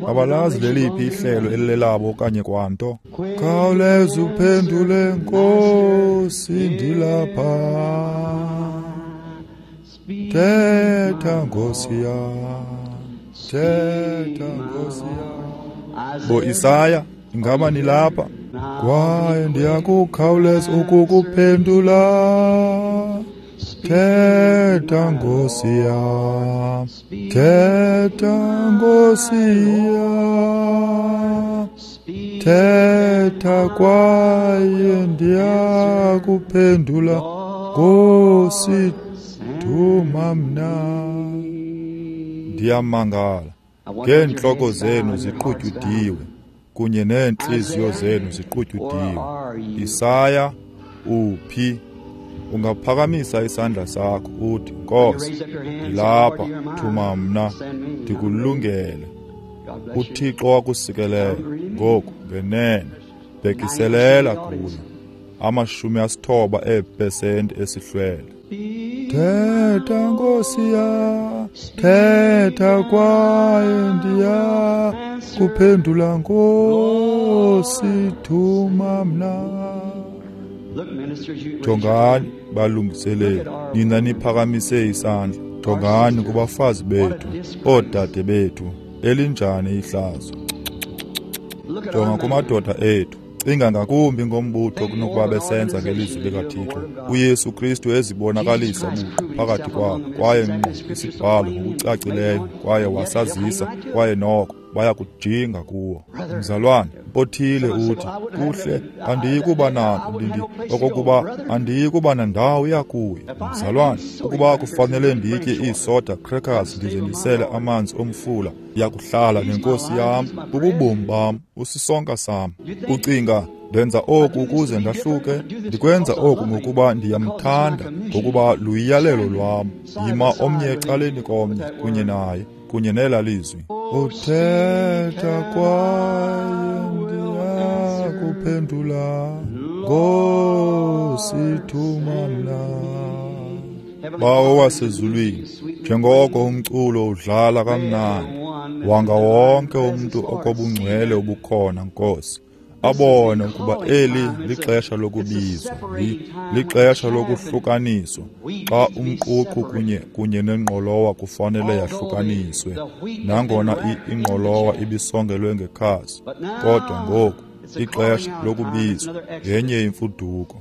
A: Abalazi leliphi ihlelo elilelabo okanye kwanto. Khawuleza uphendule, Nkosi, ndilapha. Thetha Nkosi yam, thetha Nkosi yam. Bo Isaya, ingaba nilapha? Kwaye ndiyakukhawuleza ukukuphendula. Thetha Nkosi yam, thetha Nkosi yam, thetha kwaye ndiyakuphendula. Nkosi, thuma mna. Ndiyamangala ngeentloko zenu ziqutyudiwe kunye neentliziyo zenu ziqutyudiwe. Isaya, uphi? Ungaphakamisa isandla sakho uthi, Nkosi, ndilapha, thuma mna, ndikulungele. uThixo wakusikelela ngoku ngenene. Bhekiselela kuyo. 90 eepesenti esihlwele. Thetha Nkosi yam, thetha kwaye ndiya kuphendula. Nkosi, thuma mna. Jongani balungiseleli, nina niphakamise isandla. Jongani kubafazi bethu, oodade bethu, elinjani ihlazo. Jonga kumadoda ethu. Cinga ngakumbi ngombutho kunokuba besenza ngelizwi likaThixo. uYesu Kristu ezibonakalisa buqu phakathi kwabo, kwaye ngqo isibhalo ngokucacileyo, kwaye wasazisa, kwaye noko bayakujinga kuwo. Mzalwane othile uthi, kuhle, andiyikuba nanto, okokuba andiyikuba nandawo yakuyo. Mzalwane, ukuba kufanele nditye iisoda crackers ndize ndisele amanzi omfula, ndiyakuhlala nenkosi yam, bububomi bam, usisonka sam. Ucinga ndenza oku ukuze ndahluke? Ndikwenza oku ngokuba ndiyamthanda, ngokuba luyiyalelo lwam. Yima omnye ecaleni komnye kunye naye, kunye nela lizwi. Uthetha kwaye Nkosi, thuma mna. Bawo wasezulwini, njengoko umculo udlala kamnandi, wanga wonke umntu okobungcwele obukhona, Nkosi, abone ukuba eli lixesha lokubizwa, lixesha lokuhlukaniswa, xa umququ kunye nengqolowa kufanele yahlukaniswe. Nangona ingqolowa ibisongelwe ngekhasi, kodwa ngoku ixesha lokubizwa ngenye imfuduko.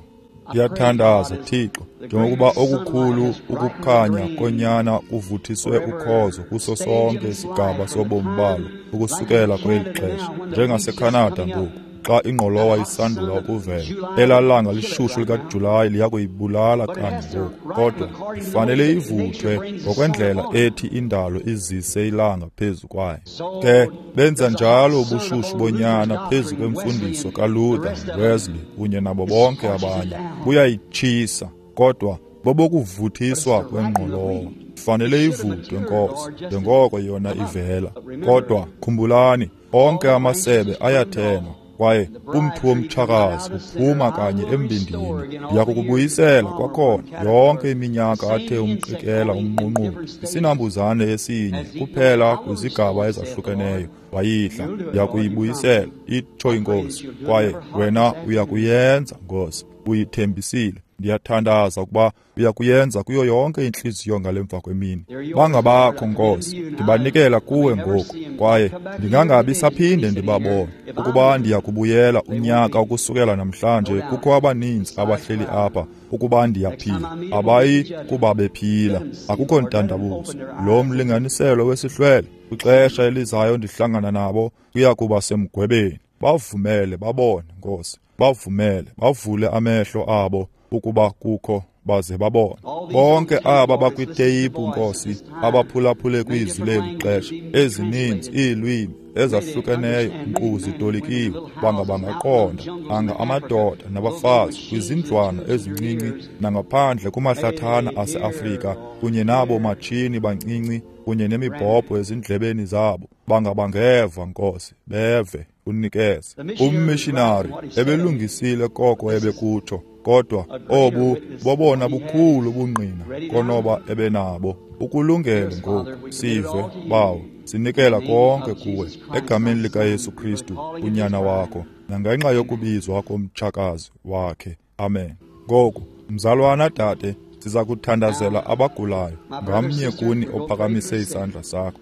A: Ndiyathandaza, Thixo, njengokuba okukhulu ukukhanya konyana kuvuthiswe ukhozo kuso sonke isigaba sobomi balo ukusukela kweli xesha, njengaseKhanada ngoku, xa ingqolowa isandula ukuvela, elaa langa lishushu likaJulayi liyakuyibulala kanye ngoku, kodwa ifanele ivuthwe ngokwendlela ethi indalo izise ilanga phezu kwayo. Ke benza njalo ubushushu bonyana phezu kwemfundiso kaLuther, Wesley kunye nabo bonke abanye, buyayitshisa, kodwa bobokuvuthiswa kwengqolowa. Ifanele ivuthwe, Nkosi, njengoko yona ivela. Kodwa khumbulani, onke amasebe ayathenwa, kwaye umthi womtshakazi uphuma kanye embindini. Ndiyakukubuyisela kwakhona yonke iminyaka athe umqikela umnqunqulu, isinambuzane esinye kuphela kwizigaba ezahlukeneyo wayidla. Ndiyakuyibuyisela, itsho iNkosi, kwaye wena uyakuyenza, Nkosi, uyithembisile. Ndiyathandaza ukuba uyakuyenza kuyo yonke intliziyo ngale mva kwemini. Bangabakho, Nkosi, ndibanikela kuwe ngoku, kwaye ndingangabi saphinde ndibabone. Ukuba ndiyakubuyela unyaka ukusukela namhlanje, kukho abaninzi abahleli apha. Ukuba ndiyaphila, abayi kuba bephila. Akukho ntandabuzo. Lo mlinganiselo wesihlwele, kwixesha elizayo ndihlangana nabo, kuya kuba semgwebeni. Bavumele babone, Nkosi, bavumele bavule amehlo abo ukuba kukho, baze babone. Bonke aba bakwiteyipu, Nkosi, abaphulaphule kwizwi leli xesha, ezininzi iilwimi ezahlukeneyo nkqu zitolikiwe, bangabangaqonda, anga amadoda nabafazi kwizindlwana ezincinci nangaphandle kumahlathana aseAfrika, kunye nabo matshini bancinci kunye nemibhobho ezindlebeni zabo, bangabangeva, Nkosi, beve unikeze. Ummishinari ebelungisile koko ebekutsho, kodwa obu bobona bukhulu ubungqina konoba ebenabo. Ukulungele ngoku, sive, Bawo, sinikela konke kuwe egameni likaYesu Kristu, unyana wakho, nangenxa yokubizwa komtshakazi wakhe. Amen. Ngoku, mzalwana dade, siza kuthandazela abagulayo, ngamnye kuni ophakamise isandla sakho.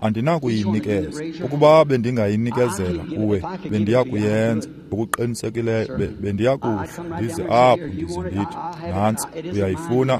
A: Andinakuyinikeza. Ukuba bendingayinikezela kuwe, bendiyakuyenza ngokuqinisekileyo. Bendiyakuhla ndize apho ndize ndithi, nantsi, uyayifuna,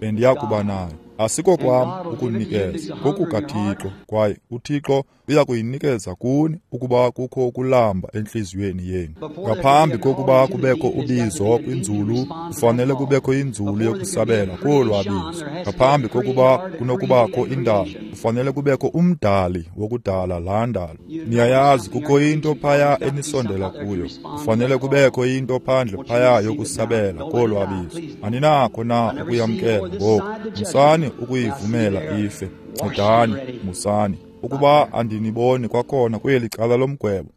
A: bendiyakuba nayo. Asikokwam ukunikeza, kokukaThixo, kwaye uThixo uyakuyinikeza kuni ukuba kukho ukulamba entliziyweni yenu. Ngaphambi kokuba kubekho ubizo kwinzulu, kufanele kubekho inzulu yokusabela kolwabizo. Ngaphambi kokuba kunokubakho indalo, kufanele kubekho umdali wokudala laa ndalo. Niyayazi, kukho into phaya enisondela kuyo. Kufanele kubekho into phandle phaya yokusabela kolwabizo. Aninakho na ukuyamkela ngoku? Musani ukuyivumela ife. Ncedani, musani. Ukuba andiniboni kwakhona kweli cala lomgwebo,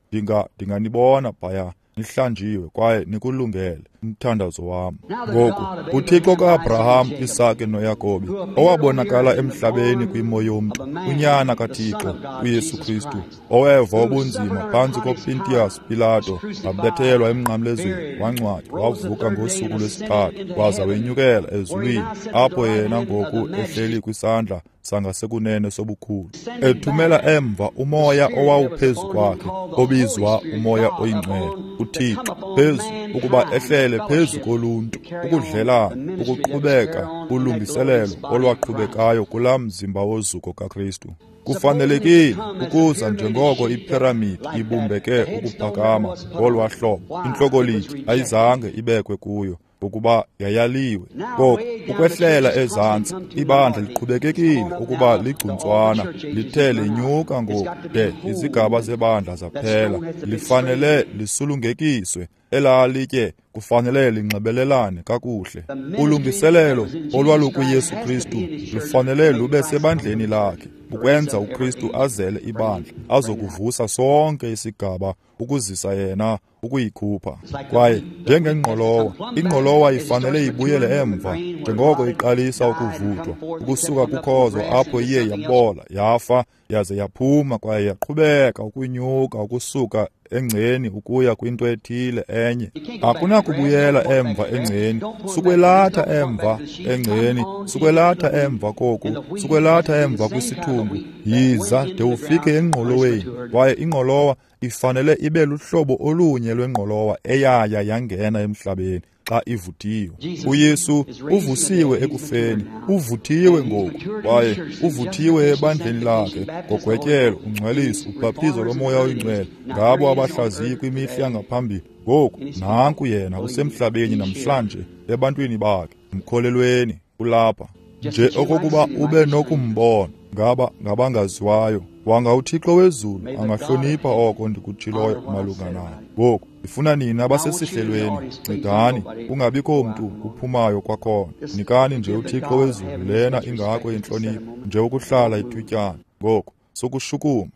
A: ndinganibona phaya nihlanjiwe kwaye nikulungele umthandazo wam. Ngoku, uThixo kaAbraham, Isake noYakobi, owabonakala emhlabeni kwimo yomntu, unyana kaThixo, uYesu Kristu, oweva ubunzima phantsi koPontius Pilato, wabethelwa emnqamlezweni, wangcwatywa, wavuka ngosuku lwesithathu, waza wenyukela ezulwini, apho yena ngoku ehleli kwisandla sangasekunene sobukhulu, ethumela emva umoya owawuphezu kwakhe, obizwa umoya oyingcwele, uThixo, phezu ukuba ehlele phezu koluntu, ukudlelana, ukuqhubeka ulungiselelo olwaqhubekayo kulaa mzimba wozuko kaKristu. Kufanelekile ukuza njengoko iphiramidi ibumbeke ukuphakama ngolwa hlobo, intlokolitye ayizange ibekwe kuyo, ukuba yayaliwe. Ngoku ukwehlela ezantsi, ibandla liqhubekekile ukuba ligcuntswana, lithe lenyuka ngoku de izigaba zebandla zaphela. Lifanele lisulungekiswe. Elaa litye kufanele linxibelelane kakuhle. Ulungiselelo olwalukuYesu Kristu lufanele lube sebandleni lakhe, ukwenza uKristu azele ibandla, azokuvusa sonke isigaba, ukuzisa yena, ukuyikhupha. Kwaye njengengqolowa, ingqolowa ifanele ibuyele emva njengoko iqalisa ukuvuthwa, ukusuka kukhozo apho iye yabola, yafa, yaze yaphuma kwaye yaqhubeka ukunyuka ukusuka engceni ukuya kwinto ethile enye. Akunakubuyela emva engceni, sukwelatha emva engceni, sukwelatha emva koku, sukwelatha emva kwisithungu. Yiza de ufike engqoloweni, kwaye ingqolowa ifanele ibe luhlobo olunye lwengqolowa eyaya yangena emhlabeni xa ivuthiwe. uYesu uvusiwe ekufeni, uvuthiwe ngoku, kwaye uvuthiwe ebandleni lakhe ngogwetyelo, ungcweliso, ubhaptizo loMoya oyiNgcwele ngabo abahlaziyi kwimihla yangaphambili. Ngoku nanku yena usemhlabeni namhlanje ebantwini bakhe. Mkholelweni, ulapha nje okokuba ube nokumbona. Ngaba ngabangaziwayo, wanga uThixo wezulu angahlonipha oko ndikutshiloyo malunga naye. Ngoku ndifuna nina abasesihlelweni, ncedani kungabikho mntu uphumayo kwakhona. Nikani nje uThixo wezulu lena ingako intlonipho, nje ukuhlala ithutyana. Ngoku sokushukuma.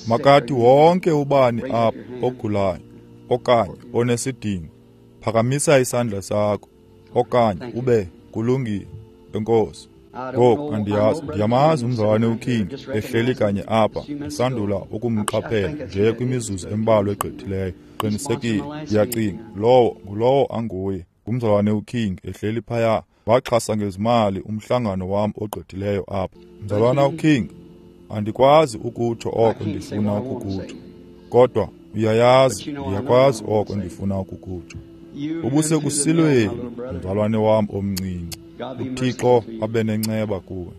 A: Makathi wonke ubani apha ogulayo okanye onesidingo, phakamisa isandla sakho okanye ube kulungile. Enkosi. Ngoku andiyazi, ndiyamazi umzalwane uKing ehleli kanye apha, ndisandula ukumqaphela nje kwimizuzu embalwa egqithileyo. Qinisekile, ndiyacinga lowo ngulowo anguye, ngumzalwane uKing ehleli phaya. Waxhasa ngezimali umhlangano wam ogqithileyo apha. Mzalwana uKing, andikwazi ukutsho oko ndifuna ukukutsho, kodwa uyayazi, ndiyakwazi oko ndifuna ukukutsho. Ubusekusilweni, mzalwane wam omncinci. uThixo abe nenceba kuwe.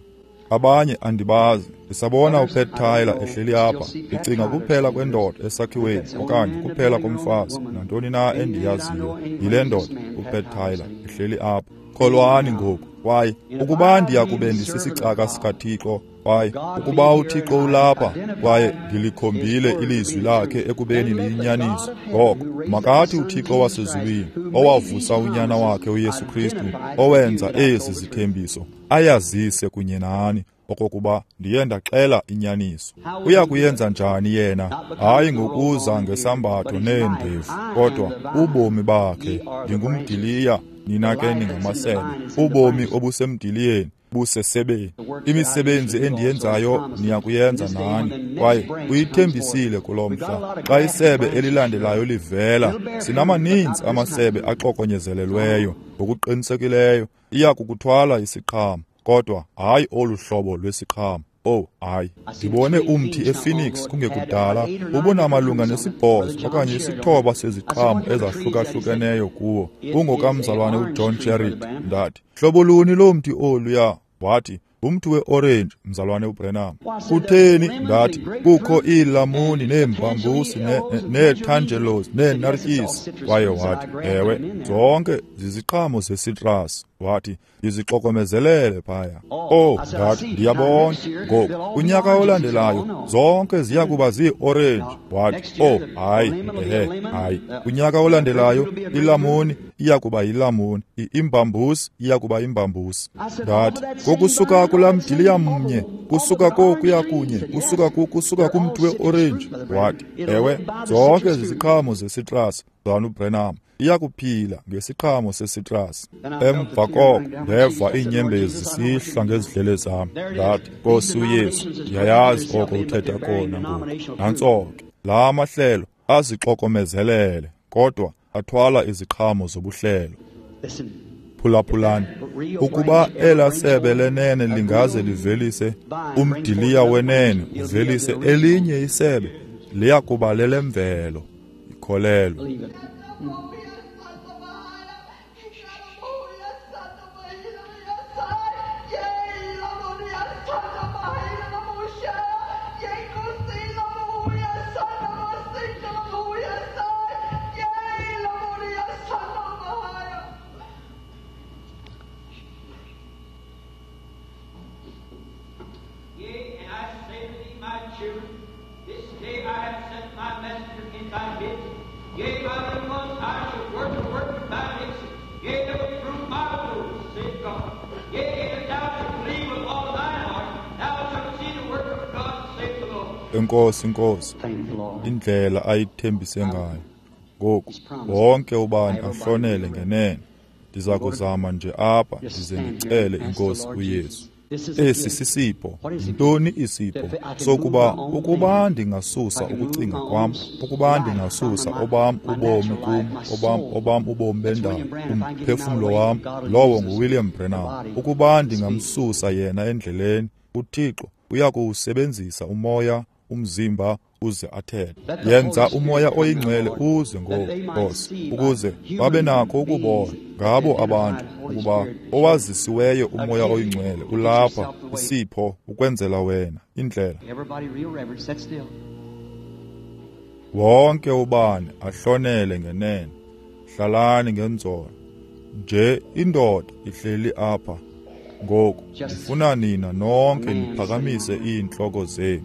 A: Abanye andibazi. Ndisabona uPat Tyler ehleli apha. Ndicinga kuphela kwendoda esakhiweni okanye kuphela komfazi, nantoni na endiyaziyo yile ndoda uPat Tyler ehleli apha. Kholwani ngoku. Kwaye ukuba ndiyakube ndisisicaka sikaThixo, kwaye ukuba uThixo ulapha kwaye ndilikhombile ilizwi lakhe ekubeni liyinyaniso, ngoko makathi uThixo wasezulwini owavusa unyana wakhe uYesu Kristu, owenza ezi zithembiso, ayazise kunye nani okokuba ndiye ndaxela inyaniso. Uya kuyenza njani yena? Hayi ngokuza ngesambatho neendevu, kodwa ubomi bakhe. Ndingumdiliya, nina ke ningamasebe. Ubomi obusemdiliyeni busesebeni. Imisebenzi endiyenzayo niyakuyenza nani. Kwaye uyithembisile kulo mhla, xa isebe elilandelayo livela, sinamaninzi amasebe axokonyezelelweyo. Ngokuqinisekileyo iya kukuthwala isiqhamo, kodwa hayi olu hlobo lwesiqhamo. Oh, hayi. Ndibone umthi ePhoenix kungekudala ubunamalunga ne8 okanye 9 seziqhamo ezahlukahlukeneyo kuwo. Ungokamzalwane uJohn Sherritt. Ndathi, hlobo luni lomthi oluya? Wathi, ngumthi we-orange, mzalwane uBrenham. Kutheni? Ndathi, kukho iilamuni neembambusi neetangelos neenartyisi. Kwaye wathi, ewe, zonke ziziqhamo zesitrasi. Wathi, ndizixokomezelele phaya. Oh, ndathi, ndiyabona. Ngoku, kunyaka olandelayo, zonke ziya kuba zii-orange. Wathi, oh, hayi, ehe, hayi. Kunyaka olandelayo, ilamuni iya kuba yilamuni, imbambusi iya kuba imbambusi. Ndathi, ngokusuka kulaa mdiliya mnye, kusuka kokuya kunye, kusuka kumthi we-orange. Wathi, ewe, zonke ziziqhamo zesitrasi, mzalwana uBrenham. Iyakuphila ngesiqhamo sesitrasi. Emva koko ndeva iinyembezi zisihla ngezidlele zam. Ndathi, Nkosi uYesu, ndiyayazi oko uthetha kona ngoku. Nantso ke, la mahlelo azixokomezelele, kodwa athwala iziqhamo zobuhlelo. Phulaphulani, ukuba elaa sebe lenene lingaze livelise umdiliya wenene, uvelise elinye isebe, liya kuba lelemvelo. Ikholelwe.
B: Yea, and I say to thee, my children, This day I have sent my messenger in thy midst. Yea, by the ones I shall work the work of thy midst. Yea, they will prove my words, saith God. Yea, if thou shalt believe with all thine heart, thou shalt see the work of God, saith the Lord.
A: Enkosi Nkosi,
C: Thank the Lord.
A: indlela ayithembise ngayo. Ngoku wonke ubani ahlonele ngenene. Ndiza kuzama nje apha ndize ndicele iNkosi uYesu. Esi sisipho. Yintoni isipho? Sokuba ukuba ndingasusa ukucinga kwam, ukuba ndingasusa obam ubomi kum, obam ubomi bendalo, umphefumlo wam, lowo nguWilliam Branham. Ukuba ndingamsusa yena endleleni, uThixo uyakuwusebenzisa umoya, umzimba uze athethe. Yenza umoya oyingcwele uze ngoku, Nkosi, ukuze babe nakho ukubona ngabo abantu ukuba owazisiweyo umoya oyingcwele ulapha, isipho ukwenzela wena indlela.
C: Everybody real reverent, sit still.
A: Wonke ubani ahlonele ngenene. Hlalani ngenzolo. Nje indoda ihleli apha ngoku. Ndifuna nina nonke niphakamise iintloko zenu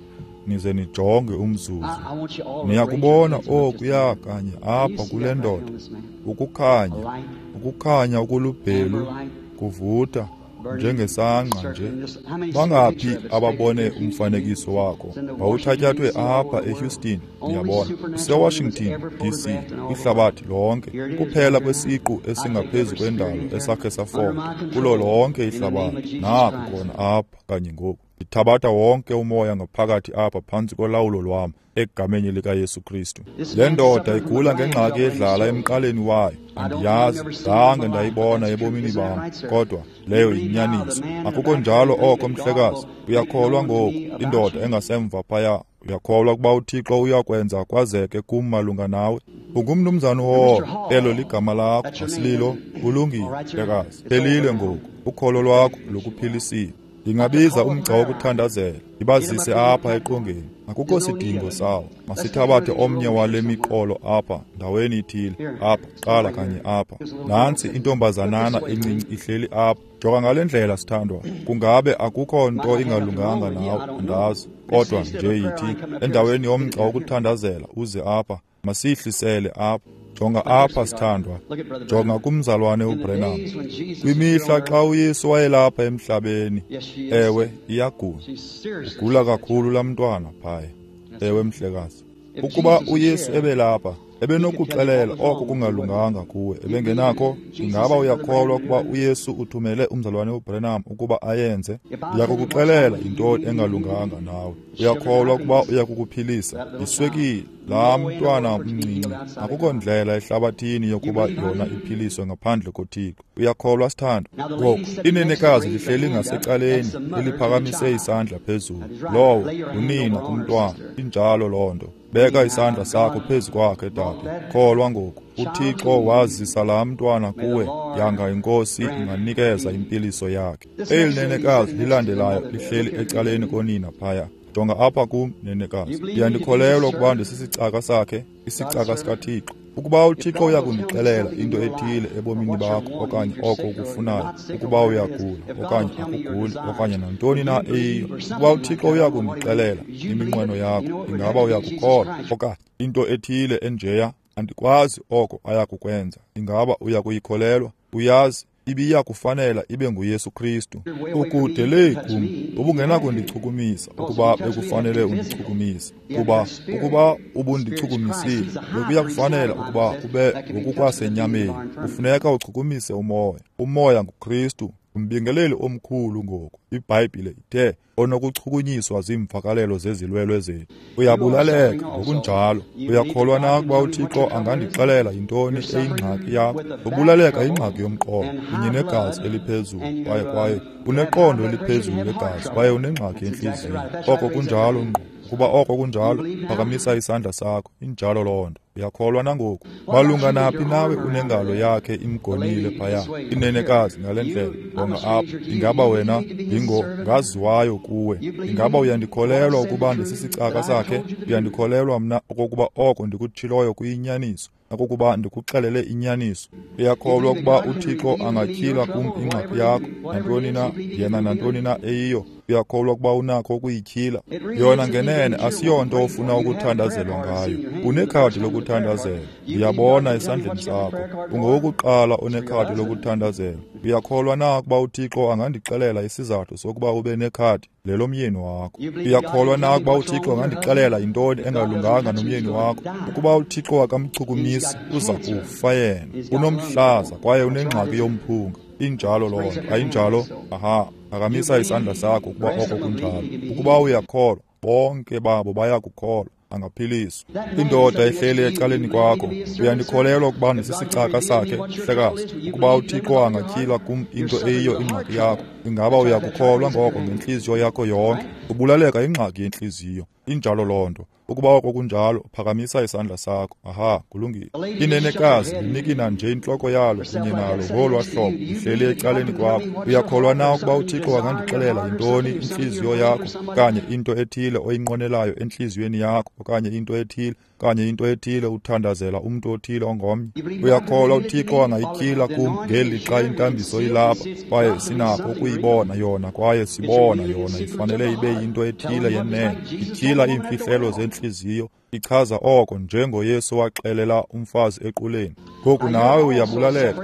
A: nize nijonge umzuzu.
C: I want you all to raise your
A: Niyakubona
C: heads up just
A: okuya
C: a minute.
A: kanye
C: You
A: apha
C: see
A: kule
C: that right
A: ndoda,
C: on this man?
A: ukukhanya,
C: A light,
A: ukukhanya okulubhelu
C: amber light,
A: kuvutha
C: burning,
A: njengesangqa nje.
C: circling this. How many see the
A: Bangaphi
C: picture of it?
A: ababone
C: It's taken in Houston.
A: umfanekiso wakho?
C: It's in the
A: Wawuthatyathwe
C: Washington, D.C., all
A: apha
C: over the world.
A: eHouston,
C: Only
A: niyabona.
C: supernatural
A: Usewashington
C: was ever
A: DC,
C: photographed in all the
A: kwihlabathi
C: world.
A: lonke.
C: Here it is,
A: Kuphela
C: right here
A: kwesiqu
C: now. I take
A: esingaphezu
C: every spirit
A: kwendalo
C: in here
A: esakhe
C: under
A: safota
C: my
A: kulo
C: control
A: lonke
C: in the name
A: ihlabathi.
C: of Jesus
A: Naku
C: Christ.
A: khona apha kanye ngoku. Ndithabatha wonke umoya ngaphakathi apha phantsi kolawulo lwam egameni likaYesu Kristu.
C: This
A: Le
C: man
A: ndoda
C: suffered from a
A: igula
C: gland
A: ngengxaki
C: trouble in his
A: edlala
C: throat.
A: emqaleni wayo.
C: I don't know,
A: Andiyazi,
C: never seen it in
A: zange
C: my life, but
A: ndayibona
C: that's the truth.
A: ebomini
C: Isn't that
A: bam,
C: right, sir?
A: kodwa
C: You
A: leyo
C: believe now the
A: yinyaniso.
C: man in the
A: Akukho
C: back
A: njalo
C: there
A: oko,
C: that God
A: mhlekazi.
C: will make
A: Uyakholwa
C: known to
A: ngoku,
C: me about
A: indoda
C: you?
A: engasemva phaya. Uyakholwa ukuba uThixo uyakwenza kwazeke kum malunga nawe? Ungumnumzana
C: Mr.
A: uHall, elo
C: Hall,
A: ligama lakho,
C: that's your name,
A: asililo?
C: isn't it?
A: Kulungile,
C: All right, sir.
A: mhlekazi.
C: It's over
A: Phelile
C: now.
A: ngoku, ukholo lwakho lukuphilisile. Ndingabiza umgca wokuthandazela, ndibazise apha eqongeni. Akukho sidingo sawo. Masithabathe omnye wale miqolo apha, ndaweni ithile, apha, qala kanye apha. Nantsi intombazanana encinci ihleli apha. Jonga ngale ndlela, sithandwa. Kungabe akukho nto ingalunganga nawe, andazi. Kodwa nje yithi, endaweni yomgca wokuthandazela, uze apha. Masiyihlisele apha. Jonga apha, sithandwa.
C: Look at Brother
A: Jonga
C: Branham.
A: kumzalwane
C: In the
A: uBrenham.
C: days when Jesus was
A: Kwimihla
C: here on
A: xa
C: earth,
A: uYesu wayelapha emhlabeni,
C: yes, she is.
A: ewe, iyagula.
C: She's seriously
A: Ugula
C: sick.
A: kakhulu laa mntwana phaya.
C: That's
A: Ewe,
C: right.
A: mhlekazi.
C: If
A: Ukuba
C: Jesus was
A: uYesu
C: here,
A: ebelapha,
C: he could tell you
A: ebenokuxelela
C: what was
A: oko
C: wrong with you, wouldn't
A: kungalunganga kuwe.
C: he? You believe
A: Ebengenakho,
C: Jesus
A: ingaba
C: sent Brother
A: uyakholwa
C: Branham to
A: ukuba
C: do it?
A: uYesu uthumele umzalwane uBrenham ukuba ayenze?
C: If I tell you what's
A: Ndiyakukuxelela
C: wrong with you, you
A: yintoni
C: believe me,
A: engalunganga nawe.
C: Sugar
A: Uyakholwa ukuba
C: diabetes,
A: uyakukuphilisa?
C: that little child.
A: Yiswekile, laa
C: No way in the
A: mntwana
C: world for it to be
A: mncinci.
C: healed outside of
A: Akukho
C: God.
A: ndlela ehlabathini
C: You
A: yokuba
C: believe
A: yona
C: I do?
A: iphiliswe ngaphandle koThixo. Uyakholwa, sithandwa?
C: Now the
A: Ngoku
C: lady sitting next to the
A: inenekazi
C: raised her
A: lihleli
C: hand up.
A: ngasecaleni
C: That's the mother to the
A: eliphakamise
C: child.
A: isandla phezulu.
C: That is right.
A: Lowo
C: Lay your hand
A: ngunina
C: over on her,
A: kumntwana.
C: sister.
A: Injalo loo nto. Beka
C: Believe now
A: isandla sakho
C: God
A: phezu kwakhe,
C: brought
A: dade.
C: that
A: Kholwa ngoku.
C: child to
A: uThixo
C: you.
A: wazisa laa mntwana
C: May the
A: kuwe,
C: Lord
A: yanga inkosi
C: grant
A: inganikeza
C: healing.
A: impiliso yakhe.
C: This
A: Eli
C: next lady
A: nenekazi
C: sitting next to the
A: lilandelayo
C: mother there, look
A: lihleli
C: here,
A: ecaleni
C: lady.
A: konina phaya. Jonga apha kum, nenekazi.
C: You believe me to be his
A: Ndiyandikholelwa ukuba
C: servant,
A: ndisisicaka sakhe,
C: God's
A: isicaka
C: servant?
A: sikaThixo. Ukuba
C: If
A: uThixo
C: God will tell me
A: uyakundixelela
C: something in
A: into
C: your life,
A: ethile
C: or
A: ebomini
C: what you're
A: bakho
C: wanting,
A: okanye
C: if you're
A: oko
C: sick or you're
A: ukufunayo,
C: not sick or
A: ukuba
C: whatever it is,
A: uyagula
C: if God will
A: okanye
C: tell me your
A: akuguli
C: desires,
A: okanye nantoni
C: would
A: na
C: you believe
A: eyiyo,
C: or
A: ukuba
C: something like
A: uThixo
C: that? I don't know what he would
A: uyakundixelela
C: do. You believe
A: iminqweno
C: it? You
A: yakho,
C: know it would
A: ingaba
C: have to be Jesus
A: uyakukholwa
C: Christ.
A: okanye into ethile enjeya, andikwazi oko ayakukwenza. Ingaba uyakuyikholelwa? Uyazi, ibiya kufanela ibe nguYesu Kristu.
C: You're way away from me.
A: Ukude
C: You
A: lee
C: couldn't touch
A: kum,
C: me if you had to.
A: ubungenakundichukumisa
C: Because if
A: ukuba
C: you touch me, it'd have to
A: bekufanele
C: be physical.
A: undichukumise.
C: You have to
A: Kuba
C: touch spirit.
A: ukuba
C: Spirit is Christ.
A: ubundichukumisile,
C: He's the high
A: bekuya
C: priest now,
A: kufanela
C: the Bible
A: ukuba
C: says,
A: kube
C: that can be touched with the feeling of
A: ngokukwasenyameni.
C: our infirmity.
A: Kufuneka uchukumise umoya. Umoya nguKristu, umbingeleli omkhulu ngoku. iBhayibhile ithe onokuchukunyiswa ziimvakalelo zezilwelwe zethu.
C: You are
A: Uyabulaleka
C: suffering also.
A: ngokunjalo.
C: You believe that
A: Uyakholwa
C: God
A: na
C: can
A: ukuba
C: tell me what
A: uThixo
C: your trouble is?
A: angandixelela yintoni
C: You're suffering
A: eyingxaki yakho?
C: with a back
A: Ubulaleka
C: trouble
A: yingxaki yomqolo
C: and
A: kunye
C: high
A: negazi
C: blood,
A: eliphezulu
C: and you,
A: kwaye kwaye
C: you have high
A: uneqondo
C: blood pressure and
A: eliphezulu
C: have heart
A: legazi kwaye
C: trouble.
A: unengxaki
C: That's exactly
A: yentliziyo.
C: right. That's right.
A: Oko
C: Raise up your
A: kunjalo
C: hand.
A: ngqo. Ukuba oko
C: You
A: kunjalo,
C: believe now?
A: phakamisa isandla sakho. Injalo loo nto. Uyakholwa nangoku?
C: What about
A: Malunga
C: you with
A: naphi
C: your
A: nawe
C: arm around her
A: unengalo
C: there?
A: yakhe
C: The
A: imgonile
C: lady
A: phaya,
C: this way, look here.
A: inenekazi ngale ndlela.
C: You, I'm
A: Jonga
C: a
A: apha.
C: stranger to you.
A: Ingaba
C: You believe
A: wena
C: me to be his servant?
A: ndingongaziwayo kuwe?
C: You believe
A: Ingaba
C: me? What I
A: uyandikholelwa
C: said the
A: ukuba
C: truth,
A: ndisisicaka
C: that I
A: sakhe?
C: told you the truth?
A: Uyandikholelwa mna okokuba oko ndikutshiloyo kuyinyaniso, nakokuba ndikuxelele inyaniso?
C: You
A: Uyakholwa
C: believe that
A: ukuba
C: God can
A: uThixo
C: reveal to me your
A: angatyhila kum
C: trouble or
A: ingxaki
C: whatever
A: yakho,
C: whatever it
A: nantoni
C: is,
A: na
C: you believe he
A: yena
C: can reveal
A: nantoni
C: it?
A: na eyiyo? Uyakholwa ukuba unakho ukuyityhila? Yona ngenene asiyonto ofuna ukuthandazelwa ngayo. Unekhadi lokuthandazela, ndiyabona esandleni sakho. Ungowokuqala onekhadi lokuthandazela. Uyakholwa na ukuba uThixo angandixelela isizathu sokuba ube nekhadi lelomyeni wakho? Uyakholwa na ukuba uThixo angandixelela yintoni engalunganga nomyeni wakho? Ukuba uThixo akamchukumisi, uza kufa yena. Unomhlaza kwaye unengxaki yomphunga. Injalo loo nto, ayinjalo? Aha, phakamisa isandla sakho ukuba oko kunjalo. Ukuba uyakholwa, bonke babo bayakukholwa, angaphiliswa. Indoda ehleli ecaleni kwakho, uyandikholelwa ukuba ndisisicaka sakhe, mhlekazi? Ukuba uThixo angatyhila kum into eyiyo ingxaki yakho, ingaba uyakukholwa ngoko ngentliziyo yakho yonke? Ubulaleka ingxaki yentliziyo. Injalo loo nto. Ukuba oko kunjalo, phakamisa isandla sakho. Aha, kulungile. Inenekazi linikina nje intloko yalo kunye nalo ngolwa hlobo, lihleli ecaleni kwakho. Uyakholwa na ukuba uThixo angandixelela yintoni intliziyo yakho, okanye into ethile oyinqwenelayo entliziyweni yakho, okanye into ethile, okanye into ethile uthandazela umntu othile ongomnye? Uyakholwa uThixo angayityhila kum ngeli xa intambiso ilapha, kwaye sinakho ukuyibona yona, kwaye sibona yona ifanele ibe yinto ethile yenene, ityhila iimfihlelo zentliziyo, ichaza oko njengoYesu waxelela umfazi equleni. Ngoku nawe uyabulaleka,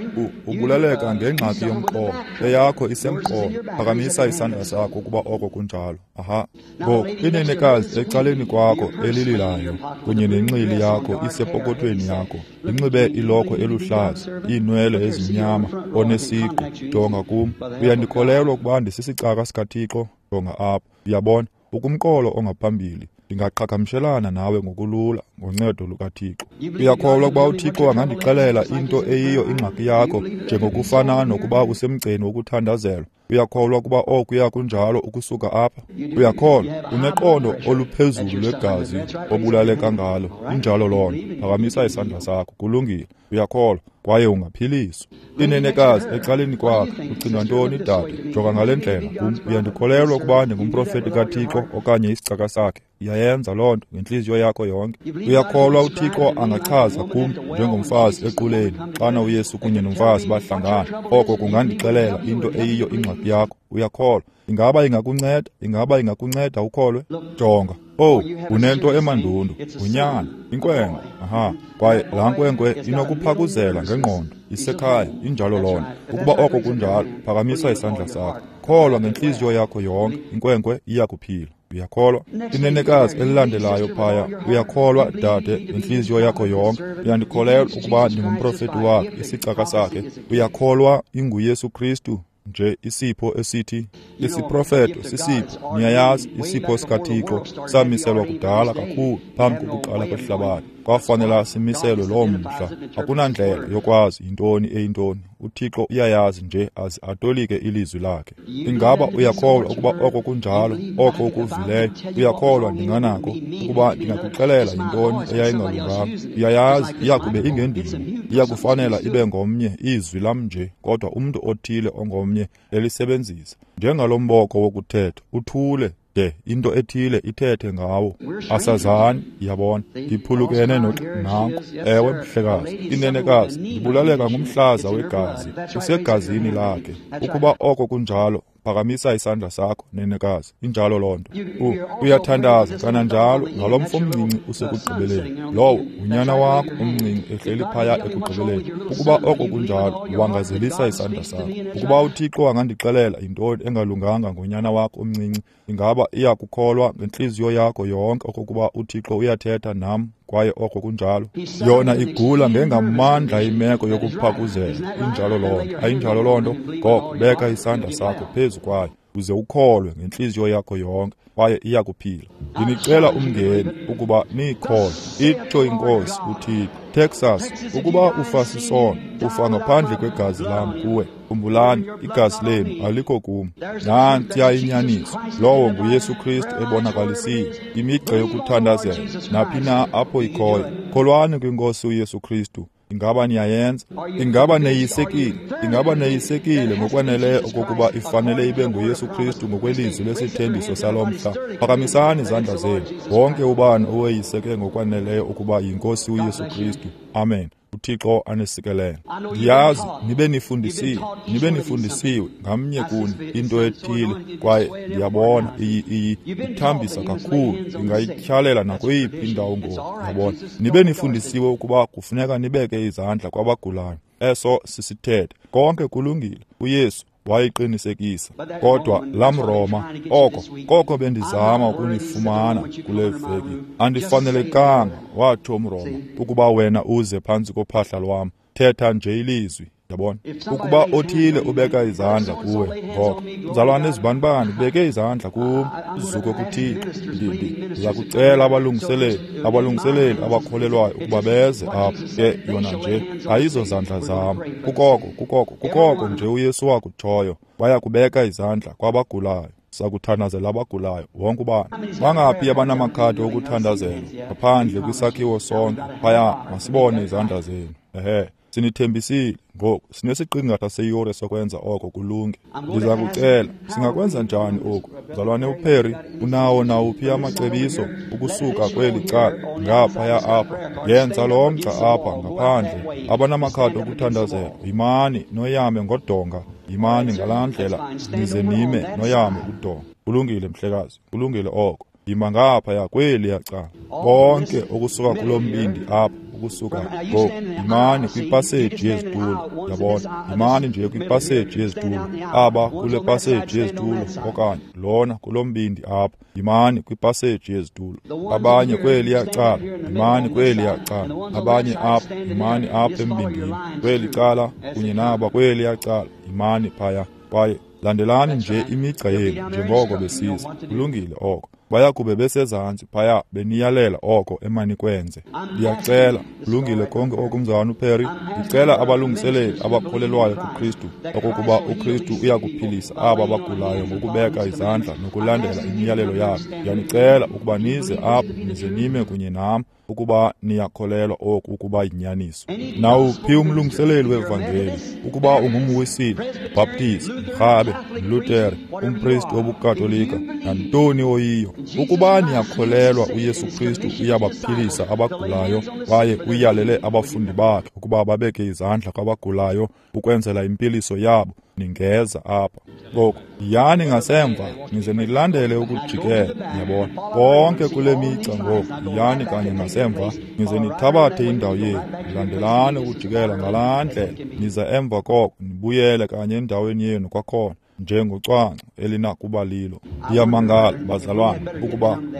A: ubulaleka ngengxaki yomqolo, eyakho isemqolo. Phakamisa isandla sakho ukuba oko kunjalo. Aha. Ngoku inenekazi ecaleni kwakho elililayo kunye nenxili yakho isepokothweni yakho, linxibe ilokhwe eluhlaza, iinwele ezimnyama, onesiqu. Jonga kum. Uyandikholelwa ukuba ndisisicaka sikaThixo? Jonga apha. Uyabona, ukumqolo ongaphambili, ndingaqhagamshelana nawe ngokulula ngoncedo lukaThixo. Uyakholwa ukuba uThixo angandixelela into eyiyo ingxaki yakho, njengokufana nokuba usemgceni wokuthandazelwa? Uyakholwa ukuba okuya kunjalo ukusuka apha? Uyakholwa? Uneqondo oluphezulu lwegazi obulaleka ngalo. Injalo loo nto. Phakamisa isandla sakho. Kulungile. Uyakholwa kwaye ungaphiliswa. Inenekazi ecaleni kwakhe, ucinga ntoni, dade? Jonga ngale ndlela kum. Uyandikholelwa ukuba ndingumprofeti kaThixo okanye isicaka sakhe? Uyayenza loo nto ngentliziyo yakho yonke? Uyakholwa uThixo angachaza kum njengomfazi equleni xana uYesu kunye nomfazi bahlangana, oko kungandixelela into eyiyo ingxaki yakho? Uyakholwa? Ingaba ingakunceda? Ingaba ingakunceda ukholwe? Jonga. Oh, unento emandundu, ngunyana, inkwenkwe. Aha, kwaye laa nkwenkwe inokuphakuzela ngengqondo, isekhaya. Injalo loo nto. Ukuba oko kunjalo, phakamisa isandla sakho. Kholwa ngentliziyo yakho yonke, inkwenkwe iyakuphila. Uyakholwa? Inenekazi elilandelayo phaya, uyakholwa, dade, ngentliziyo yakho yonke? Uyandikholelwa ukuba ndingumprofeti wakhe, isicaka sakhe? Uyakholwa inguYesu Kristu nje isipho esithi isiprofeto sisipho? Niyayazi, isipho sikaThixo samiselwa kudala kakhulu phambi kokuqala kwehlabathi. Kwafanela simiselwe loo mhla. Akunandlela yokwazi yintoni eyintoni. uThixo uyayazi nje aze atolike ilizwi lakhe. Ingaba uyakholwa ukuba oko kunjalo, oko ukuvileyo? Uyakholwa ndinganako ukuba ndingakuxelela yintoni eyayingalunganga? Uyayazi iyakube ingendimo, iyakufanela ibe ngomnye izwi lam nje, kodwa umntu othile ongomnye elisebenzisa njengalo mboko wokuthetha, uthule de into ethile ithethe ngawo. Asazani, yabona. Ndiphulukene nanko. Ewe, mhlekazi. Inenekazi, ndibulaleka ngumhlaza wegazi, usegazini lakhe. Ukuba oko kunjalo, phakamisa isandla sakho, nenekazi. Injalo loo nto. Uyathandaza kananjalo ngalo mfo omncinci usekugqibeleni. Lowo ngunyana wakho omncinci ehleli phaya ekugqibeleni. Ukuba oko kunjalo, wangazelisa isandla sakho. Ukuba uThixo angandixelela yintoni engalunganga ngonyana wakho omncinci, ingaba iyakukholwa ngentliziyo yakho yonke okokuba uThixo uyathetha nam kwaye oko kunjalo? Yona igula ngengamandla imeko yokuphakuzela. Injalo loo nto. Ayinjalo loo nto? Ngoko beka isandla sakho phezu kwayo uze ukholwe ngentliziyo yakho yonke, kwaye iyakuphila. Ndinicela umngeni ukuba niyikholwe. Itsho iNkosi uThixo. Texas, ukuba ufa sisono, ufa ngaphandle kwegazi lam kuwe. Khumbulani, igazi lenu alikho kum. Nantsiya inyaniso. Lowo nguYesu Kristu ebonakalisiwe. Imigca yokuthandazela, naphi na apho ikhoyo. Kholwani kwiNkosi uYesu Kristu. Ingaba niyayenza? Ingaba neyisekile? Ingaba neyisekile ngokwaneleyo okokuba ifanele ibe nguYesu Kristu ngokwelizwi lesithembiso salo mhla? Phakamisani izandla zenu. Wonke ubani oweyiseke ngokwaneleyo ukuba yiNkosi uYesu Kristu. Amen. uThixo anisikelele. Ndiyazi nibe nifundisiwe ngamnye kuni into ethile, kwaye ndiyabona ithambisa kakhulu, ingayityhalela nakweyiphi indawo ngoku. Yabona, nibe nifundisiwe ukuba kufuneka nibeke izandla kwabagulayo. Eso sisithethe. Konke kulungile. uYesu wayiqinisekisa. Kodwa lamRoma, oko koko bendizama ukunifumana kule veki. Andifanelekanga, watsho umRoma, ukuba wena uze phantsi kophahla lwam. Thetha nje ilizwi. Yabona, ukuba othile ubeka izandla kuwe, ngoko mzalwane ezibanibani ubeke izandla kum, uzuko kuThixo. Ndiza kucela abalungiseleli abakholelwayo ukuba beze apha. Ke yona nje ayizo zandla zam. Kukoko nje uYesu wakutshoyo, baya kubeka izandla kwabagulayo. Sakuthandazela abagulayo wonke ubani. Bangaphi abanamakhadi okuthandazela ngaphandle kwisakhiwo sonke? Phaya, masibone izandla zenu. Ehe, sinithembisile ngoku sinesiqingatha seyure sokwenza oko kulunge. Ndiza kucela, singakwenza njani oku? Mzalwane uPerry, unawo nawuphi amacebiso ukusuka kweli cala ngaphaya apha? Yenza lo mgca apha ngaphandle. Abanamakhadi okuthandazela, yimani noyame ngodonga, yimani ngalaa ndlela nize nime noyame udonga. Kulungile mhlekazi, kulungile oko. Yima ngaphaya kweliya cala. Bonke ukusuka kulo mbindi apha, ukusuka ngoku, yimani kwipaseji yezitulo. Yabona, yimani nje kwipaseji yezitulo. Aba kule paseji yezitulo okanye lona kulo mbindi apha, yimani kwipaseji yezitulo. Abanye kweliya cala, yimani kweliya cala. Abanye apha, yimani apha embindini kweli cala, kunye naba kweliya cala, yimani phaya. Kwaye landelani nje imigca yenu njengoko besiza. Kulungile oko. Baya kube besezantsi phaya beniyalela oko emanikwenze. Ndiyacela, kulungile konke oku mzalwana uPerry. Ndicela abalungiseleli abakholelwayo kuKristu okokuba uKristu uyakuphilisa aba bagulayo ngokubeka izandla nokulandela imiyalelo yakhe. Ndiyanicela ukuba nize apha nize nime kunye nam ukuba niyakholelwa oku ukuba yinyaniso. Nawuphi umlungiseleli wevangeli, ukuba ungumWisile, uBaptist, umRhabe, umLutere, umpristi wobuKatolika, nantoni oyiyo, ukuba niyakholelwa uYesu Kristu uyabaphilisa abagulayo kwaye uyalele abafundi bakhe ukuba babeke izandla kwabagulayo ukwenzela impiliso yabo, ningeza apha. Ngoku yiyani ngasemva nize nilandele ukujikela. Yabona, konke kule migca ngoku, yiyani kanye ngasemva nize nithabathe indawo yenu, nilandelane ukujikela ngalaa ndlela, nize emva koko nibuyele kanye endaweni yenu kwakhona njengocwangco elinakuba lilo. Ndiyamangala bazalwane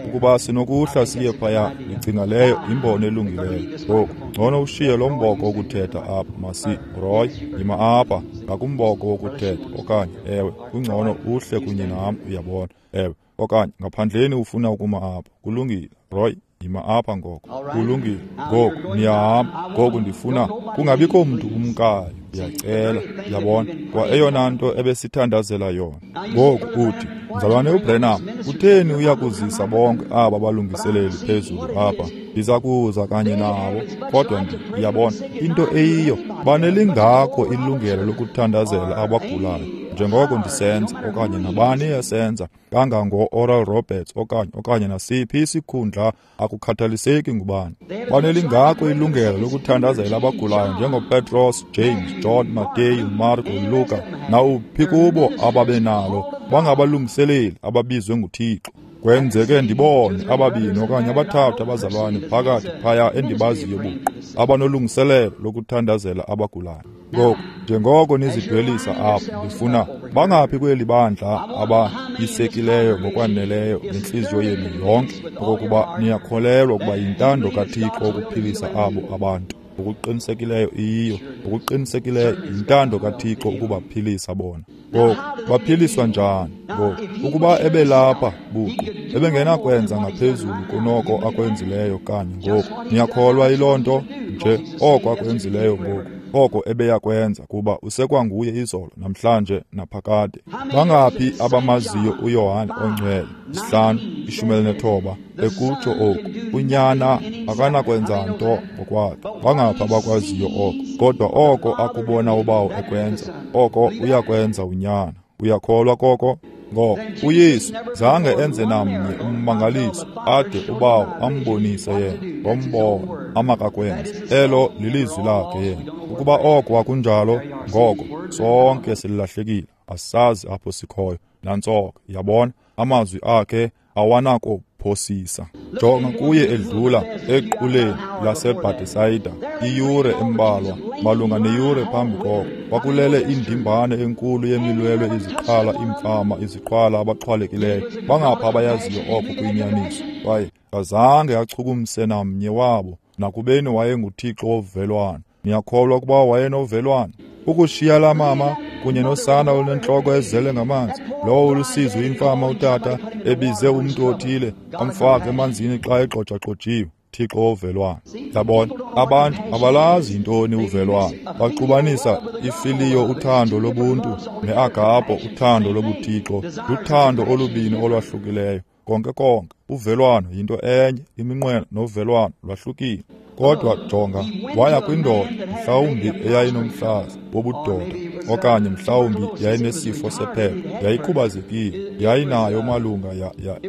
A: ukuba sinokuhla siye phaya. Ndicinga leyo imbono elungileyo. Ngoku ngcono ushiye lo mboko wokuthetha apha. Masi Roy, yima apha ngakumboko wokuthetha, okanye ewe, kungcono uhle kunye nam, uyabona. Ewe, okanye ngaphandleni ufuna ukuma apha. Kulungile Roy, yima apha ngoko. Kulungile. Ngoku niyahamba. Ngoku ndifuna kungabikho mntu umkayo. Ndiyacela, yabona, kwa eyona nto ebesithandazela yona. Ngoku uthi, mzalwane uBrenham, kutheni uyakuzisa bonke aba balungiseleli phezulu apha? Ndiza kuza kanye nabo, kodwa ndiyabona into eyiyo, banelingakho ilungelo lokuthandazela abagulayo njengoko ndisenza, okanye nabani esenza, kangango-Oral Roberts okanye nasiphi isikhundla, akukhathaliseki ngubani. Banelingako ilungelo lokuthandazela abagulayo njengoPetros, James, John, Mateyu, Marko, Luka, nawuphi kubo ababenalo. Bangabalungiseleli ababizwe nguThixo. Kwenzeke ndibone ababini okanye abathathu abazalwane phakathi phaya endibaziyo buqu abanolungiselelo lokuthandazela abagulayo. Ngoku njengoko nizidwelisa apha, ndifuna bangaphi kweli bandla abayisekileyo ngokwaneleyo ngentliziyo yenu yonke okokuba niyakholelwa ukuba yintando kaThixo ukuphilisa abo abantu. Ngokuqinisekileyo iyiyo, ngokuqinisekileyo yintando kaThixo ukubaphilisa bona. Ngoku baphiliswa njani? Ngoku ukuba ebelapha buqu, ebengenakwenza ngaphezulu kunoko akwenzileyo kanye ngoku. Niyakholwa yiloo nto nje oko akwenzileyo ngoku, oko ebeyakwenza, kuba usekwanguye izolo, namhlanje, naphakade. Bangaphi abamaziyo uYohane oNgcwele 5:19 ekutsho oku, unyana akanakwenza nto ngokwakhe. Bangaphi abakwaziyo oko? Kodwa oko akubona ubawo ekwenza, oko uyakwenza unyana. Uyakholwa koko? Ngoko uYesu zange enze namnye ummangaliso ade ubawo ambonise yena ngombono. amakakwenze. Elo lilizwi lakhe yena. Ukuba oko akunjalo, ngoko sonke silahlekile, asazi apho sikhoyo. Nantso ke, yabona, amazwi akhe awanakuphosisa. Jonga kuye edlula equleni laseBhetesayida iyure embalwa, malunga neyure phambi koko. Kwakulele indimbane enkulu yemilwelwe, iziqhala, iimfama, iziqhwala, abaxhwalekileyo. Bangapha abayaziyo oko kuyinyaniso. Kwaye kazange achukumise namnye wabo, nakubeni wayenguThixo wovelwano. Niyakholwa ukuba wayenovelwano? Ukushiya laa mama kunye nosana olunentloko ezele ngamanzi, lowo ulusizi uyimfama utata ebize umntu othile amfake emanzini xa egxojaxojiwe. Thixo wovelwano. Yabona, abantu abalazi yintoni uvelwano. Baxubanisa ifiliyo, uthando lobuntu, neagapo, uthando lobuthixo. Luthando olubini olwahlukileyo. Konke konke, uvelwano yinto enye, iminqweno novelwano lwahlukile. Kodwa jonga, waya kwindoda mhlawumbi eyayinomhlaza wobudoda, okanye mhlawumbi yayinesifo sephepha, yayikhubazekile, yayinayo malunga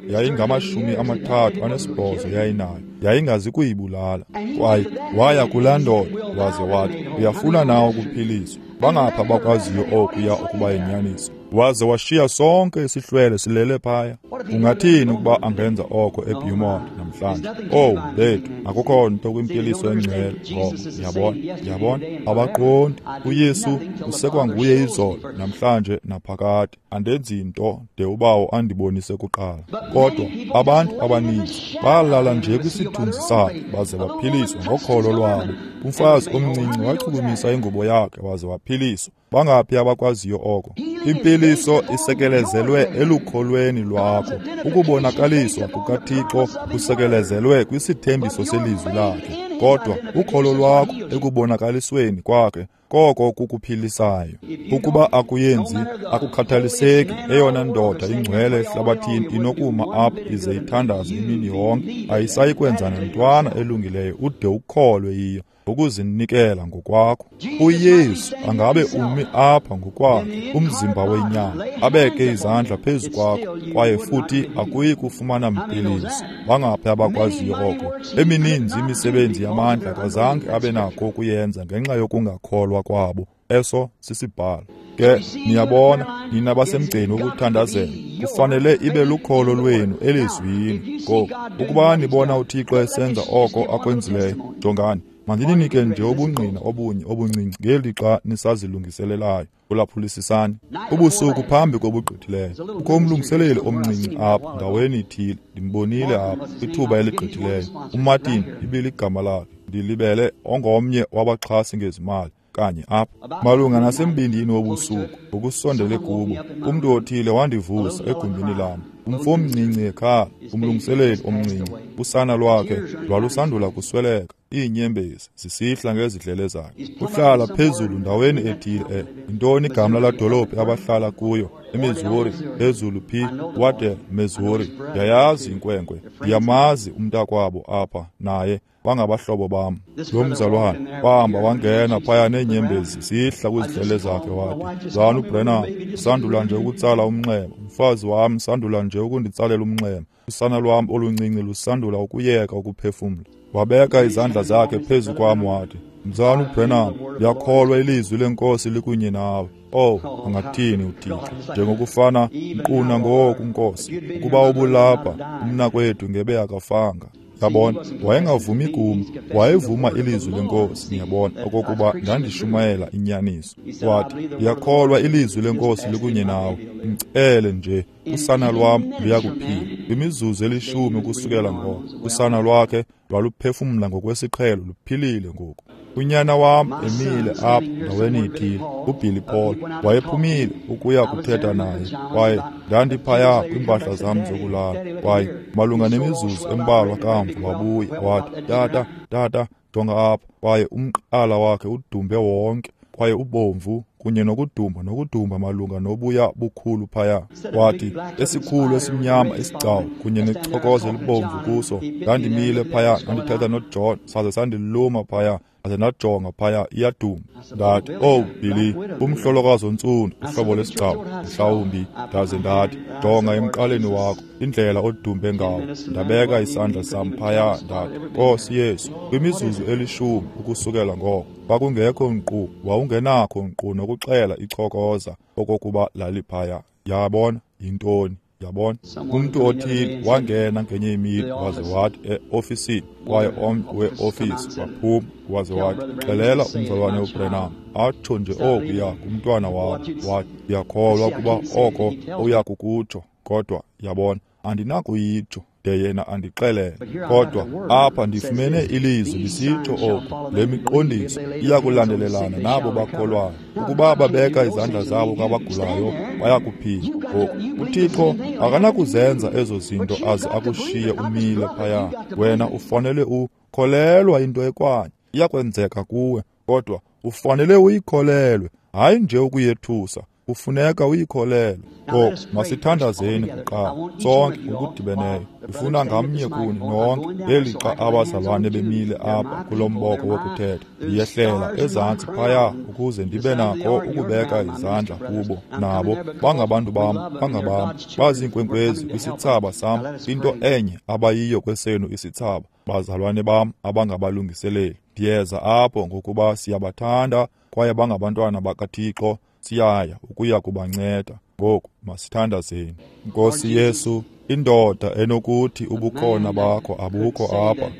A: yayingama-38 yayinayo, yayingazi kuyibulala. Kwaye waya kulaa ndoda waze wathi, uyafuna na ukuphiliswa? Bangapha bakwaziyo okuya ukuba yinyaniso. Waze washiya sonke isihlwele silele phaya. Ungathini ukuba angenza oko eBeaumont namhlanje? Oh, bethu, akukho nto kwimpiliso engcwele ngoko. Yabona, yabona, abaqondi. uYesu usekwanguye izolo, namhlanje, naphakade. Andenzi nto de uBawo andibonise kuqala. Kodwa abantu abaninzi balala nje kwisithunzi sakhe baze baphiliswa ngokholo lwabo. Umfazi omncinci wachukumisa ingubo yakhe waze waphiliswa. Bangaphi abakwaziyo oko? Impiliso isekelezelwe elukholweni lwakho. Ukubonakaliswa kukaThixo kusekelezelwe kwisithembiso selizwi lakhe. Kodwa ukholo lwakho ekubonakalisweni kwakhe koko kukuphilisayo. Ukuba akuyenzi, akukhathaliseki, eyona ndoda ingcwele ehlabathini inokuma apha ize ithandaze imini yonke, ayisayi kwenza nantwana elungileyo ude ukholwe yiyo ngokuzinikela ngokwakho. uYesu angabe umi apha ngokwakhe, umzimba wenyama, abeke izandla phezu kwakho, kwaye futhi akuyi kufumana mpiliso. Bangaphi abakwaziyo oko? Emininzi imisebenzi yamandla kazange abe nakho ukuyenza ngenxa yokungakholwa kwabo. Eso sisibhalo. Ke niyabona, nina basemgceni wokuthandazela, kufanele ibe lukholo lwenu elizwini. Ngoku, ukuba nibona uThixo esenza oko akwenzileyo, jongani, mandininike nje ubungqina obunye obuncinci ngelixa nisazilungiselelayo. Ulaphulisisani. Ubusuku phambi kobugqithileyo, kukho umlungiseleli omncinci apha ndaweni ithile, ndimbonile apha kwithuba eligqithileyo. uMartin ibiligama lakhe, ndilibele, ongomnye wabaxhasi ngezimali kanye apha. Malunga nasembindini wobusuku, ngokusondele kubo, umntu othile wandivusa egumbini lam. Umfo omncinci ekhala, umlungiseleli omncinci, usana lwakhe lwalusandula kusweleka, iinyembezi zisihla ngezidlele zakhe. Uhlala phezulu ndaweni ethile, yintoni igama lalaa dolophu abahlala kuyo? eMissouri, phezulu phi, Waddell, Missouri. Ndiyayazi inkwenkwe, ndiyamazi umntakwabo apha naye, bangabahlobo bam. Lo mzalwane wahamba wangena phaya neenyembezi zihla kwizidlele zakhe, wathi, Mzalwana uBrenham, sandula nje ukutsala umnxeba. Umfazi wam sandula nje ukunditsalela umnxeba. Usana lwam oluncinci lusandula ukuyeka ukuphefumla. Wabeka izandla zakhe phezu kwam wathi, Mzalwana uBrenham, ndiyakholwa ilizwi lenkosi likunye nawe. Oh, angathini uThixo, njengokufana nkqu nangoku, Nkosi, ukuba ubulapha, umnakwethu ngebe akafanga. Yabona, wayengavumi kum, wayevuma ilizwi lenkosi, niyabona, okokuba ndandishumayela inyaniso. Wathi, ndiyakholwa ilizwi lenkosi likunye nawe, mcele nje, usana lwam luyakuphila. Kwimizuzu elishumi ukusukela ngoko, usana lwakhe lwaluphefumla ngokwesiqhelo, luphilile ngoku. Unyana wam emile apha ndaweni ithile, uBilly Paul, wayephumile ukuya kuthetha naye, kwaye ndandiphaya kwiimpahla zam zokulala. Kwaye malunga nemizuzu embalwa kamva wabuya wathi, Tata, tata, jonga apha. Kwaye umqala wakhe udumbe wonke, kwaye ubomvu kunye nokudumba nokudumba malunga nobuya bukhulu phaya. Wathi, esikhulu esimnyama isigcawu kunye nechokoza elibomvu kuso. Ndandimile phaya, ndandithetha noJohn, saze sandiluma phaya, aze ndajonga phaya, iyadumba. Ndathi, "Oh Billy, umhlolokazi ontsundu, uhlobo lwesigcawu mhlawumbi." Ndaze ndathi, "Jonga emqaleni wakho, indlela odumbe ngawo." Ndabeka isandla sam phaya, ndathi, "Nkosi Yesu." Kwimizuzu 10 ukusukela ngoko, kwakungekho nkqu, wawungenakho nkqu nokuxela ichokoza okokuba laliphaya. Yabona yintoni? Yabona, umntu othile wangena ngenye imini waze wathi eofisini, kwaye omnye weofisi waphuma waze wathi, "Xelela umzalwane uBranham atsho nje okuya kumntwana wakho." Wathi, "Ndiyakholwa ukuba oko uya kukutsho, kodwa yabona, andinakuyitsho de yena andixelele. Kodwa apha ndifumene ilizwi lisitsho oku, le miqondiso iyakulandelelana nabo bakholwayo. Ukuba babeka izandla zabo kwabagulayo, bayakuphila." Ngoku uThixo akanakuzenza ezo zinto aze akushiye umile phaya. Wena ufanele ukholelwa into ekwanye, iyakwenzeka kuwe, kodwa ufanele uyikholelwe, hayi nje ukuyethusa. Kufuneka uyikholelwe. Ngoku masithandazeni kuqala sonke ngokudibeneyo. Ndifuna ngamnye kuni nonke ngelixa abazalwane bemile apha kulo mboko wokuthetha, ndiyehlela ezantsi phaya ukuze ndibe nakho ukubeka izandla kubo. Nabo bangabantu bam, bangabam, baziinkwenkwezi kwisithsaba sam, into enye abayiyo kwesenu isithsaba, bazalwane bam abangabalungiseleli. Ndiyeza apho ngokuba siyabathanda kwaye bangabantwana bakaThixo. Siyaya ukuya kubanceda. Ngoku masithandazeni. Nkosi Yesu, indoda enokuthi ubukhona bakho abukho apha,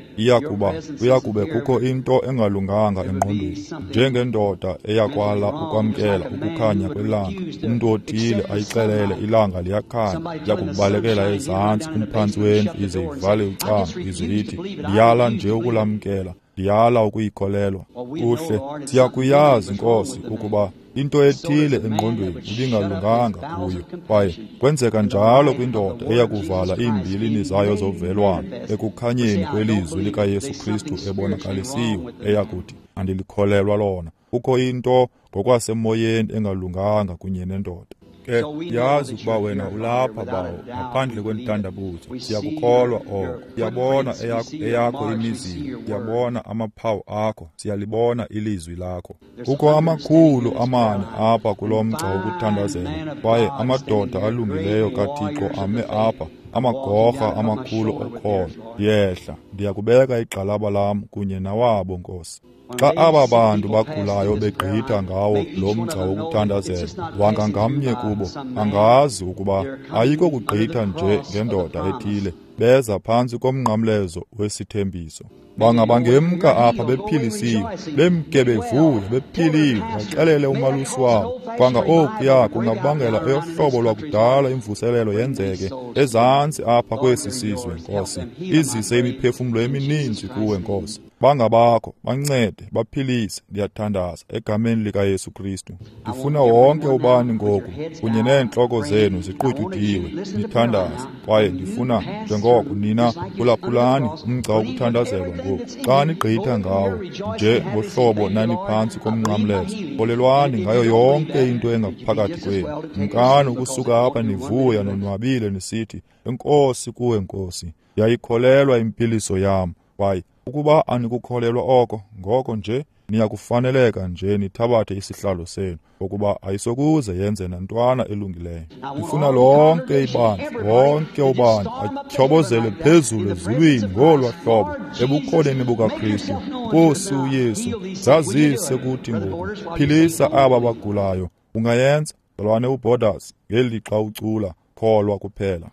A: iyakube kukho into engalunganga engqondweni, njengendoda eyakwala ukwamkela ukukhanya kwelanga. Umntu othile ayixelele ilanga liyakhanya, iyakubalekela ezantsi kumphantsi wendlu ize ivale ucango, ize ithi, "Ndiyala nje ukulamkela, ndiyala ukuyikholelwa." Kuhle, siyakuyazi Nkosi ukuba into ethile engqondweni ibingalunganga kuyo, kwaye kwenzeka njalo kwindoda eyakuvala iimbilini zayo zovelwano ekukhanyeni kwelizwi likaYesu Kristu ebonakalisiwe, eyakuthi, "Andilikholelwa lona." Kukho into ngokwasemoyeni engalunganga kunye nendoda. Ke yazi ukuba wena ulapha, Bawo, ngaphandle kwentandabuzo. Siyakukholwa oko. Siyabona eyakho imizila, siyabona amaphawu akho, siyalibona ilizwi lakho. Kukho 400 apha kulo mgca wokuthandazela, kwaye amadoda alungileyo kaThixo ame apha, amagorha amakhulu okholo. Ndiyehla, ndiyakubeka igxalaba lam kunye nawabo, Nkosi. Xa aba bantu bagulayo begqitha ngawo lo mgca wokuthandazela, wanga ngamnye kubo angazi ukuba ayiko kugqitha nje ngendoda ethile, beza phantsi komnqamlezo wesithembiso. Bangabangemka apha bephilisiwe, bemke bevuya, bephilile, baxelele umalusi wabo. Kwanga okuya kungabangela eyohlobo lwakudala imvuselelo yenzeke ezantsi apha kwesi sizwe, Nkosi. Izise imiphefumlo emininzi kuwe, Nkosi. Bangabakho, bancede, baphilise. Ndiyathandaza egameni likaYesu Kristu. Ndifuna wonke ubani ngoku kunye neentloko zenu ziqutyudiwe nithandaze, kwaye ndifuna njengoko nina phulaphulani umgca wokuthandazelwa ngoku. Xa nigqitha ngawo nje ngohlobo naniphantsi komnqamlezo, kholelwani ngayo yonke into engaphakathi kwenu. Mkani ukusuka apha nivuya nonwabile nisithi, "Enkosi kuwe, Nkosi, ndiyayikholelwa impiliso yam." Kwaye ukuba anikukholelwa oko, ngoko nje niyakufaneleka nje nithabathe isihlalo senu, ngokuba ayisokuze yenze nantwana elungileyo. Ndifuna lonke ibandla, wonke ubani atyhobozele phezulu ezulwini ngolwa hlobo ebukhoneni bukaKristu. Nkosi uYesu, zazise kuthi ngoku, philisa aba bagulayo. Ungayenza, mzalwane uBorders, ngelixa ucula, kholwa kuphela.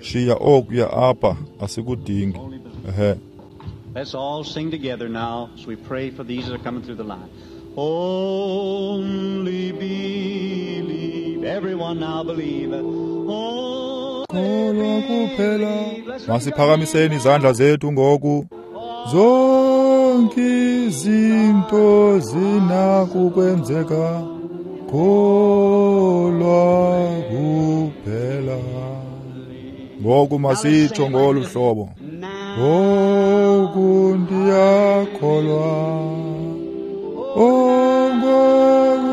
A: Shiya okuya apha, asikudingi. Ehe.
B: Let's all sing together now as we pray for these that are coming through the line. Only believe. Everyone now believe.
A: Kholwa kuphela. Masiphakamiseni izandla zethu ngoku. Zonke izinto zinakukwenzeka. Kholwa kuphela. Ngoku masitsho ngolu hlobo. Ngoku ndiyakholwa. Oh, ngoku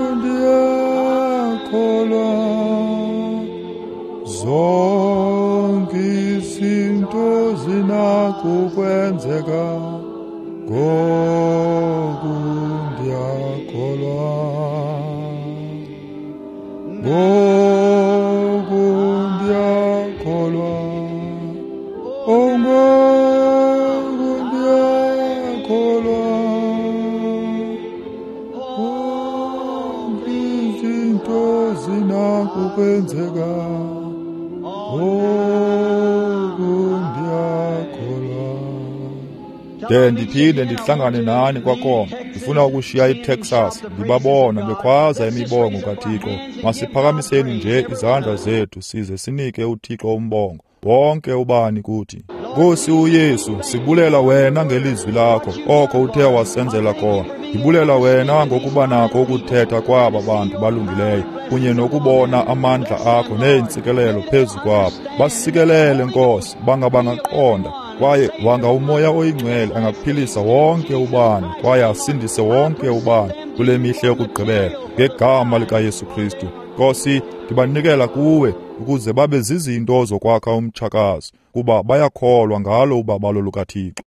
A: Zinakukwenzeka ngoku ndiyakholwa, ngoku ndiyakholwa, oh ngoku ndiyakholwa. Zonke izinto zinakukwenzeka ngoku ndiyakholwa. De ndiphinde ndihlangane nani kwakhona. Ndifuna ukushiya iTexas, ndibabona bekhwaza imibongo kaThixo. Masiphakamiseni nje izandla zethu size sinike uThixo umbongo, wonke ubani kuthi. Nkosi uYesu, sibulela wena ngelizwi lakho, oko uthe wasenzela kona. Ndibulela wena ngokuba nako ukuthetha kwaba bantu balungileyo, kunye nokubona amandla akho neentsikelelo phezu kwabo. Basikelele, Nkosi, banga bangaqonda, kwaye wanga uMoya oyiNgcwele angaphilisa wonke ubani kwaye asindise wonke ubani kule mihla yokugqibela, ngegama likaYesu Kristu. Nkosi, ndibanikela kuwe ukuze babe zizinto zokwakha umtshakazi, kuba bayakholwa ngalo ubabalo lukaThixo.